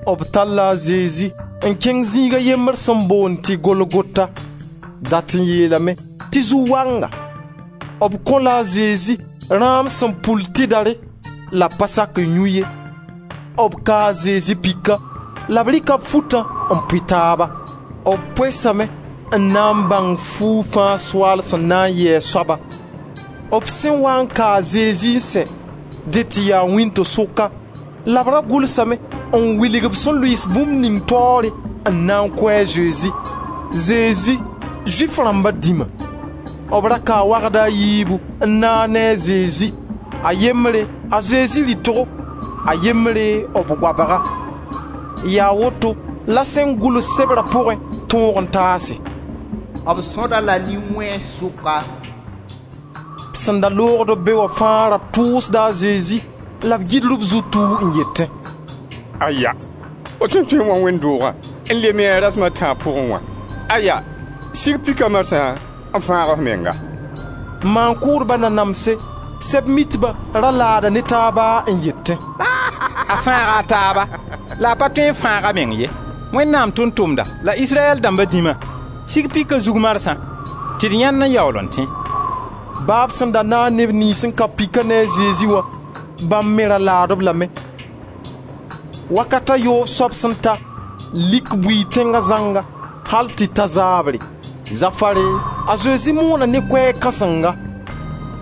B talla a Zezi n kẽng zĩiga yembr sẽn boond tɩ Golgota, dat n yeelame tɩ zu-wanga. B kõ-la a Zezi rãam sẽn pul tɩdare la pa sak n yũ ye. B kaa a Zezi pika la b rɩka b futã n pʋɩ taaba. B poesame n na n bãng fuug fãa soaal sẽn na n yɩ a soaba. B sẽn wa n ka a Zezi n sɛ, dẽ tɩ yaa wĩnto-sʋka, la b ra gʋlsame n wilg b sẽn lʋɩɩs bũmb ning taoore n na n kʋ a Zezi: Zezi, Zʋɩf rãmba dĩma. B ra kaa wagda a yiibu n naag ne a Zezi, a yembre a Zezi rɩtgo, a yembre b goabga. Yaa woto la sẽn gʋls sebra pʋgẽ tõog n taase: B sõda la nin-wẽns sʋka. Sẽn da loogd b be wã fãa ra tʋʋsda a Zezi la b gɩdr b zutu n yetẽ: Aya, fo tõe n tõe n wa wẽnd doogã n leme a rasem a tãab pʋgẽ wã. Aya, sig pika marsã n fãag f menga.» Maan-kʋʋdba nanamse, Sɛb-mitba ra laada ne taaba n yetẽ: «A fãaga a taaba la a pa tõe n fãag a meng ye. Wẽnnaam tʋʋm-tʋmda la Israyɛl dãmba dĩma, sig pika zug marsã tɩ d yãend n yaool n tẽ.» Baa b sẽn da naag neb niyns n ka pika ne a Zezi wã, bãmb me ra laad-b lame. Wakat a yoob soab sẽn ta, lik bʋɩɩ tẽnga zãnga, al tɩ ta zaabre. Zafare, a Zezi moona ne koɛɛg kãsenga: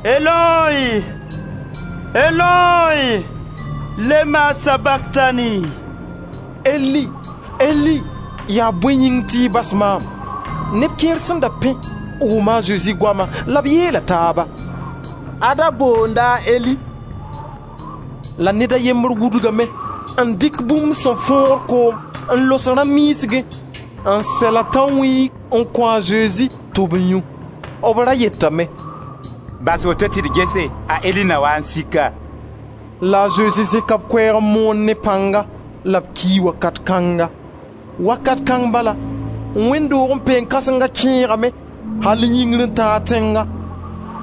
«Eloi, Eloi, lema sabaktani?» Eli, Eli, yaa bõe yĩng tɩ y bas maam? Neb kẽer sẽn da pẽ wʋma a Zezi goama la b yeela taaba: «Ada boonda a Eli.» La ned a yembr wudgame n dɩk bũmb sẽn fõogd koom n los rã-miisgẽ n sɛl a tãn-wĩig n kõ a Zezi tɩ b yũ. B ra yetame: «Bas woto tɩ d gese, a Eli na wa n sik-a.» La a Zezi zẽka b koɛɛg n moon ne pãnga la b kii wakat kãnga. Wakat kãng bala, wẽnd doog n peen kãsenga kẽegame al yĩngr n tãag tẽnga.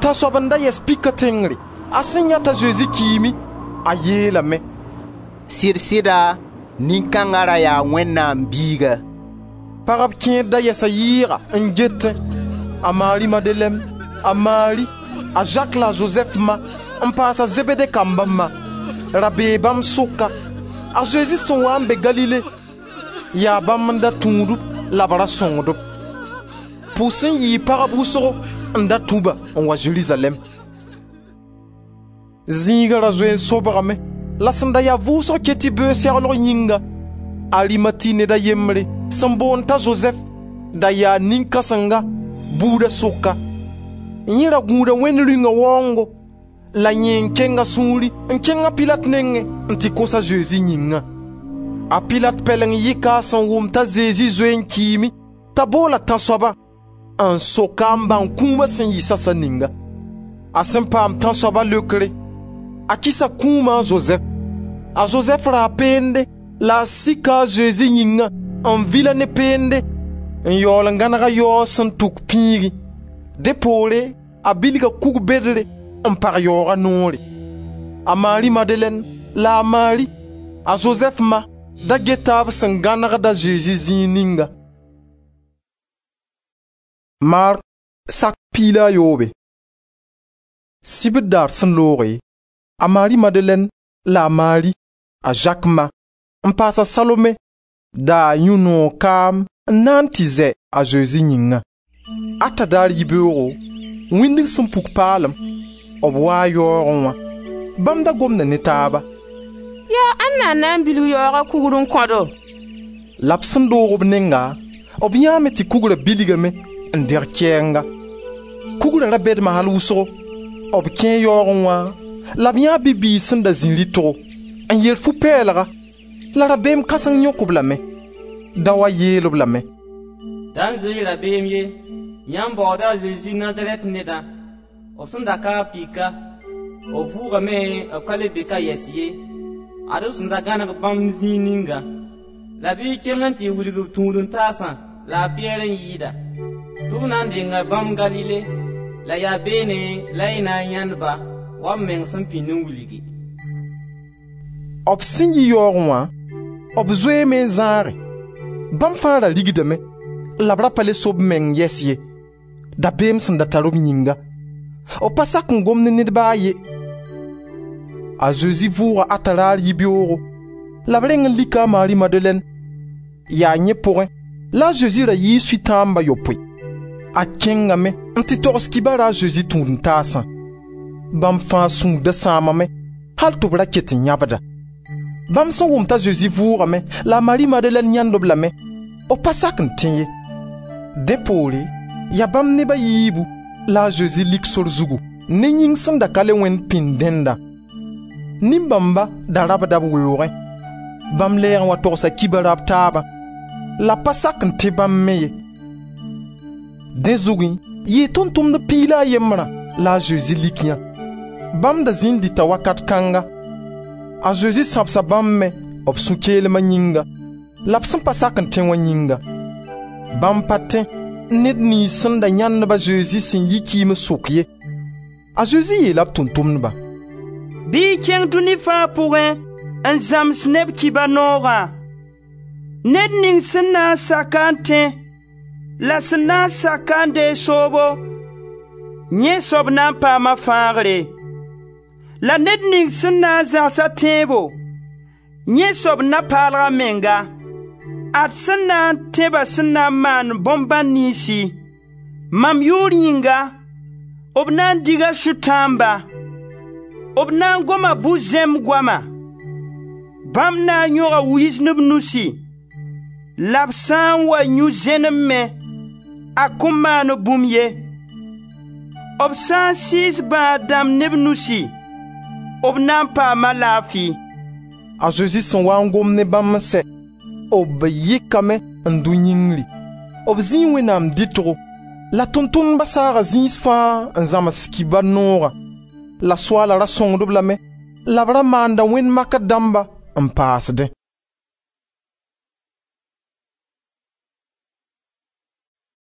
Tãnsoab n da yɛs pika tẽngre. A sẽn yã t'a Zezi kiime, a yeelame: «Sɩd-sɩda, nin-kãnga ra yaa Wẽnnaam Biiga.» Pagb kẽer da yɛsa yɩɩga n getẽ: a Mari Madelɛn, a Mari, a Zak la a Zozɛf ma, n paas a Zebede kamba ma. Ra bee bãmb sʋka. A Zezi sẽn waa n be Galile, yaa bãmb n da tũud-b la b ra sõngd-b. Pʋs n yɩɩ pagb wʋsgo n da tũ-ba n wa Zerizalɛɛm. Zĩiga ra zoe n sobgame la sẽn da ya vʋʋsg ket tɩ beoog seglg yĩnga, Arimati ned a yembre sẽn boond t'a Zozɛf da yaa nin-kãsenga buuda sʋka. Yẽ ra gũuda Wẽnd Rĩunga waoongo la yẽ n keng a sũuri n kẽng a Pilat nengẽ n tɩ kos a Zezi yĩngã. A Pilat pɛleng yɩka a sẽn wʋm t'a Zezi zoe n kiime t'a boola tãnsoabã n sok-a n bãng kũuma sẽn yɩ sasa ninga. A sẽn paam tãnsoaba leokre, a kɩsa kũuma a Zozɛf. A Zozɛf raa peende la a sika a Zezi yĩngã n vil-a ne peende n yaool n gãneg a yaoog sẽn tuk pĩigẽ. Dẽ poore a bilga kug bedre n pag yaooga noore. A Mari Madelɛn la a Mari, a Zozɛf ma, da geta b sẽn gãnegd a Zezi zĩig ninga. Mark sak 17. Sibr daar sẽn looge, a Mari Madelɛn la a Mari, a Zak ma, n paas a Salome daa yũ noog kaam n na n tɩ zɛ a Zezi yĩngã. Ata daar yibeoogo, wĩndg sẽn puk paalem, b waa yaoogẽ wã. Bãmb da gomda ne taaba: «Yaa ãnna n na n bilg yaooga kugr n kõ-do?» La b sẽn doog b nenga, b yãame tɩ kugra bilgame n deg kɛɛnga. Kugra ra bɛdma al wʋsgo. B kẽe yaoogẽ wã la b yãa bi-bɩɩg sẽn da zĩ rɩtgo n yer fu-pɛɛlga la rabeem kãseng yõk-b lame. Daoã yeel-b lame: «Da n zoe-y rabeem ye, yãmb baooda a Zezi Nazarɛt nedã, b sẽn da ka a pika. B vʋʋgame, b ka le be ka yɛs ye. Ad-b sẽn da gãneg bãmb zĩig ninga. La bɩ y kẽng n tɩ wilg b tũud-n-taasã la a Piyɛr n yɩɩda, tɩ b na n denga bãmb Galile, la yaa beene la y na n yãend-ba wa b meng sẽn pĩnd n wilgi.» B sẽn yi yaoogẽ wã, b zoeeme n zãage. Bãmb fãa ra rigdame la b ra pa le so b meng yɛs ye, dabeem sẽn da tar b yĩnga. B pa sak n gom ne ned ba a ye. A Zezi vʋʋga ata raar yibeoogo la b reng n lika a Mari Madelɛn. Yaa yẽ pʋgẽ la a Zezi ra yɩɩ sʋtãamba yopoe. A kẽngame n tɩ togs kibara a Zezi tũud-n-taasã. Bãmb fãa sũur da sãamame hal tɩ b ra ket n yãbda. Bãmb sẽn wʋm t'a Zezi vʋʋgame la a Mari Madelɛn yãnd-b lame, b pa sak n tẽ ye. Dẽ poore, yaa bãmb neb a yiibu la a Zezi lik sor zugu ne yĩng sẽn da ka le wẽnd pĩnd dẽnda. Nin-bãmba da rabda b weoogẽ. Bãmb lɛɛg n wa togsa kibara b taabã, la pa sak n tẽ bãmb me ye. Dẽ zugẽ yɩɩ tʋʋm-tʋmdb piig la a yembrã la a Zezi lik yã. Bãmb da zĩnd dɩta wakat kãnga. A Zezi sãbsa bãmb me b sũ-keelma yĩnga la b sẽn pa sak n tẽ wã yĩnga. Bãmb pa tẽ ned niyns sẽn da yãend-b a Zezi sẽn yi kɩɩms sʋk ye. A Zezi yeela b tʋʋm-tʋmdbã: «Bɩ y kẽng dũni fãa pʋgẽ n zãms neb kibar noogã. Ned ning sẽn na n sak-a n tẽ la sẽn na n sak-a n deeg soobo, yẽ soab na n paama fãagre. La ned ning sẽn na n zãgs-a tẽebo, yẽ soab na paalg a menga. Ad sẽn na n tẽ-ba sẽn na n maan bõn-bãn niynsi: mam yʋʋr yĩnga, b na n diga sʋtãamba, b na n goma bu-zẽmb goama, bãmb na n yõga wɩɩs ne b nusi, la b sã n wa yũ zẽnem me, a kõn maan-b bũmb ye. B sã n sɩɩs bãad-dãmb ne b nusi, b na n paama laafi.» A Zezi sẽn waa n gom ne bãmb n sɛ, b yɩkame n dʋ yĩngri. B zĩi Wẽnnaam dɩtgo. La tʋʋm-tʋmdba saaga zĩis fãa n zãms kibar noogã. La Soaala ra sõngd-b lame la b ra maanda wẽnd makr dãmba n paasdẽ.